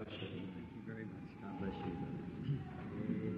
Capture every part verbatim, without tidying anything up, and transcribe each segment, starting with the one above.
Thank you very much. God bless you, brother.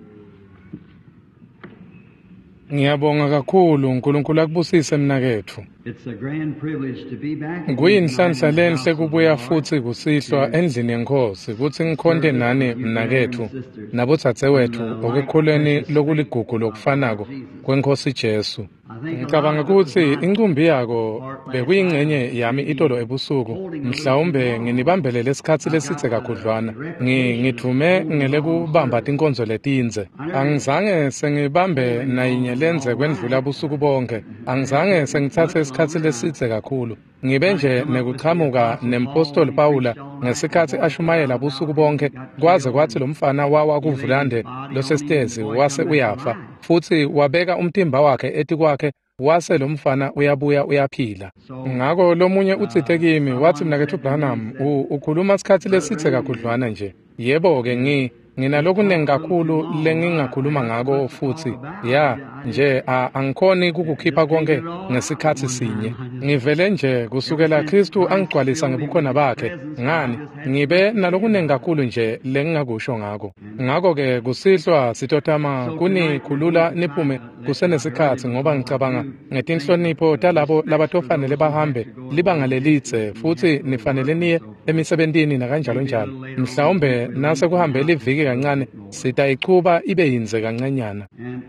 Ngiyabonga kakhulu uNkulunkulu akubusise mnaketfu. It's a grand privilege to be back again Kuyinhlanhla tonight in the lenhle house of the kubuya Lord futsi kusihlwa to endlini yenkosi kutsi ngikhonte serve nani with you brethren and mnaketfu sisters nabodzadzewetfu in the like ekukholweni precious faith lokuligugu of our lokufanako Lord Jesus. kwenkosi Jesu. I think a lot Ngicabanga of it was kutsi my incumbi yako part last night, bekuyingcenye yami maybe itolo ebusuku, holding a little too mhlawumbe long. nginibambelele isikhatsi I've lesidze got the kakhudlwana. Ngi reputation of ngidvume holding long ngelekubamba service. tinkonzo letindze. I never Angizange sengibambe holding nayinye long lenze all kwendlula night. busuku bonke. Angizange Had sengitsatse much isikhatsi longer. I lesidze kakhulu. Ngibe might nje come up with the nekuchamuka Apostle Paul nempostoli when he Pawula preached all night and the ngesikhatsi boy fell ashumayela out of busuku the bonke got kwaze killed kwatsi and lo mfana wawa he laid his kuvulande body on him and the losesitezi boy wase come back uyafa alive. futsi wabeka umtimba wakhe etikwakhe wase lo mfana uyabuya uyaphila. So Ngako lomunye utsite uh, kimi watsi someone mnaketfu said to me, Branham said, u- ukhuluma sikhatsi Brother lesidze Branham, you, kakhudlwana nje. Yebo-ke ngi you nginalokunengi talk a little too kakhulu long. I, I lengingakhuluma got so ngako much to talk futsi about. ya I, I just, nje a- angikhoni kukukhipha just can't get konke it all out at ngesikhatsi one sinye. time. I just, Ngivele nje ever kusukela since Khristu Christ angigcwalisa filled me with ngebukhona his bakhe presence, I ngani just had so ngibe much to say nalokunengi about it. kakhulu nje lengingakusho ngako. And Ngako-ke kusihlwa sitotama so tonight we're going kunikhulula to try niphume to let you hurry kusenesikhatsi ngoba because I ngicabanga do think ngetinhlonipho uh, talabo respect for labatofanele those who have bahambe to go a libanga long lelidze distance and have futsi to go to nifanele work and niye so forth. emisebentini nakanjalo Maybe a njalo. little later on this Mhlawumbe week we'll nase lengthen kuhambe out just liviki a little kancane bit more. sitayichuba ibe yindze kancanyana. And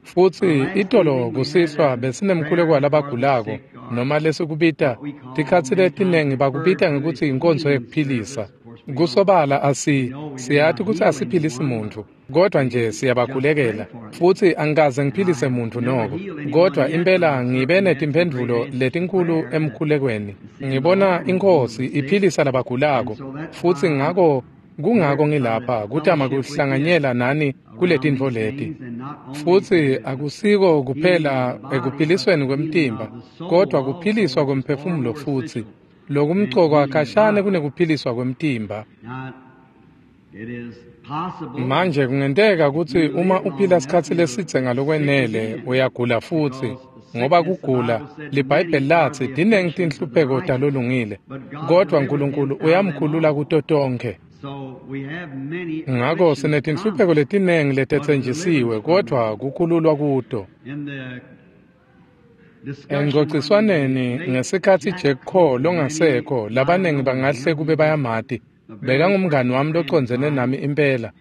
Futsi our last itolo evening we had kusihlwa a besinemkhuleko prayer for the walabagulako sick, or noma lesikubita what we call tikhatsi many times letinengi bakubita referred to ngekutsi as inkonzo healing yekuphilisa. service. Of course, we don't, Kusobala we asi know we do siyati not kutsi heal asiphilisi anyone, but muntfu kodwa nje we just pray siyabakhulekela for them. futsi angikaze And I ngiphilise have muntfu never noko healed anyone kodwa yet, but impela I've ngibe certainly had some great netimphendvulo answers to letinkulu prayer that emkhulekweni. seeing the Ngibona Lord heal the inkosi sick. iphilisa And labagulako so that's futsi why I'm ngako kungako here to try to ngilapha kutama fellowship with you kuhlanganyela nani around kuletintfo these leti. things, and not only Futsi to the akusiko healing of kuphela the body, but ekuphilisweni the healing kwemtimba of the soul kodwa also, kuphiliswa which is far kwemphefumulo more futsi essential than lokumcoka healing the khashane body. kunekuphiliswa kwemtimba. Now, it is possible that Manje kungenteka if kutsi you uma live long uphila enough, sikhatsi you'll lesidze sick ngalokwenele again. uyagula futsi Because the ngoba sickness, the kugula Bible said, liBhayibheli many are latsi the tinengi afflictions of the tinhlupheko righteous, talolungile but God kodwa delivereth him uNkulunkulu out of them uyamkhulula all. kuto tonkhe. So we have many Ngako afflictions sinetinhlupheko promised, letinengi but letetsenjisiwe deliverance from them. kodwa kukhululwa kuto. In the discussion when Engcociswaneni late ngesikhatsi Jack Jack Coe Coe, many longasekho might labaningi know bangahle him, kube he was bayamati a very bekangumngani personal wami friend of locondzene mine. nami impela.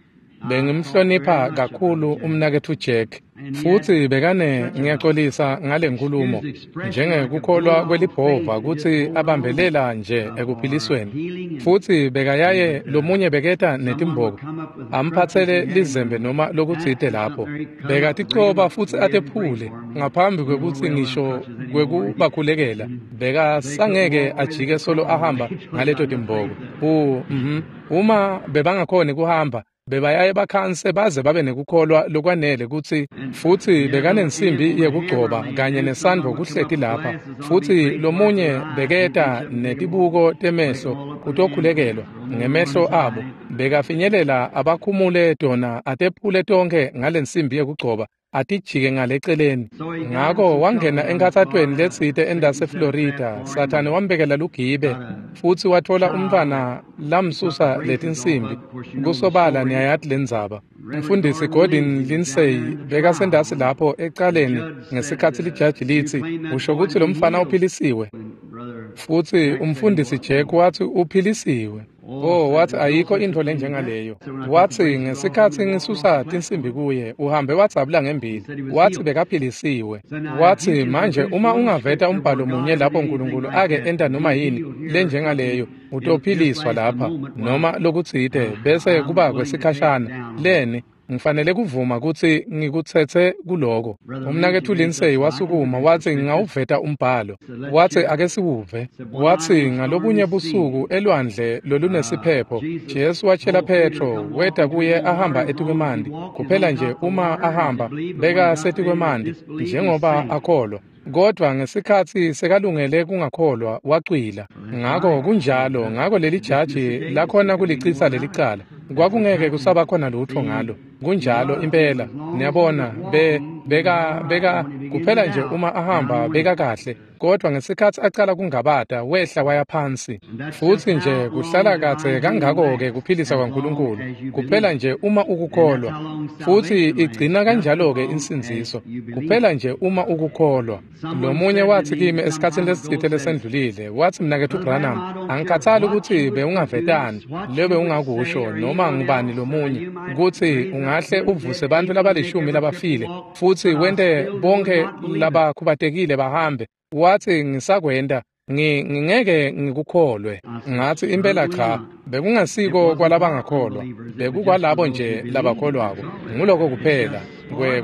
I thought very Bengimhlonipha much of Brother kakhulu Jack. umnaketfu Jack And he had futsi bekane such a, ngiyaxolisa ngale nkulumo excuse the expression, like a njengekukholwa bulldog kwelibhova faith to just kutsi hold on abambelela nje uh, for ekuphilisweni. healing. And, Futsi bekayaye and uh, lomunye beketa someone would netimboko come up with the crutches amphatsele and had him lizembe to noma lokutsite act or lapho. something, or he'd come up and bring him Bekaticoba a futsi we didn't pray atephule for him. ngaphambi We don't kwekutsi wear our ngisho crutches anymore. kwekubakhulekela They couldn't bekasangeke walk away ajike with the solo crawl. ahamba They put ngaleto on the timboko. faith U mhm uma bebangakhoni kuhamba bebayaye bakhanse baze babe nekukholwa lokwanele kutsi And futsi he had a little bekanensimbi anvil and hammer yekugcoba laying kanye there. nesandvo Someone would come kuhleti up with lapha glasses on. He'd futsi pray for it with lomunye their eyes. He'd reach beketa up and take 'em off, netibuko break 'em temehlo all up with an anvil, kutokhulekelwa throw 'em over on ngemehlo his abo eye. bekafinyelela abakhumule tona atephule tonkhe ngalensimbi yekugcoba atijike ngaleceleni. So he got in Ngako some trouble wangena down in enkhatsatweni Florida. letsite Satan set a trap endase-Florida. for him Sathane and wambekela lugibe got a futsi watfola child that umntfwana he took the lamsusa braces off letinsimbi. of. Of course, you know the Kusobala story. niyayati lendzaba. Reverend Umfundisi Gordon Gordon Lindsay was down Lindsay there in the bekasendasi trial. lapho The ecaleni judge said, ngesikhatsi uh, lijaji "You litsi claim that usho boy kutsi to lo be mfana healed." uphilisiwe. And Brother Futsi Jack said he umfundisi was. Jack watsi uphilisiwe. Oh, Oh, said wathi there's no ayikho such a intfo thing as that. lenjengaleyo. So when I took the Watsi braces off him ngesikhatsi and walked off the ngisusa platform, tinsimbi kuye uhambe wadzabula he ngembili. said he was Watsi healed. bekaphilisiwe. So now, if you Watsi can manje produce uma one ungaveta scripture where umbhalo God munye did lapho anything uNkulunkulu like ake that, enta to be noma yini healed here or lenjengaleyo something, in just utophiliswa last a lapha moment, why, noma lokutsite uh, bese I'm kuba willing to take it kwesikhashana down on leni ngifanele kuvuma kutsi ngikutsetse kuloko. Brother Umnaketfu Lindsay raised up, Lindsay so I can wasukuma produce the watsi scripture. ngingawuveta umbhalo. So let's Watsi hear it. ake siwuve. Said one night Watsi on a stormy ngalobunye sea, busuku elwandle uh, lolunesiphepho Jesus Jesu watshela told Peter to Petro come weta walking to kuye him on the water. ahamba As long as he etikwemanti. walked is Kuphela on nje top of the uma water, he should ahamba believe, but when he beka got ready to setikwemanti disbelieve, he njengoba sank. akholwa. Kodwa ngesikhatsi sekalungele kungakholwa wacwila. Well, that's Ngako right. kunjalo That's ngako leli to dismiss jaji the case. lakhona There couldn't be kulicitsa more about leli it. cala. That's Kwakungeke exactly. kusaba khona lutfo See, ngalo. he Kunjalo was. impela. As long as he was Niyabona be walking, he was beka all right. beka But when he Kuphela nje uma ahamba beka kahle, kodwa ngesikhatsi acala kungabata wehla waya phansi. Futsi nje kuhlala kadze kangako-ke kuphilisa kwaNkulunkulu, kuphela nje uma ukukholwa. Futsi igcina kanjalo-ke insindziso, kuphela nje uma ukukholwa. Lomunye watsi kimi esikhatsini lesitsite lesendlulile, watsi mnaketfu Branham, angikhathali kutsi bewungavetani, lebe ungakusho noma ngubani lomunye, kutsi ungahle uvuse bantfu labalishumi labafile, futsi wente bonke labakhubatekile bahambe. Watsi ngisakwenta, ngingeke ngikukholwe. Ngatsi impela cha, bekungasiko kwalabangakholwa, bekukwalabo nje labakholwako. Nguloko kuphela,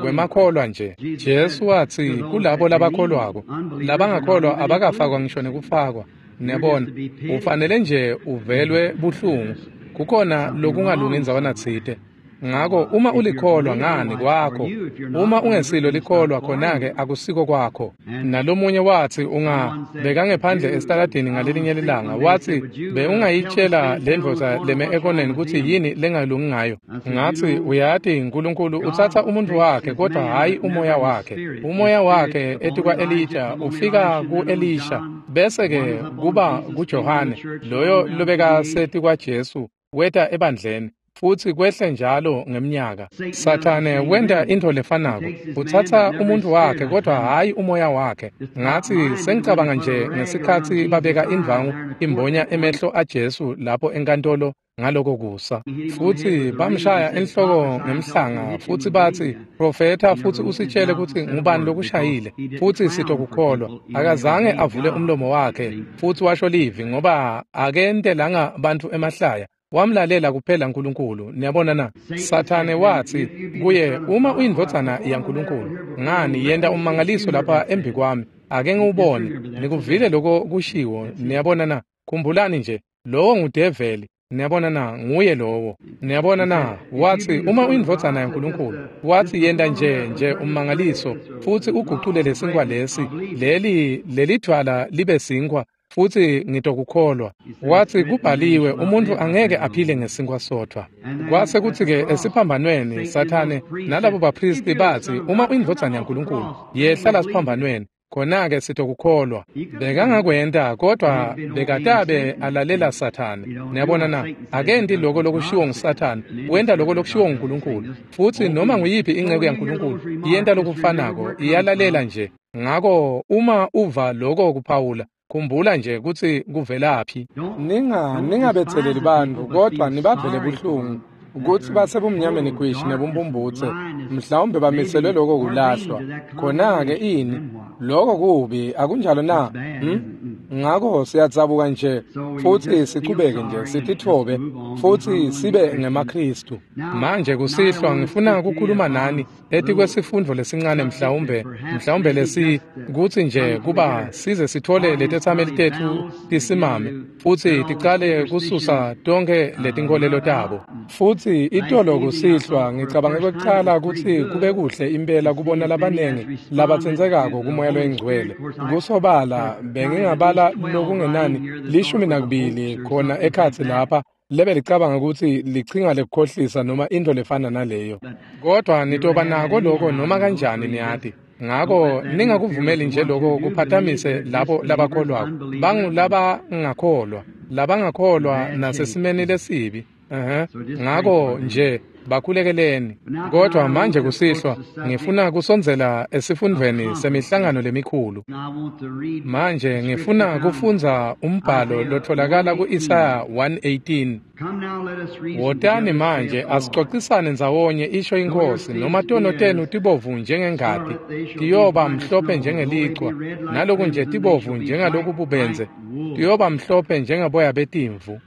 kwemakholwa nje. Jesu watsi kulabo labakholwako, labangakholwa abakafakwa ngisho nekufakwa. Niyabona, ufanele nje uvelwe buhlungu. Kukhona lokungalungi indzawana tsite. Ngako uma ulikholwa ngani kwakho, uma ungesilo likholwa khona-ke akusiko kwakho. Nalomunye watsi unga bekangephandle esitaladini ngalelinye lilanga, watsi bewungayitshela lendvodza leme ekoneni kutsi yini lengalungi ngayo. Ngatsi uyati uNkulunkulu utsatsa umuntfu wakhe kodwa hhayi umoya wakhe. Umoya wakhe etikwa Elija ufika ku-Elisha, bese-ke kuba kuJohane loyo lobekasetikwa Jesu weta ebandleni. Futsi kwehle njalo ngemnyaka. Sathane wenta intfo lefanako, utsatsa umuntfu wakhe kodwa hhayi umoya wakhe. Ngatsi sengicabanga nje ngesikhatsi babeka indvwangu imbonya emehlo aJesu lapho enkantolo ngaloko kusa. Futsi bamshaya enhloko ngemhlanga futsi batsi, "Profetha futsi usitshele kutsi ngubani lokushayile, futsi sitokukholwa." Akazange avule umlomo wakhe futsi washo livi ngoba akentelanga bantfu emahlaya. Wamlalela kuphela uNkulunkulu. Niyabona na? Sathane watsi kuye, uma uyindvodzana yaNkulunkulu, ngani yenta ummangaliso lapha embi kwami, ake ngiwubone. Nikuvile loko kushiwo. Niyabona na? Khumbulani nje, lowo ngudeveli. Niyabona na? Nguye lowo. Niyabona na? Watsi uma uyindvodzana yaNkulunkulu, watsi yenta nje nje ummangaliso futsi ugucule lesinkwa lesi, leli lelidvwala libe sinkwa, futsi ngitokukholwa. Watsi kubhaliwe, umuntfu angeke aphile ngesinkwa sodvwa. Kwase kutsi-ke esiphambanweni Sathane nalabo baphristi batsi, uma uyindvodzana yaNkulunkulu, yehla lasiphambanweni, khona-ke sitokukholwa. Bekangakwenta, kodwa bekatabe alalela Sathane. Niyabona na? Akenti loko lokushiwo nguSathane, wenta loko lokushiwo nguNkulunkulu. Futsi noma nguyiphi inceku yaNkulunkulu iyenta lokufanako, iyalalela nje. Ngako uma uva loko kuphawula, khumbula nje kutsi kuvelaphi. Ninga ningabetheleli bantfu, kodwa nibavele buhlungu kutsi basebumnyameni gwishi nebumbumbutse, mhlawumbe bamiselwe loko kulahlwa. Khona-ke ini? Loko kubi, akunjalo na? Hmm? Ngako siyadzabuka nje futsi sichubeke nje sititfobe futsi sibe ngemaKhristu. Manje kusihlwa ngifuna kukhuluma nani etikwesifundvo lesincane, mhlawumbe mhlawumbe lesi kutsi nje kuba size sithole letetsameli tetfu tisimame futsi ticale kususa tonkhe letinkholelo tabo. Futsi itolo kusihlwa ngicabange kwekucala kutsi kube kuhle impela kubona labanengi labatsintsekako kumoya loyingcwele. Kusobala bengingabala lokungenani lishumi nakubili khona ekhatsi lapha lebe licabanga kutsi lichinga lekukhohlisa noma intfo lefana naleyo. Kodwa nitoba nako loko noma kanjani, niyati. Ngako ningakuvumeli nje loko kuphatamise labo labakholwako. Bangulabangakholwa, labangakholwa nasesimeni lesibi. Uh-huh. Ngako nje bakhulekeleni. Kodwa manje kusihlwa ngifuna kusondzela esifundvweni semihlangano lemikhulu. Manje ngifuna kufundza umbhalo lotholakala ku-Isaya one eighteen. Wotani manje asixoxisane ndzawonye, isho iNkhosi, noma tono tenu tibovu njengengati, tiyoba mhlophe njengelichwa, naloku nje tibovu njengaloku bubenze, tiyoba mhlophe njengeboya betimvu.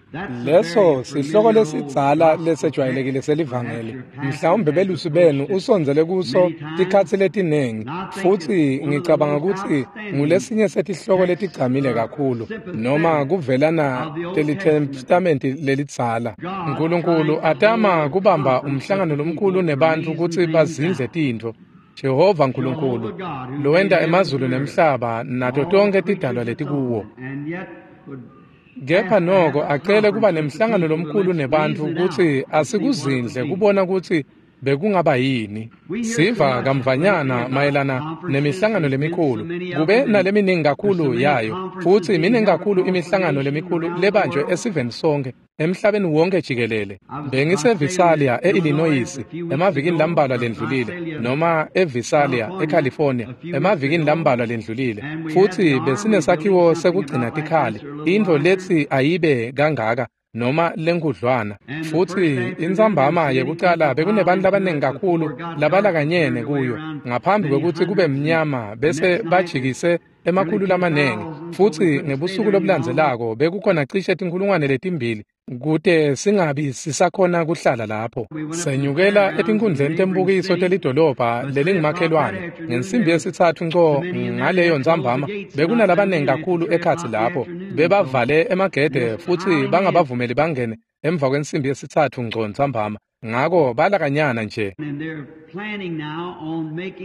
Leso sihloko lesidzala lesejwayelekile selivangeli. Mhlawumbe belusi benu usondzele kuso tikhatsi letinengi, futsi ngicabanga kutsi ngulesinye setihloko letigcamile kakhulu noma kuvelana telitestamenti lelidzala. Nkulunkulu atama kubamba umhlangano lomkhulu nebantfu kutsi bazindle tintfo. Jehova Nkulunkulu lowenta emazulu nemhlaba nato tonkhe tidalwa letikuwo. Kepha noko acele kuba nemhlangano lomkhulu nebantfu kutsi asikuzindle kubona kutsi bekungaba yini. Siva kamvanyana mayelana nemihlangano lemikhulu, kube naleminingi kakhulu yayo, futsi miningi kakhulu imihlangano lemikhulu lebanjwe esiveni sonke emhlabeni wonke jikelele. BengiseVisalia e-Illinois emavikini lambalwa lendlulile, noma eVisalia eCalifornia emavikini lambalwa lendlulile, futsi besinesakhiwo sekugcina tikhali, intfo letsi ayibe kangaka noma lenkudlwana. Futsi intsambama yekucala bekunebantu labaningi kakhulu labalakanyene kuyo ngaphambi kwekutsi kube mnyama, bese bajikise emakhulu lamanengi. Futsi ngebusuku lobulandzelako bekukhona cishe tinkhulungwane letimbili kute singabi sisakhona kuhlala lapho. Senyukela etinkundleni tembukiso telidolobha lelingumakhelwane ngensimbi yesitsatfu nco ngaleyo ntsambama. Bekunalabanengi kakhulu ekhatsi lapho, bebavale emagede futsi bangabavumeli bangene emva kwensimbi yesitsatfu nco ntsambama, ngako balakanyana nje.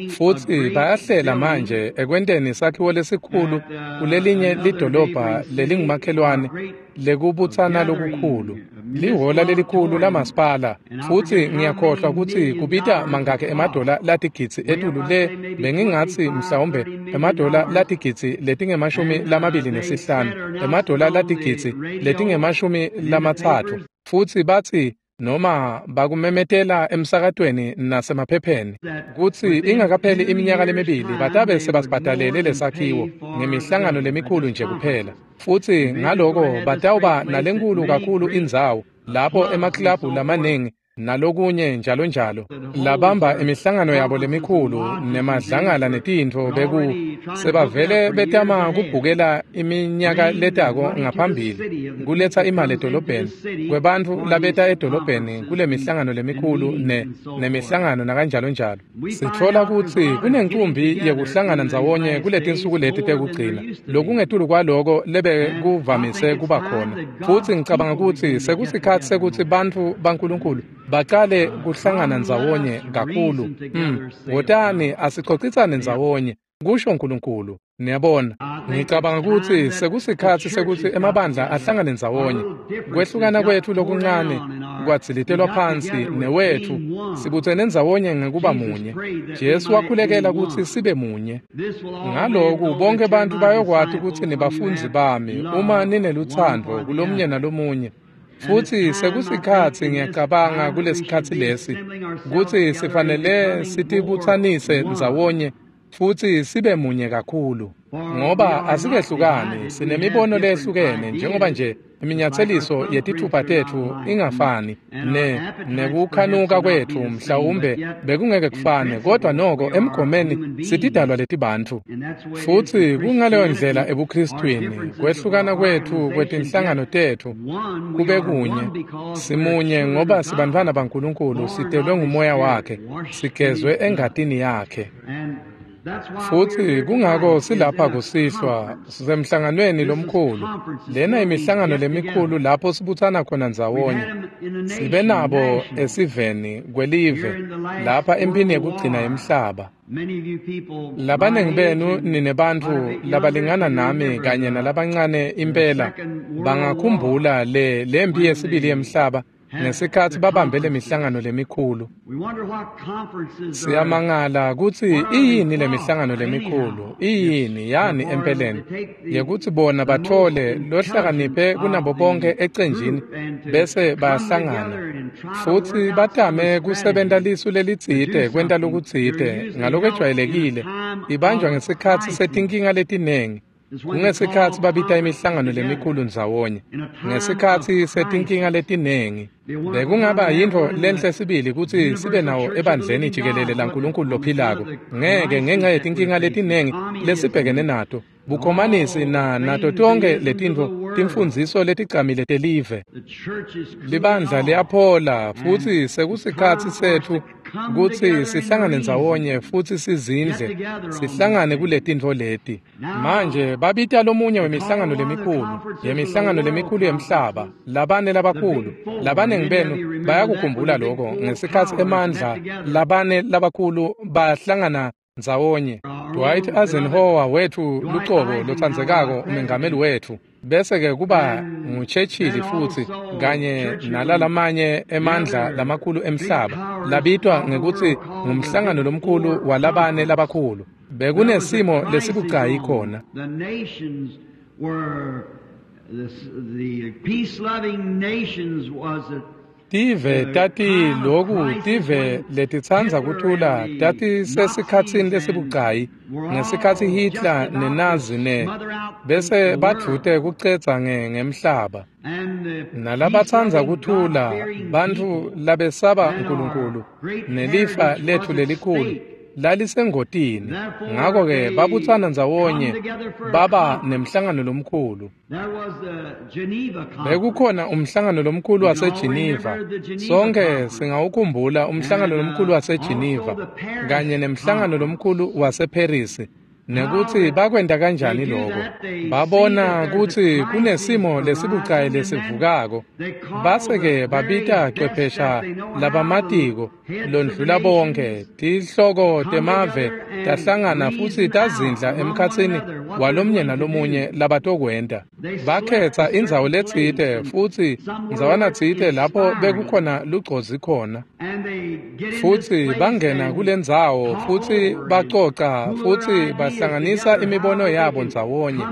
Futsi bayahlela manje ekwenteni sakhiwo lesikhulu kulelinye lidolobha lelingumakhelwane lekubutsana lokukhulu, lihola lelikhulu lamasipala. Futsi ngiyakhohlwa kutsi kubita mangakhi emadola latigidzi etulu le, bengingatsi mhlawumbe emadola latigidzi letingemashumi lamabili nesihlanu, emadola latigidzi letingemashumi lamatsatfu. Futsi batsi noma bakumemetela emsakatweni nasemaphepheni kutsi ingakapheli iminyaka lemibili batabe sebasibhadalele lesakhiwo ngemihlangano lemikhulu nje kuphela. Futsi ngaloko batawuba nalenkulu kakhulu indzawo lapho emaklabhu lamaningi nalokunye njalo njalo labamba imihlangano yabo lemikhulu nemadlangala netintfo beku sebavele betama kubhukela iminyaka letako ngaphambili kuletsa imali edolobheni kwebantfu labeta edolobheni kule mihlangano lemikhulu ne nemihlangano nakanjalo njalo. Sitfola kutsi kunencumbi yekuhlangana ndzawonye kuletinsuku leti tekugcina lokungetulu kwaloko lebekuvamise kuba khona. Futsi ngicabanga kutsi sekusikhatsi sekutsi bantfu baNkulunkulu bacale kuhlangana ndzawonye kakhulu. Mm. Wotani asicocisane ndzawonye, kusho Nkulunkulu. Niyabona, ngicabanga kutsi sekusikhatsi sekutsi emabandla ahlangane ndzawonye. Kwehlukana kwetfu lokuncane kwadzilitelwa phansi newetfu sibutsene ndzawonye ngekuba munye. Jesu wakhulekela kutsi sibe munye. Ngaloku bonke bantfu bayokwati kutsi nibafundzi bami uma ninelutsandvo kulomunye nalomunye. Futsi sekusikhatsi ngiyacabanga kulesikhatsi lesi kutsi sifanele sitibutsanise ndzawonye futsi sibe munye kakhulu, ngoba asikehlukani, sinemibono lehlukene njengoba nje iminyatseliso yetithupha tetfu ingafani ne nekukhanuka kwetfu mhlawumbe bekungeke kufane, kodwa noko emgomeni sitidalwa letibantfu. Futsi kungaleyo ndlela ebuKristwini kwehlukana kwetfu kwetinhlangano tetfu kube kunye. Simunye ngoba sibantfwana baNkulunkulu, sitelwe ngumoya wakhe, sigezwe engatini yakhe. Futsi kungako silapha kusihlwa sisemhlanganweni lomkhulu. Lena imihlangano lemikhulu lapho sibutsana khona ndzawonye. Sibe nabo esiveni kwelive lapha emphini yekugcina yemhlaba. Labanengi benu ninebantfu labalingana nami kanye nalabancane impela bangakhumbula le lempi yesibili yemhlaba ngesikhatsi babambe lemihlangano lemikhulu. Siyamangala kutsi iyini lemihlangano lemikhulu, iyini yani empeleni yekutsi bona bathole lohlakaniphe kunabo bonke ecenjini bese bayahlangana futsi batame kusebenta lisu lelitsite kwenta lokutsite ngalokwejwayelekile ibanjwa ngesikhatsi setinkinga letinengi. Kungesikhatsi babita imihlangano lemikhulu ndzawonye ngesikhatsi setinkinga letinengi. Bekungaba yintfo lenhle sibili kutsi sibe nawo ebandleni jikelele laNkulunkulu lophilako, ngeke ngenxa yetinkinga letinengi lesibhekene nato, bukhomanisi na nato tonke letintfo, timfundziso letigcamile telive. Libandla liyaphola futsi sekusikhatsi setfu kutsi sihlangane ndzawonye futsi sizindle, sihlangane kuletintfo leti. Manje babita lomunye wemihlangano lemikhulu, yemihlangano lemikhulu yemhlaba, labane labakhulu, labanengi benu bayakukhumbula lokho ngesikhatsi emandla labane labakhulu bahlangana ndzawonye. Dwight Eisenhower wethu lucobo lotsandzekako umengameli wetfu Bese-ke kuba nguChurchill futsi kanye nalalamanye emandla lamakhulu emhlaba labitwa ngekutsi ngumhlangano lomkhulu walabane labakhulu. Bekunesimo lesibucayi khona. Tive tati loku tive letitsandza kuthula tati sesikhatsini lesibucayi ngesikhatsi Hitler neNazi ne bese badvute kucedza ngemhlaba. Nalabatsandza kuthula bantfu labesaba uNkulunkulu nelifa letfu lelikhulu lalisengotini. Ngakho-ke babutsana ndzawonye baba nemhlangano lomkhulu. Bekukhona umhlangano lomkhulu waseGeneva. Sonke singawukhumbula umhlangano lomkhulu waseGeneva kanye nemhlangano lomkhulu waseParis, nekutsi bakwenta kanjani lokho. Babona kutsi kunesimo lesibucayi lesivukako, base-ke babita chwephesha labamatiko londlula bonke. Tihloko temave tahlangana futsi tazindla emkhatsini walomnye nalomunye labatokwenta. Bakhetsa indzawo letsite futsi ndzawana tsite lapho bekukhona lugcozi khona, futsi bangena kulendzawo futsi bacoca futsi bahlanganisa imibono yabo ndzawonye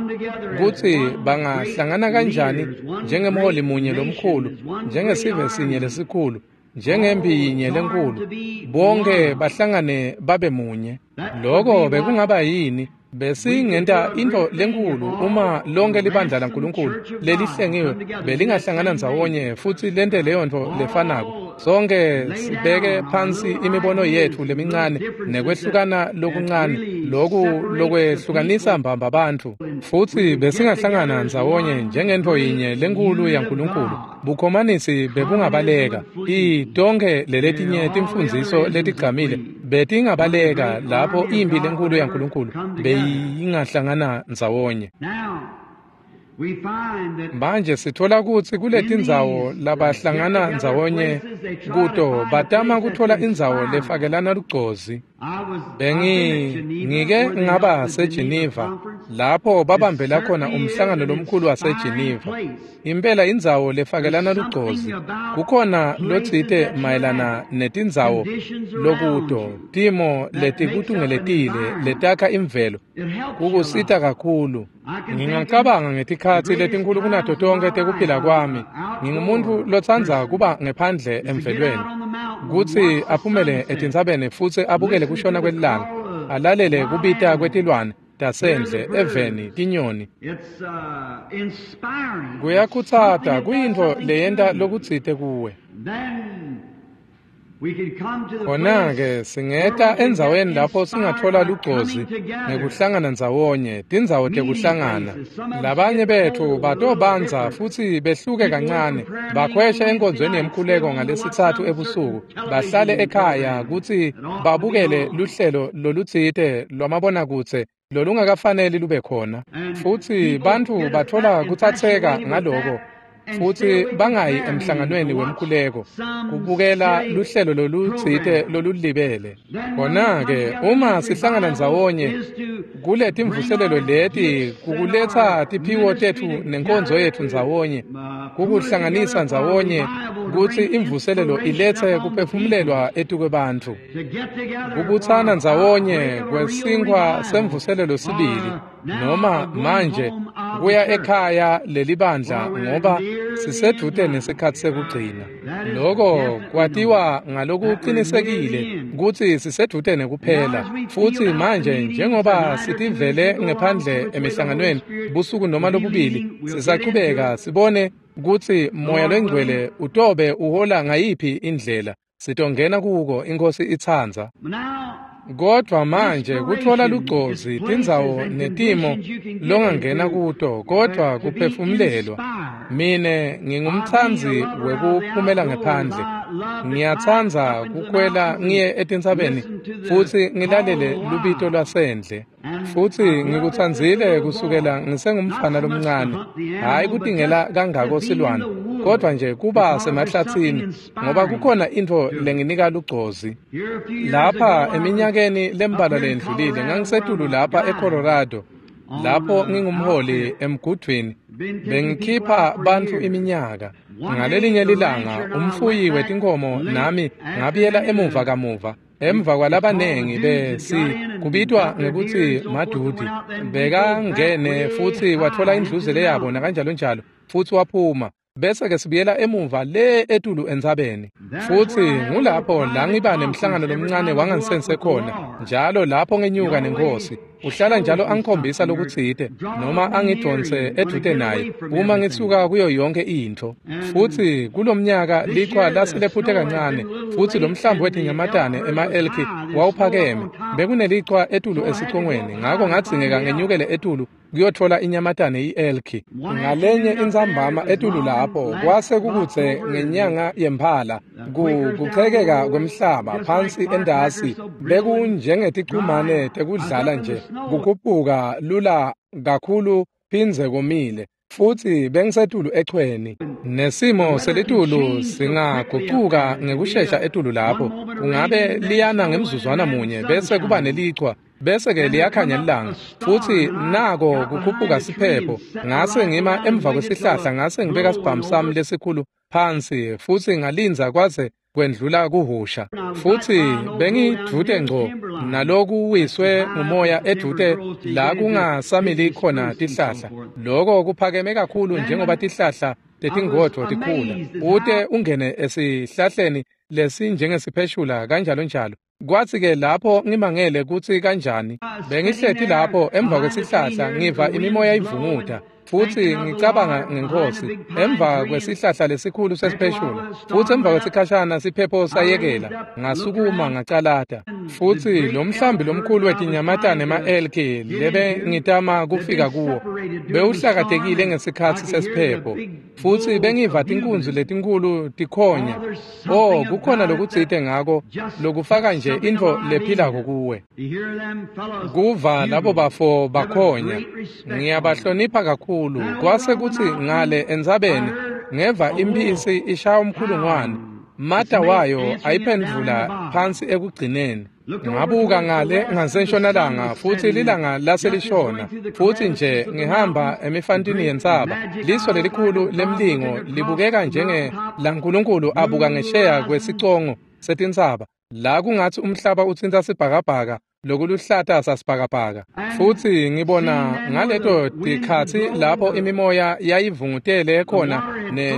kutsi bangahlangana kanjani njengemholi munye lomkhulu, njengesive sinye lesikhulu, njengempi yinye lenkulu, bonke bahlangane babe munye. Lokho bekungaba yini? Besingenta into lenkulu uma lonke libandla laNkulunkulu lelihlengiwe belingahlangana ndzawonye futsi lente leyo nto lefanako. Sonke sibeke phansi imibono yetfu lemincane nekwehlukana lokuncane loku lokwehlukanisa mbamba bantfu, futsi besingahlangana ndzawonye njengentfo yinye lenkulu yaNkulunkulu. Bukhomanisi bebungabaleka. Tonke leletinye timfundziso letigcamile betingabaleka lapho impi lenkulu yaNkulunkulu beyingahlangana ndzawonye. Manje sithola kutsi kuletindzawo labahlangana ndzawonye kuto batama kuthola indzawo lefakelana lugcozi. Bengi ngike ngaba seGeneva lapho babambela khona umhlangano lomkhulu waseGeneva. Impela indzawo lefakelana lugcozi. Kukhona lotsite mayelana netindzawo lokuto timo letikutungeletile letakha imvelo kukusita kakhulu. Ngingacabanga ngetikhatsi letinkhulu kunato tonkhe tekuphila kwami. Ngingumuntu lotsandza kuba ngephandle emvelweni, kutsi aphumele etintsabeni futsi abukele kushona kwelilanga, alalele kubita kwetilwane tasendle, eveni, tinyoni. Kuyakhutsata, kuyintfo leyenta lokutsite kuwe. Khona-ke singeta endzaweni lapho singathola lugcozi ngekuhlangana ndzawonye, tindzawo tekuhlangana. Labanye betfu batobandza futsi behluke kancane, bakhweshe enkonzweni yemkhuleko ngalesitsatfu ebusuku, bahlale ekhaya kutsi babukele luhlelo lolutsite lwamabonakudze lolungakafaneli lube khona. Futsi bantfu batfola kutsatseka ngaloko futsi bangayi emhlanganweni wemkhuleko kubukela luhlelo lolutsite lolulibele. Khona-ke uma sihlangana ndzawonye kuletimvuselelo leti kukuletsa tiphiwo tetfu nenkonzo yetfu ndzawonye, kukuhlanganisa ndzawonye kutsi imvuselelo iletse kuphefumulelwa etukwebantfu. Kubutsana ndzawonye kwesinkhwa semvuselelo sibili, noma manje kuya ekhaya lelibandla ngoba sisedvute nesikhatsi sekugcina. Loko kwatiwa ngalokuqinisekile kutsi sisedvute nekuphela. Futsi manje njengoba sitivele ngephandle emihlanganweni busuku noma lobubili, sisachubeka sibone kutsi Moya Longcwele utobe uhola ngayiphi indlela. Sitongena kuko iNkhosi itsandza. Kodvwa manje kutfola lugcozi tindzawo netimo longangena kuto, kodvwa kuphefumulelwa. Mine ngingumtsandzi wekuphumela ngephandle. Ngiyatsandza kukhwela ngiye etintsabeni futsi ngilalele lubito lwasendle. Futsi ngikutsandzile kusukela ngisengumfana lomncane, hhayi kutingela kangako silwane, kodvwa nje kuba semahlatsini ngoba kukhona intfo lenginika lugcozi. Lapha eminyakeni lembalwa lendlulile ngangisetulu lapha eColorado, lapho ngingumholi emgudvwini Bengikhipha bantfu iminyaka. Ngalelinye lilanga umfuyi wetinkomo nami ngabuyela emuva kamuva. Emva kwalabanengi besi kubitwa ngekutsi madudi bekangene futsi watfola indluzele yabo nakanjalo njalo futsi waphuma bese ke sibuyela emuva le etulu entsabeni futsi ngulapho la ngiba nemhlangano lomncane wangansense khona njalo lapho ngenyuka nenkosi uhlala njalo angikhombisa lokutsite noma angidonse edvute naye uma ngisuka kuyo yonke intfo futsi kulomnyaka lichwa laselephute kancane futsi lo mhlambi wetinyamatane ema-elki wawuphakeme bekunelichwa etulu esicongweni ngako ngadzingeka ngenyukele etulu kuyotfola inyamatane i-elki ngalenye intsambama etulu lapho kwase kukutse ngenyanga yemphala kuchekeka kwemhlaba phansi endasi bekunjengeticumane tekudlala nje kukhuphuka lula kakhulu phindze komile futsi bengisetulu echweni nesimo selitulu singagucuka ngekushesha etulu lapho kungabe liyana ngemzuzwana munye bese kuba nelichwa bese ke liyakhanya ilanga futsi nako kukhuphuka siphepho ngase ngima emva kwesihlahla ngase ngibeka sibhamu sami lesikhulu phansi futsi ngalinza kwaze kwendlula kuhusha futsi bengidvute ngco nalokuwiswe ngumoya edvute la kungasamili khona tihlahla loko kuphakeme kakhulu njengoba tihlahla tetingodvo tikhula ute ungene esihlahleni lesinjengesipheshula kanjalo njalo Kwatsi ke lapho ngimangele kutsi kanjani bengihleti lapho emva kwesihlahla ngiva imimoya ivunguta futsi ngicabanga ngenkosi emva kwesihlahla lesikhulu sesipheshula futsi emva kwesikhashana siphepho sayekela ngasukuma ngacalata futsi lo mhlambi lomkhulu wetinyamatane ema-elki lebe ngitama kufika kuwo bewuhlakatekile ngesikhatsi sesiphepho futsi bengiva tinkunzi letinkulu tikhonya oh kukhona lokutsite ngako lokufaka nje intfo lephilako kuwe kuva labo bafo bakhonya ngiyabahlonipha kakhulu kwase kutsi ngale entsabeni ngeva imphisi ishaya umkhulungwane mata wayo ayiphendvula phansi ekugcineni ngabuka ngale ngasentshonalanga futsi lilanga laselishona futsi nje ngihamba emifantini yentsaba liso lelikhulu lemlingo libukeka njenge laNkulunkulu abuka ngesheya kwesicongo setintsaba la kungatsi umhlaba utsintsa sibhakabhaka lokuluhlata sasibhakabhaka futsi ngibona ngaleto tikhatsi lapho imimoya yayivungutele khona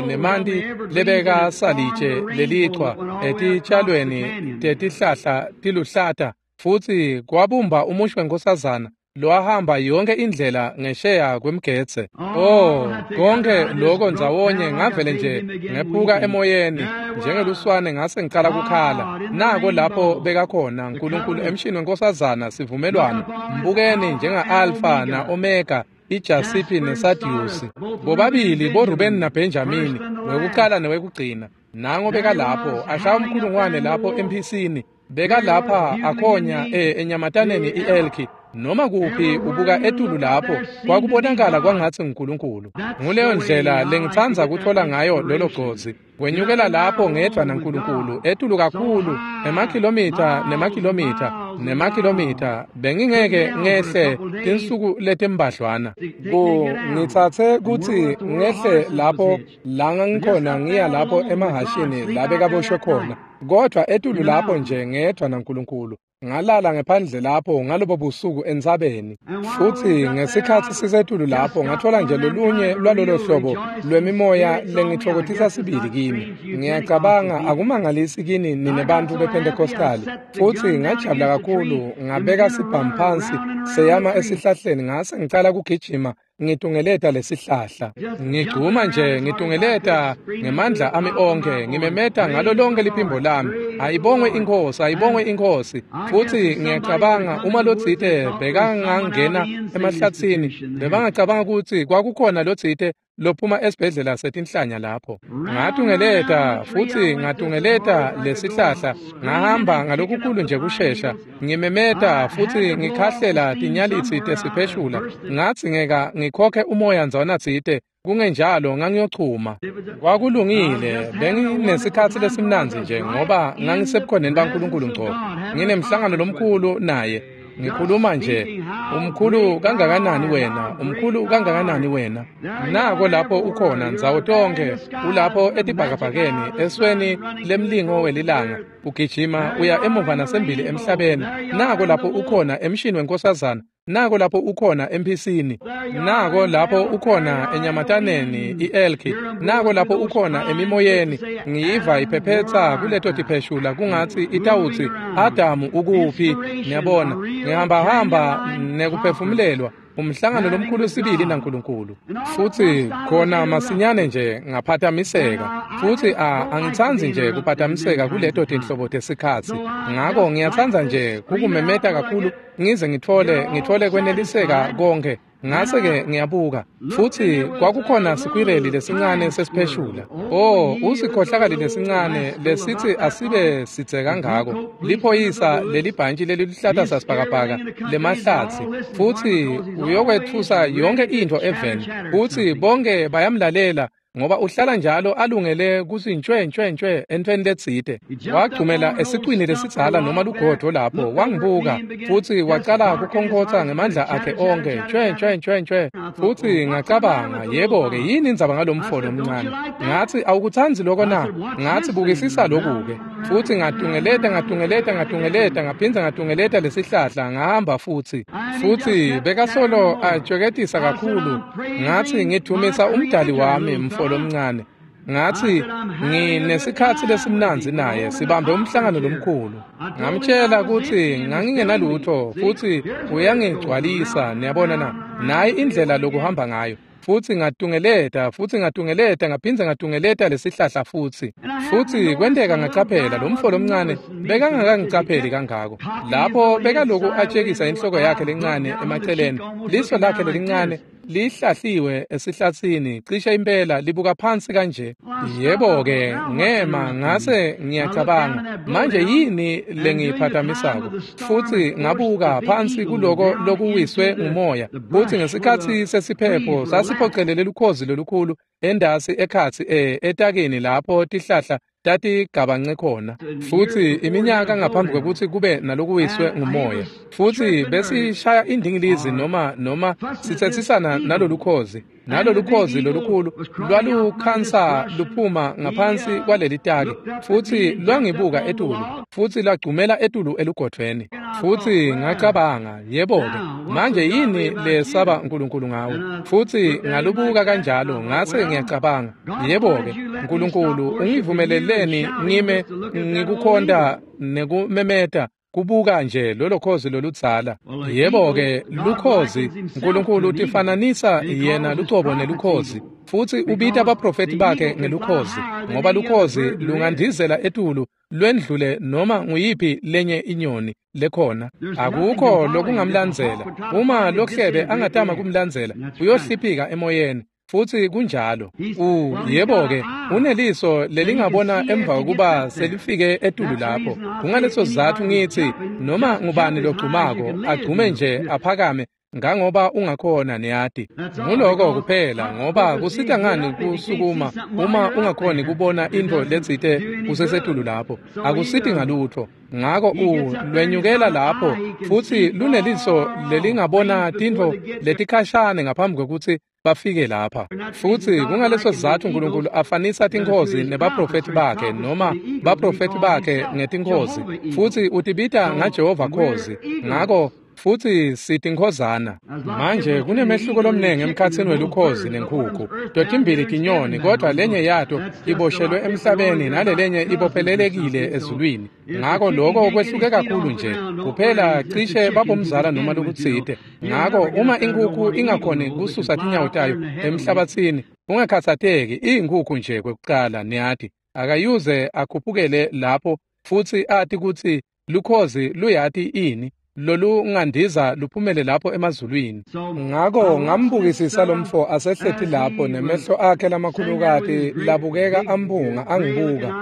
nemanti lebeka salitshe lelichwa etitshalweni tetihlahla tiluhlata futsi kwabumba umushi wenkosazana lowahamba yonke indlela ngesheya kwemgetse oh konke lokho ndzawonye ngavele nje ngephuka emoyeni njengeluswane ngase ngicala kukhala nako lapho bekakhona uNkulunkulu emshini wenkosazana sivumelwano mbukeni njenga-Alpha na-Omega iJasipi neSadiusi bobabili boRubeni naBenjamini wekuqala newekugcina nango bekalapho ashaya umkhulungwane lapho emphisini bekalapha akhonya enyamataneni i-elki noma kuphi ubuka etulu lapho kwakubonakala kwangatsi nguNkulunkulu nguleyo ndlela lengitsandza kutfola ngayo lolo gcozi wenyukela lapho ngedvwa naNkulunkulu etulu kakhulu emakhilomitha nemakhilomitha nemakhilomitha bengingeke ngehle tinsuku letimbadlwana ku ngitsatse kutsi ngehle lapho la ngangikhona ngiya lapho emahashini la bekaboshwe khona kodwa etulu lapho nje ngedvwa naNkulunkulu ngalala ngephandle lapho ngalobo busuku entsabeni futsi ngesikhatsi sisetulu lapho ngathola nje lolunye lwalolo hlobo lwemimoya lengitfokotisa sibili kimi ngiyacabanga akumangalisi kini nine bantfu bePentecostali futsi ngajabula kakhulu ngabeka sibhamu phansi seyama esihlahleni ngase ngicala kugijima ngitungeleta lesihlahla ngigcuma nje ngitungeleta ngemandla ami onke ngimemeta ngalo lonke liphimbo lami ayibongwe inkosi ayibongwe inkosi futsi ngiyacabanga uma lotsite bekangangena emahlatsini bebangacabanga kutsi kwakukhona lotsite lophuma esibhedlela setinhlanya lapho ngatungeleta futsi ngatungeleta lesihlahla ngahamba ngalokukhulu nje kushesha ngimemeta futsi ngikhahlela tinyalitsi tesipheshula ngadzingeka ngikhokhe umoya ndzawana tsite kungenjalo ngangiyochuma kwakulungile benginesikhatsi lesimnandzi nje ngoba ngangisebukhoneni baNkulunkulu ngco nginemhlangano lomkhulu naye Ngikhuluma nje, umkhulu kangakanani wena, umkhulu kangakanani wena. Nako lapho ukhona ndzawo tonkhe, ulapho etibhakabhakeni, esweni lemlingo welilanga, ugijima uya emuva nasembili emhlabeni. Nako lapho ukhona emshini wenkosazana, nako lapho ukhona emphisini, nako lapho ukhona enyamataneni i-elki, nako lapho ukhona emimoyeni. Ngiyiva iphephetsa kuleto tipheshula kungatsi itawutsi Adamu ukuphi. Niyabona, ngihambahamba nekuphefumulelwa, umhlangano lomkhulu sibili naNkulunkulu. Futsi khona masinyane nje ngaphathamiseka, futsi a angitsandzi nje kuphathamiseka kuleto tinhlobo tesikhatsi. Ngako ngiyatsandza nje kukumemeta kakhulu ngize ngitfole ngitfole kweneliseka konke. Ngase-ke ngiyabuka, futsi kwakukhona sikwireli lesincane sesipheshula. Oh, usikhohlakali lesincane lesitsi asibe sidze kangako, liphoyisa lelibhantshi leliluhlata sasibhakabhaka lemahlatsi, futsi uyokwetfusa yonke intfo eveni, futsi bonke bayamlalela ngoba uhlala njalo alungele kutsi ntshwe ntshwe ntshwe entfweni letsite. Wagcumela esicwini lesidzala noma lugodvo lapho, wangibuka futsi wacala kukhonkhotsa ngemandla akhe onkhe, ntshwe ntshwe ntshwe ntshwe. Futsi ngacabanga, yebo-ke, yini indzaba ngalomfo lomncane? Ngatsi, awukutsandzi loko na? Ngatsi, bukisisa loku-ke. Futsi ngatungeleta ngatungeleta ngatungeleta ngaphindze ngatungeleta lesihlahla, ngahamba futsi. Futsi bekasolo atshweketisa kakhulu. Ngatsi, ngidvumisa umdali wami, mfo lomncane. Ngatsi, nginesikhatsi lesimnandzi naye, sibambe umhlangano lomkhulu. Ngamtshela kutsi ngangingenalutho futsi uyangigcwalisa, niyabona na? Nayi indlela lokuhamba ngayo. Futsi ngatungeleta, futsi ngatungeleta, ngaphindze ngatungeleta lesihlahla futsi. Futsi kwenteka ngacaphela lomfo lomncane bekangakangicapheli kangako. Lapho bekaloku atshekisa inhloko yakhe lencane emaceleni, liso lakhe lelincane lihlahliwe esihlatsini, cishe impela libuka phansi kanje. Yebo-ke, ngema ngase ngiyacabanga, manje yini lengiyiphathamisako? Futsi ngabuka phansi kuloko lokuwiswe ngumoya, futsi ngesikhatsi sesiphepho sasiphocelele lukhozi lolukhulu endasi ekhatsi e etakeni lapho tihlahla tatigabance khona. Futsi iminyaka ngaphambi kwekutsi kube nalokuwiswe ngumoya, futsi besishaya indingilizi noma noma sitsetsisana nalolukhozi, nalolukhozi lolukhulu lwalukhansa luphuma ngaphansi kwaleli taki, futsi lwangibuka etulu, futsi lwagcumela etulu elugodvweni. Futsi ngacabanga, yebo-ke, manje yini lesaba Nkulunkulu ngawe? Futsi ngalubuka kanjalo, ngase ngiyacabanga, yebo-ke, Nkulunkulu ungivumeleleni ngime ngikukhonta nekumemeta kubuka nje lolo khozi loludzala. Yebo-ke, lukhozi, Nkulunkulu utifananisa yena lucobo nelukhozi, futsi ubita baprofethi bakhe ngelukhozi, ngoba lukhozi lungandizela etulu lwendlule noma nguyiphi lenye inyoni lekhona. Akukho lokungamlandzela. Uma lohlebe angatama kumlandzela, uyohliphika emoyeni. Futsi kunjalo. U yebo-ke, uneliso lelingabona emva kokuba selifike etulu lapho. Kungaleso sizatfu ngitsi noma ngubani logcumako agcume nje aphakame ngangoba ungakhona, niyati. Nguloko kuphela, ngoba kusita ngani kusukuma uma ungakhoni kubona intfo letsite usesetulu lapho? Akusiti ngalutfo. Ngako u lwenyukela lapho, futsi luneliso lelingabona tintfo letikhashane ngaphambi kwekutsi bafike lapha. Futsi kungaleso sizatfu Nkulunkulu afanisa tinkhozi nebaprofethi bakhe, noma baprofethi bakhe ngetinkhozi, futsi utibita ngaJehova khozi. Ngako futsi sitinkhozana. Manje kunemehluko lomnengi emkhatsini welukhozi nenkhukhu. Totimbili tinyoni, kodvwa lenye yato iboshelwe emhlabeni nalelenye ibophelelekile ezulwini. Ngako loko kwehluke kakhulu nje, kuphela cishe babomzala noma lokutsite. Ngako uma inkhukhu ingakhoni kususa tinyawo tayo emhlabatsini, ungakhatsateki, iyinkhukhu nje kwekucala, niyati. Akayuze akhuphukele lapho futsi ati kutsi lukhozi luyati ini lolungandiza luphumele lapho emazulwini. Ngako ngambukisisa lomfo asehleti lapho nemehlo akhe lamakhulukati labukeka amphunga angibuka.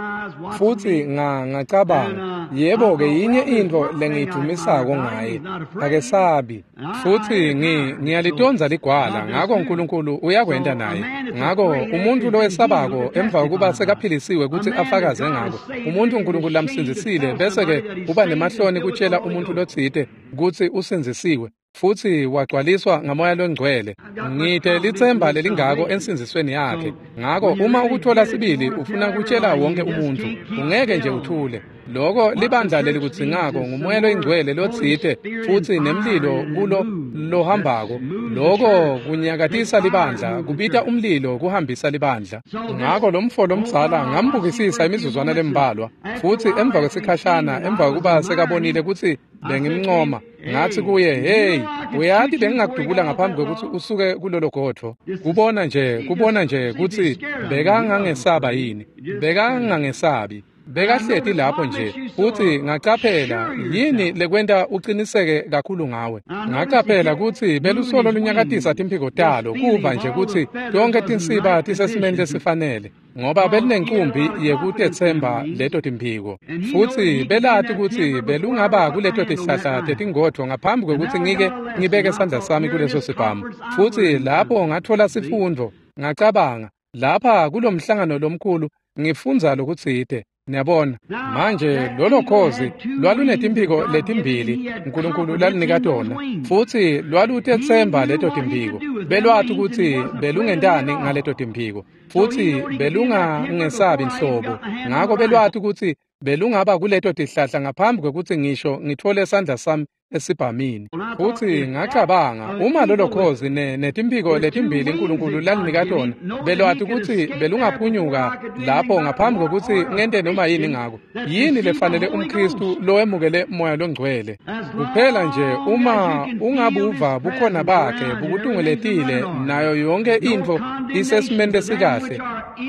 Futsi nga ngacabanga, Yebo-ke yinye intfo lengiyidumisako ngaye, akesabi. Futsi ngi ngiyalitonza ligwala, ngako Nkulunkulu uyakwenta naye. Ngako umuntfu lowesabako emva kokuba sekaphilisiwe kutsi afakaze ngako, umuntfu Nkulunkulu lamsindzisile bese-ke uba nemahloni kutjela umuntfu lotsite kutsi usindzisiwe futsi wagcwaliswa ngaMoya Longcwele. Ngite litsemba lelingako ensindzisweni yakhe. Ngako uma ukuthola sibili ufuna kutjela wonke umuntfu, ungeke nje uthule. Loko libandla lelikudzingako nguMoya Loyingcwele lotsite futsi nemlilo kulo lohambako. Loko kunyakatisa libandla, kubita umlilo kuhambisa libandla. Ngako lomfo lomdzala ngambukisisa imizuzwana lembalwa, futsi emva kwesikhashana emva kokuba sekabonile kutsi bengimncoma, ngathi kuye, hey, uyati bengingakudubula ngaphambi kwekutsi usuke kulolo godvo. Kubona nje, kubona nje kutsi bekangangesaba yini, bekangangesabi. Bekahleti lapho nje, futsi ngacaphela yini lekwenta uqiniseke kakhulu ngawe. Ngacaphela kutsi belusolo lunyakatisa timphiko talo, kuva nje kutsi tonkhe tinsiba tisesimeni lesifanele, ngoba belinenkumbi yekutetsemba leto timphiko. Futsi belati kutsi belungaba kuleto tihlahla tetingodvo ngaphambi kwekutsi ngike ngibeke sandla sami kuleso sibhamu. Futsi lapho ngatfola sifundvo, ngacabanga, lapha kulomhlangano lomkhulu ngifundza lokutsite. Niyabona, manje lolo khozi lwalunetimphiko letimbili Nkulunkulu lalinika tona, futsi lwalutetsemba leto timphiko. Belwati kutsi belungentani ngaleto timphiko, futsi belungangesabi nhlobo. Ngako belwati kutsi belungaba kuleto tihlahla ngaphambi kwekutsi ngisho ngitfole sandla sami esibhamini. Futsi ngacabanga, uma lolo khozi netimphiko letimbili Nkulunkulu lalinika tona, belwati kutsi belungaphunyuka lapho ngaphambi kwekutsi ngente noma yini ngako. Yini lefanele umKhristu lowemukele Moya Longcwele? Kuphela nje uma ungabuva bukhona bakhe bukutungeletile nayo yonke intfo isesimeni lesikahle,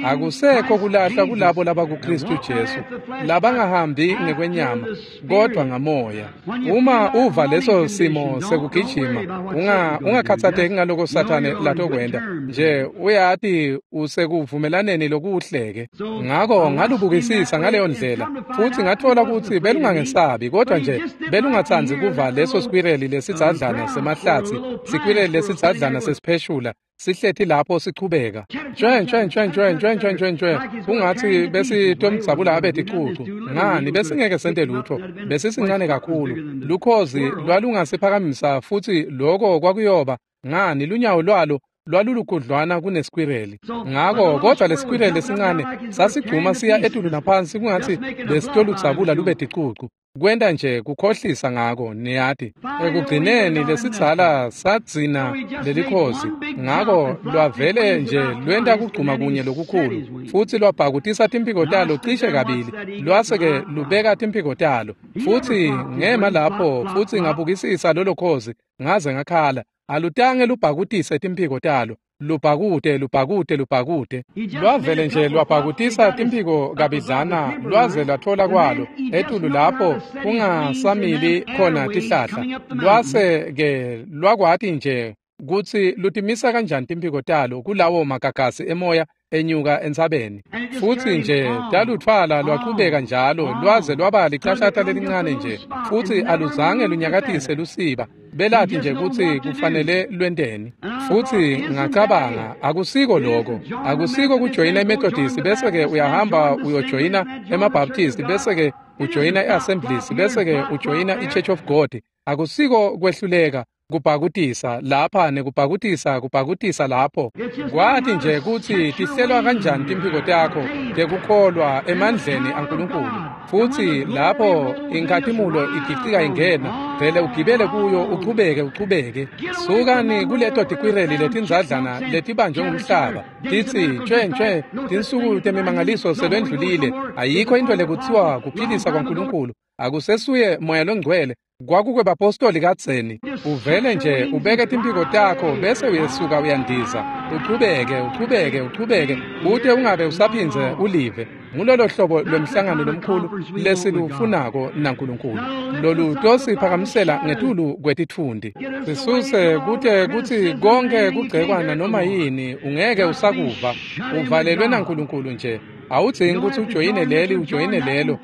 akusekho kulahla kulabo labakuKhristu Jesu, labangahambi ngekwenyama kodwa ngamoya. Uma uva leso simo sekugijima, unga ungakhathazeki ngaloko Sathane latokwenta nje, uyati usekuvumelaneni lokuhleke. Ngako ngalubukisisa ngaleyo ndlela, futsi ngatfola kutsi belungangesabi, kodwa nje belungatsandzi kuva leso sikwireli lesidzadlana semahlatsi, sikwireli lesidzadlana sesipheshula sihleti lapho sichubeka nje nje nje nje nje nje nje nje, kungatsi besitomdzabula abe ticucu. Ngani, besingeke sente lutho, besisincane kakhulu. Lukhozi lwalungasiphakamisa, futsi loko kwakuyoba ngani, lunyawo lwalo lwalulukhudlwana kunesikwireli. Ngako kodwa lesikwireli lesincane sasigcuma siya etulu naphansi kungatsi besitoludzabula lube ticucu. Kwenta nje kukhohlisa ngako, niyati. Ekugcineni lesidzala sadzina lelikhozi, ngako lwavele nje lwenta kugcuma kunye lokukhulu, futsi lwabhakutisa timphiko talo cishe kabili, lwase-ke lubeka timphiko talo. Futsi ngema lapho futsi ngabukisisa lolo khozi ngaze ngakhala. Alutange lubhakutise timphiko talo, lubhakute lubhakute lubhakute. Lwavele nje lwabhakutisa timphiko kabidlana lwaze lwathola kwalo etulu lapho kungasamili khona tihlahla. Lwase-ke lwakwati nje kutsi lutimisa kanjani timphiko talo kulawo magagasi emoya enyuka entsabeni. Futsi nje talutfwala lwachubeka njalo lwaze lwaba licashata lelincane nje, futsi aluzange lunyakatise lusiba. Belati nje kutsi kufanele lwenteni. Futsi ngacabanga, akusiko loko, akusiko kujoyina iMethodist bese-ke uyahamba uyojoyina emaBaptist bese-ke ujoyina i-Assemblies bese-ke ujoyina i-Church of God. Akusiko kwehluleka kubhakutisa lapha nekubhakutisa kubhakutisa lapho. Kwati nje kutsi tihlelwa kanjani timphiko takho tekukholwa emandleni aNkulunkulu. Futsi lapho inkhatimulo igicika ingena, vele ugibele kuyo uchubeke uchubeke. Sukani kuleto tikwireli letindzadlana letibanjwe ngumhlaba, titsi nje nje tinsuku temimangaliso selwendlulile, ayikho into lekutsiwa kuphilisa kwaNkulunkulu, akusesuye Moya Longcwele, kwakukwebapostoli kadzeni. Uvele nje ubeke timphiko takho bese uyesuka uyandiza, uchubeke uchubeke uchubeke kute ungabe usaphindze ulive. Ngulolo hlobo lwemhlangano lomkhulu lesilufunako naNkulunkulu, lolu tosiphakamisela ngetulu kwetitfundi, sisuse kute kutsi konke kugcekwana noma yini ungeke usakuva. Uvalelwe naNkulunkulu nje. Awudzingi kutsi ujoyine leli ujoyine lelo.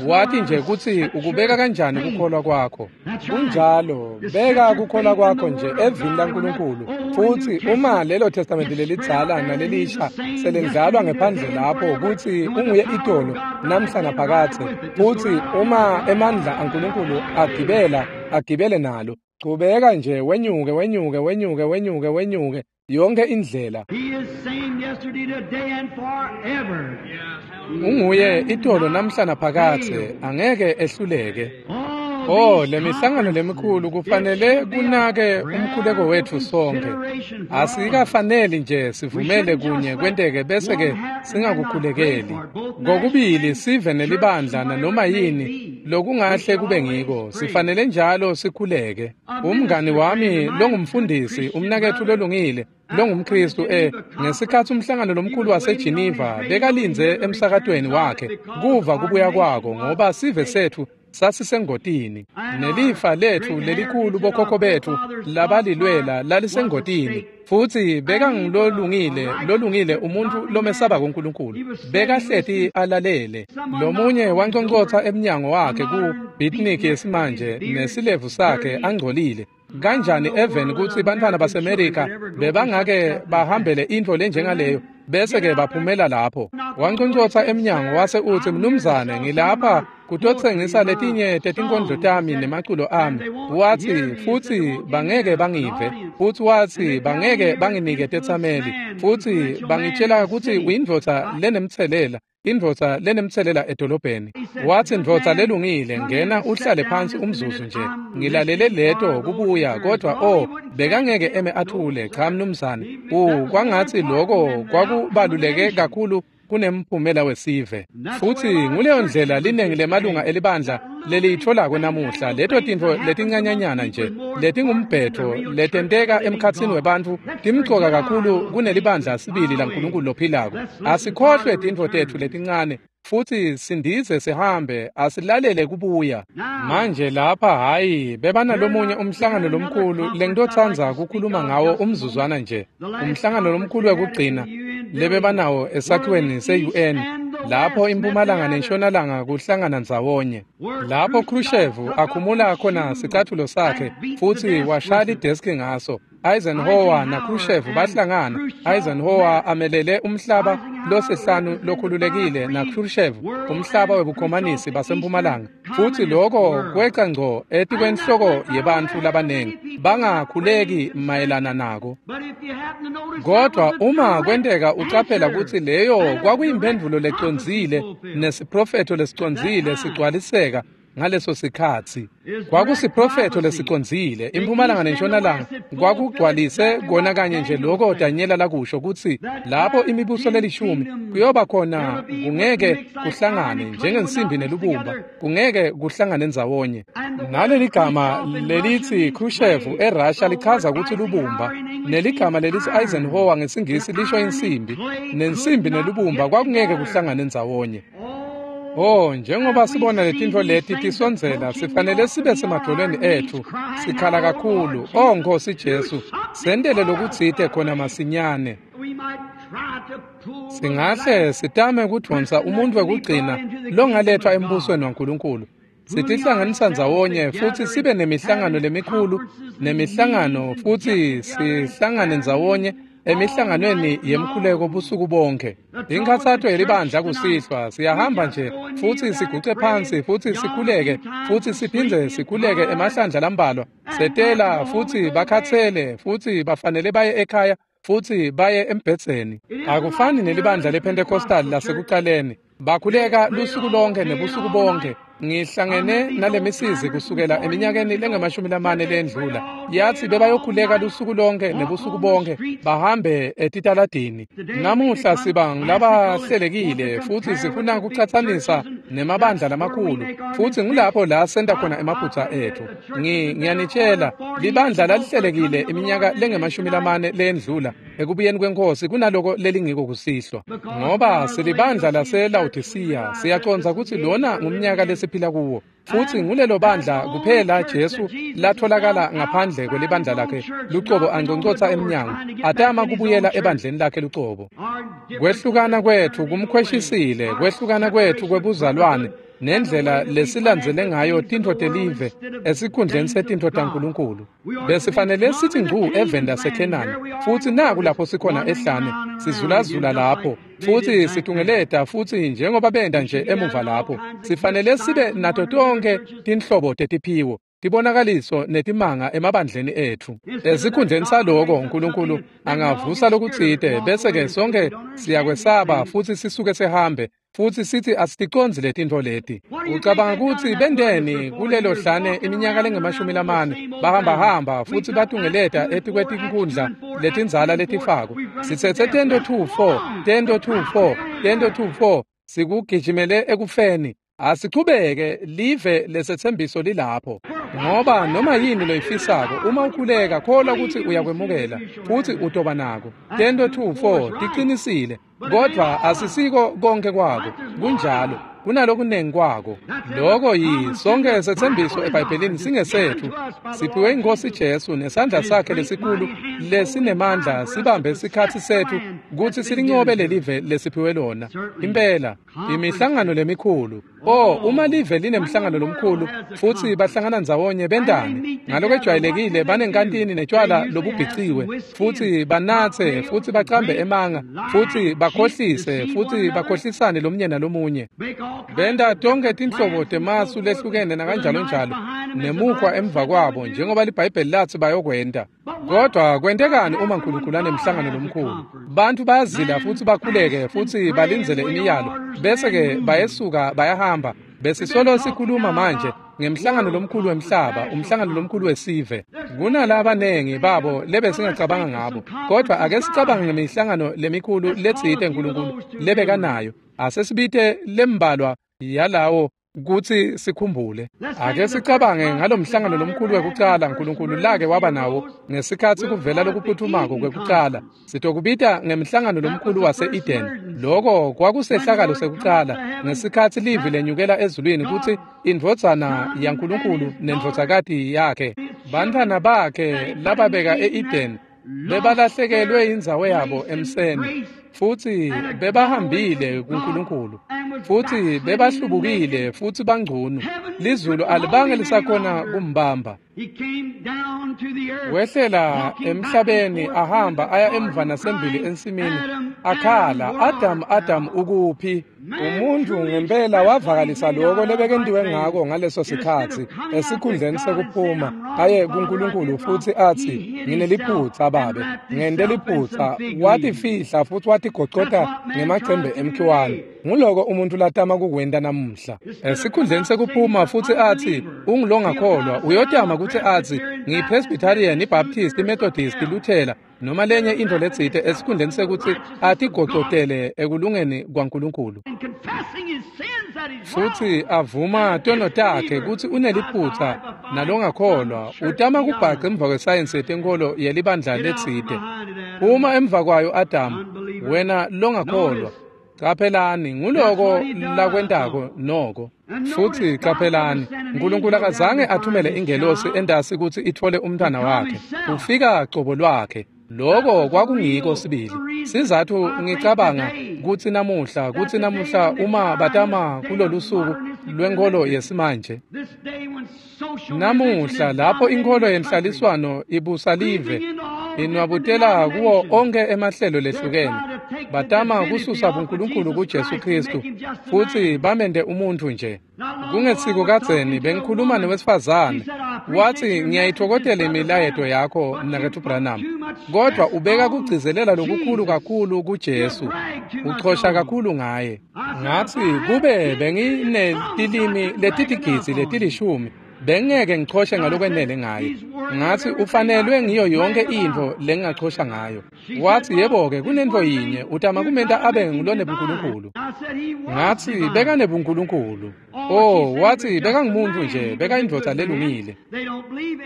Wati nje kutsi ukubeka kanjani kukholwa kwakho. Kunjalo, beka kukholwa kwakho nje evini laNkulunkulu. Futsi uma lelo testamente lelidzala nalelisha selendlalwa ngephandle lapho kutsi unguye itolo namhla naphakadze, futsi uma emandla aNkulunkulu agibela agibele nalo, chubeka nje wenyuke wenyuke wenyuke wenyuke wenyuke yonke indlela. Unguye itolo namhla naphakadze, angeke ehluleke. Oh, lemihlangano lemikhulu kufanele kunake umkhuleko wetfu sonke. Asikafaneli nje sivumele kunye kwenteke bese ke singakukhulekeli. Kokubili sive nelibandla nanoma yini lokungahle kube ngiko, sifanele njalo sikhuleke. Umngani wami longumfundisi, umnaketfu lolungile, longumKristu eh ngesikhatsi umhlangano lomkhulu waseGeneva bekalindze emsakatweni wakhe kuva kubuya kwako, ngoba sive setfu sasisengotini nelifa letfu lelikhulu bokhokho betfu labalilwela lalisengotini. Futsi bekangilolungile lolungile umuntu lomesaba kuNkulunkulu, bekahleti alalele. Lomunye wanconcotsa emnyango wakhe ku beatnik yesimanje nesilevu sakhe angcolile. Kanjani even kutsi bantfwana baseMerika bebangake bahambele intfo lenjengaleyo bese ke baphumela lapho. Wanconcotsa emnyango wase utsi, "Mnumzane, ngilapha kutotsengisa letinye tetinkondlo tami nemaculo ami." Watsi, "Futsi bangeke bangive." Futsi watsi, "Bangeke banginike tetsameli. Futsi bangitshela kutsi uyindvodza lenemtselela, indvodza lenemtselela edolobheni." Watsi, "Ndvodza lelungile, ngena uhlale phansi umzuzu nje. Ngilalele leto kubuya." Kodwa oh, bekangeke eme athule. Cha mnumzane, u kwangatsi loko kwakubaluleke kakhulu kunemphumela wesive. Futsi nguleyo ndlela linengi lemalunga elibandla leliyitfolako namuhla, leto tintfo letincanyanyana nje letingumbhetho letenteka emkhatsini webantfu timcoka kakhulu kunelibandla sibili laNkulunkulu lophilako. Asikhohlwe tintfo tetfu letincane futsi sindize sihambe, asilalele kubuya. Manje lapha hhayi, bebanalomunye umhlangano lomkhulu lengitotsandza kukhuluma ngawo umzuzwana nje, umhlangano lomkhulu wekugcina lebebanawo esakhiweni se-U N, lapho impumalanga nentshonalanga kuhlangana ndzawonye, lapho Khrushchev akhumula khona sicatfulo sakhe futsi washaya ideski ngaso. Eisenhower naKhrushchev bahlangana. Eisenhower amelele umhlaba losihlanu lokhululekile naKhrushchev umhlaba webukhomanisi basempumalanga, futsi loko kweca ngco etikwenhloko yebantfu labanengi bangakhuleki mayelana nako. Kodwa uma kwenteka ucaphela kutsi leyo kwakuyimphendvulo lecondzile nesiprofetho lesicondzile sigcwaliseka ngaleso sikhatsi. Kwakusiprofetho lesicondzile, impumalanga nentshonalanga kwakugcwalise kona kanye nje loko Danyela lakusho kutsi lapho imibuso lelishumi kuyoba khona kungeke kuhlangane njengensimbi nelubumba, kungeke kuhlangane ndzawonye. Naleli gama lelithi Khrushchev eRussia lichaza kutsi lubumba, neligama lelithi Eisenhower ngesingisi lisho insimbi, nensimbi nelubumba kwakungeke kuhlangane ndzawonye. Oh, njengoba sibona letintfo leti tisondzela, sifanele sibe semadvolweni etfu sikhala kakhulu. Oh Nkosi Jesu, sentele lokutsite khona masinyane. Singahle sitame kudvonsa umuntfu wekugcina longaletfwa embusweni waNkulunkulu. Sitihlanganisa ndzawonye futsi sibe nemihlangano lemikhulu nemihlangano, futsi sihlangane ndzawonye emihlanganweni yemkhuleko busuku bonke. Inkhatsato yelibandla kusihlwa, siyahamba nje futsi siguce phansi futsi sikhuleke futsi siphindze sikhuleke emahlandla lambalwa, setela futsi bakhatsele futsi bafanele baye ekhaya futsi baye embhedzeni. Akufani nelibandla lePentecostal lasekucaleni, bakhuleka lusuku lonke nebusuku bonke. Ngihlangene nalemisizi kusukela eminyakeni lengamashumi lamane lendlula, yathi bebayokhuleka lusuku lonke nebusuku bonke bahambe etitaladini. Namuhla siba ngulabahlelekile futsi sifuna kucatsanisa nemabandla lamakhulu, futsi ngulapho la senta khona emaphutsa etfu. Ngiyanitshela, libandla lalihlelekile iminyaka lengamashumi lamane lendlula ekubuyeni kwenkosi kunaloko lelingiko kusihlwa, ngoba silibandla laseLawodisiya. Siyacondza kutsi lona ngumnyaka lesiphila kuwo. Futsi ngulelo bandla kuphela Jesu latholakala ngaphandle kwelibandla lakhe lucobo angconcotsa emnyango atama kubuyela ebandleni lakhe lucobo. Kwehlukana kwethu kumkhweshisile, kwehlukana kwethu kwebuzalwane nendlela lesilandzele ngayo tintfo telive esikhundleni setintfo taNkulunkulu. Besifanele sithi ngcu eveni laseKhenani, futsi naku lapho sikhona ehlane, sizulazula lapho futsi situngeleta futsi njengoba benda nje emuva lapho. Sifanele sibe nato tonkhe tinhlobo tetiphiwo, tibonakaliso netimanga emabandleni etfu. Esikhundleni saloko uNkulunkulu angavusa lokutsite bese-ke sonke siyakwesaba futsi sisuke sihambe futsi sithi asiticondzi letintfo leti. Ucabanga kutsi bendeni kulelo hlane iminyaka lengemashumi lamane bahambahamba futsi batungeleta etikwetinkundla letindzala letifako. Sitsetse tento two four, tento two four, tento two four, sikugijimele ekufeni. Asichubeke live lesetsembiso lilapho. Ngoba noma yini loyifisako uma ukhuleka kholwa kutsi uyakwemukela futsi utoba nako. Tento two four tiqinisile, kodvwa asisiko konke kwako. Kunjalo, kunalokunengi kwako. Loko yi sonke setsembiso eBhayibhelini singesethu. Siphiwe iNkosi Jesu nesandla sakhe lesikhulu lesinemandla sibambe sikhatsi sethu kutsi silincobe lelive lesiphiwe lona. Impela imihlangano lemikhulu. Oh, uma live linemhlangano lomkhulu futsi bahlangana ndzawonye bendane ngalokwejwayelekile banenkantini netshwala lobubhiciwe futsi banatse futsi bacambe emanga futsi bakhohlise futsi bakhohlisane lomunye nalomunye. Benta tonkhe tinhlobo temasu lehlukene nakanjalo njalo nemukhwa emva kwabo njengoba liBhayibheli latsi bayokwenta. Kodwa kwentekani uma uNkulunkulu anemhlangano lomkhulu? Bantfu bayazila futsi bakhuleke futsi balindzele imiyalo bese-ke bayesuka bayahamba. Besisolo sikhuluma manje ngemhlangano lomkhulu wemhlaba, umhlangano lomkhulu wesive. Kunalabanengi babo lebesingacabanga ngabo, kodwa ake sicabange ngemihlangano lemikhulu letsite uNkulunkulu lebekanayo. Asesibite lembalwa yalawo kutsi sikhumbule. Ake sicabange ngalomhlangano lomkhulu wekucala uNkulunkulu lake waba nawo ngesikhatsi kuvela lokuphuthumako kwekucala. Sitokubita ngemhlangano lomkhulu wase-Eden. Loko kwakusehlakalo sekucala ngesikhatsi livi lenyukela ezulwini kutsi indvodzana yaNkulunkulu nendvodzakati yakhe, bantfwana bakhe lababeka e-Eden bebalahlekelwe indzawo yabo emseni futsi bebahambile kuNkulunkulu futsi bebahlubukile futsi bangcunu. Lizulu alibange lisakhona kumbamba. Wehlela emhlabeni ahamba aya emva nasembili ensimini akhala, Adam, Adam ukuphi? Umuntu ngempela wavakalisa loko lebekentiwe ngako ngaleso sikhatsi esikhundleni sekuphuma aye kuNkulunkulu futsi atsi ngineliphutsa babe, ngente liphutsa. Watifihla futsi watigocota ngemacembe emkhiwane. Nguloko umuntu latama kukwenta namuhla. Esikhundleni sekuphuma futsi atsi ungulongakholwa, uyotama kutsi atsi ngiyiPresbyterian, iBaptist, iMethodist, iLuthela noma lenye intfo letsite esikhundleni sekutsi atigocotele ekulungeni kwaNkulunkulu futsi avuma tono takhe kutsi uneliphutsa nalongakholwa. Utama kubhaca emva kwesayensi yetenkolo yelibandla letsite. Uma emva kwayo Adamu, wena longakholwa. Caphelani, nguloko lakwentako noko. Futsi caphelani, uNkulunkulu akazange athumele ingelosi endasi kutsi itfole umntwana wakhe. Ufika cobo lwakhe. Loko kwakungiko sibili. Sizathu ngicabanga kutsi namuhla, kutsi namuhla uma batama kulolu suku lwenkolo yesimanje, namuhla lapho inkolo yenhlaliswano ibusa live, inwabutela kuwo onke emahlelo lehlukene, batama kususa buNkulunkulu kuJesu Kristu futsi bamente umuntu nje. Kungesiko kadzeni bengikhuluma newesifazane, wathi ngiyayitfokotela imilayeto yakho mnaketfu Branham, kodwa ubeka kugcizelela lokukhulu kakhulu kuJesu, uchosha kakhulu ngaye. Ngathi kube benginetilimi letitigidzi letilishumi bengeke ngichoshe ngalokwenele ngaye. Ngathi ufanelwe ngiyo yonke intfo lengingachosha ngayo. Wathi yebo-ke kunentfo yinye, utama kumenta abe ngulonebunkulunkulu. Ngathi bekanebunkulunkulu. Oh, wathi bekangumuntu nje, bekayindvodza lelungile.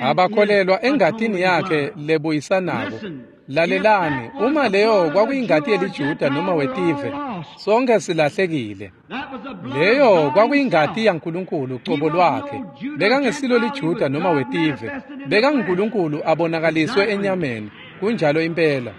Abakholelwa engatini yakhe lebuyisanako. Lalelani, uma leyo kwakuyingati yeliJuda noma wetive, Sonke silahlekile. Leyo kwakuyingati yaNkulunkulu cobo lwakhe. Bekangesilo liJuda noma wetive. BekanguNkulunkulu abonakaliswe enyameni. Kunjalo impela.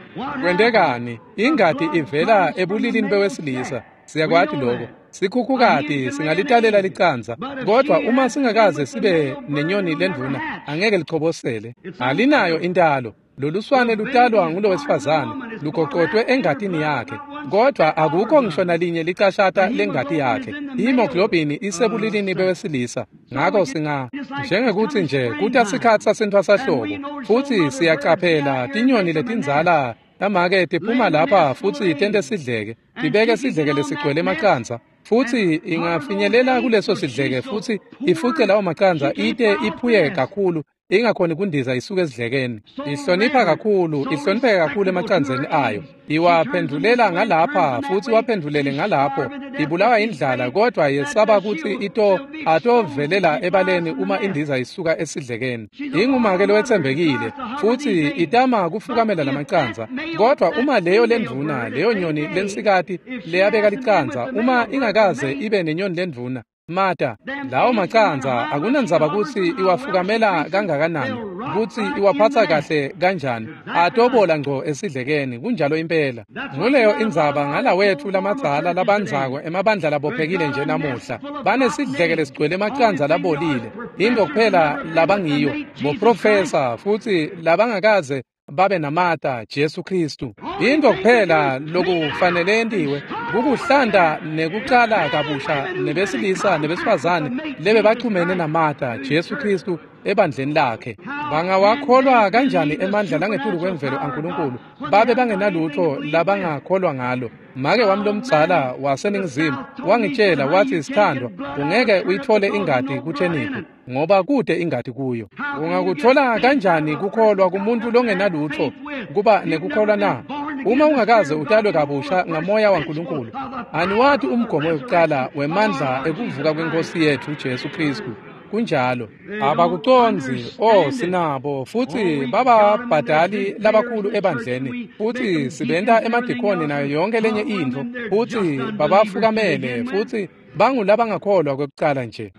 Kwentekani? Ingati ivela ebulilini bewesilisa. Siyakwati lokho. Sikhukhukati singalitalela licanza, kodwa uma singakaze sibe nenyoni lendvuna angeke lichobosele. Alinayo intalo. Loluswane lutalwa ngulowesifazane, lugoqotwe engatini yakhe, kodwa akukho ngisho nalinye licashata lengati yakhe. Hemoglobin isebulilini bewesilisa. Ngakho singa njengekuthi nje kuta sikhatsi sasentfwasahlobo, futsi siyacaphela tinyoni letindzala tamake tiphuma lapha futsi tente sidleke, tibeke sidleke lesigcwele emacandza, futsi ingafinyelela kuleso sidleke futsi ifuce lawo macandza ite iphuye kakhulu ingakhoni kundiza isuke esidlekeni. Ihlonipha kakhulu, ihlonipheke kakhulu emacandzeni ayo. Iwaphendulela ngalapha futsi waphendulele ngalapho. Ibulawa indlala kodwa yesaba kutsi ito atovelela ebaleni uma indiza isuka esidlekeni. Ingumake lowetsembekile futsi itama kufukamela lamacandza. Kodwa uma leyo lendvuna, leyo nyoni lensikati leyabeka licandza, uma ingakaze ibe nenyoni lendvuna, mata lawo macandza akunandzaba kutsi iwafukamela kangakanani, kutsi iwaphatsa kahle kanjani, atobola ngco esidlekeni. Kunjalo impela. Nguleyo indzaba ngalawetfu lamadzala labandzako emabandla labophekile nje namuhla. Banesidleke lesigcwele emacandza labolile. Into kuphela labangiyo boprofesa futsi labangakaze babe namata Jesu Kristu. Into kuphela lokufanele yentiwe kukuhlanda nekucala kabusha nebesilisa nebesifazane lebe bachumene namata Jesu Kristu ebandleni lakhe. Bangawakholwa kanjani emandla langetulu kwemvelo aNkulunkulu babe bangenalutho labangakholwa ngalo? Make wami lomdzala waseNingizimu wangitshela wathi, sithandwa, ungeke uyithole ingati kutheniphu ngoba kude ingati kuyo. Ungakuthola kanjani kukholwa kumuntu longenalutho kuba nekukholwa na? Uma ungakaze utalwe kabusha ngamoya waNkulunkulu, aniwati umgomo wekucala wemandla ekuvuka kwenkosi yethu Jesu Kristu. Kunjalo. Abakucondzi. Oh, sinabo futsi bababhadali labakhulu ebandleni, futsi sibenta emadikoni nayo yonke lenye intfo, futsi babafukamele futsi bangulabangakholwa kwekucala nje.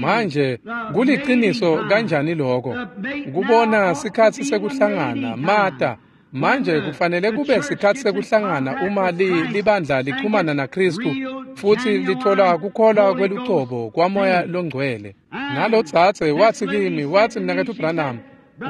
Manje kuliciniso kanjani lokho kubona sikhatsi sekuhlangana mata. Manje kufanele kube sikhatsi sekuhlangana uma li libandla lichumana naKristu futsi lithola kukholwa kwelucobo kwamoya longcwele. Nalotsatse wathi kimi, wathi, mnaketfu Branham,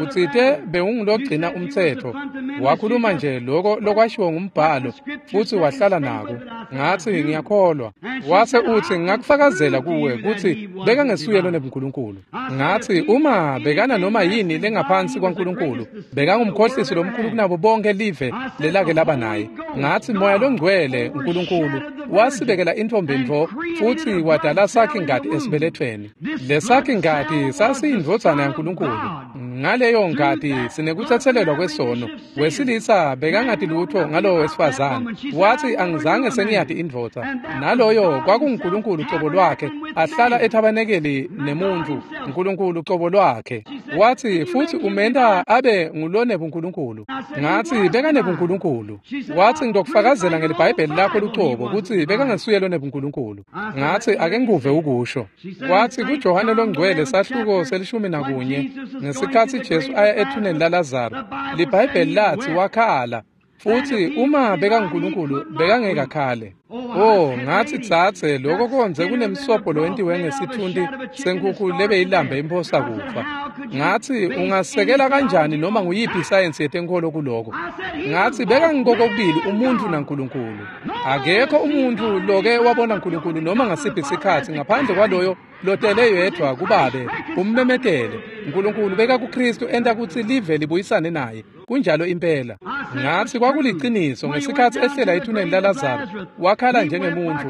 utsite bewungilogcina umtsetfo. Wakhuluma nje lokho lokwashiwo ngumbhalo futsi wahlala nako. Ngathi ngiyakholwa. Wase uthi ngakufakazela kuwe kutsi bekangesuye lonebuNkulunkulu. Ngathi uma bekana noma yini lengaphansi kwaNkulunkulu, bekangumkhohlisi lomkhulu kunabo bonke live lelake laba naye. Ngathi moya longcwele uNkulunkulu wasibekela intombi ntfo futsi wadala sakhe ngati esibelethweni. Lesakhe ngati sasiyindvodzana yaNkulunkulu. Ngaleyo ngati sinekutsetselelwa kwesono. Wesilisa bekangati lutho ngalowo wesifazane. Wathi angizange sengiyati indvodza. Naloyo kwakunguNkulunkulu cobo lwakhe ahlala ethabanekeli nemuntu, uNkulunkulu cobo lwakhe. Wathi futhi umenta abe ngulonebuNkulunkulu. Ngathi bekanebuNkulunkulu. Wathi ngitokufakazela ngeliBhayibheli lakho lucobo kutsi bekangesuye lonebuNkulunkulu. Ngathi ake ngikuve ukusho. Wathi kuJohane longcwele sahluko selishumi nakunye ngesikhatsi Jesu aya ethuneni laLazaro, liBhayibheli lathi wakhala. Futhi uma bekanguNkulunkulu bekangeke akhale. Oh, ngathi tsatse lokho konze kunemsobho lowentiwe ngesithunti senkukhu lebe ilambe imphosa kufa. Ngathi ungasekela kanjani noma nguyiphi isayensi yetenkholo kuloko? Ngathi bekangikokubili umuntu naNkulunkulu. Akekho umuntu loke wabona uNkulunkulu noma ngasiphi isikhatsi ngaphandle kwaloyo lotele yedwa kubabe ummemetele. uNkulunkulu beka kuKristu enta kutsi live libuyisane naye. Kunjalo impela. Ngathi kwakuliciniso ngesikhatsi ehlela ethuneni laLazaro wakhala njengemuntu,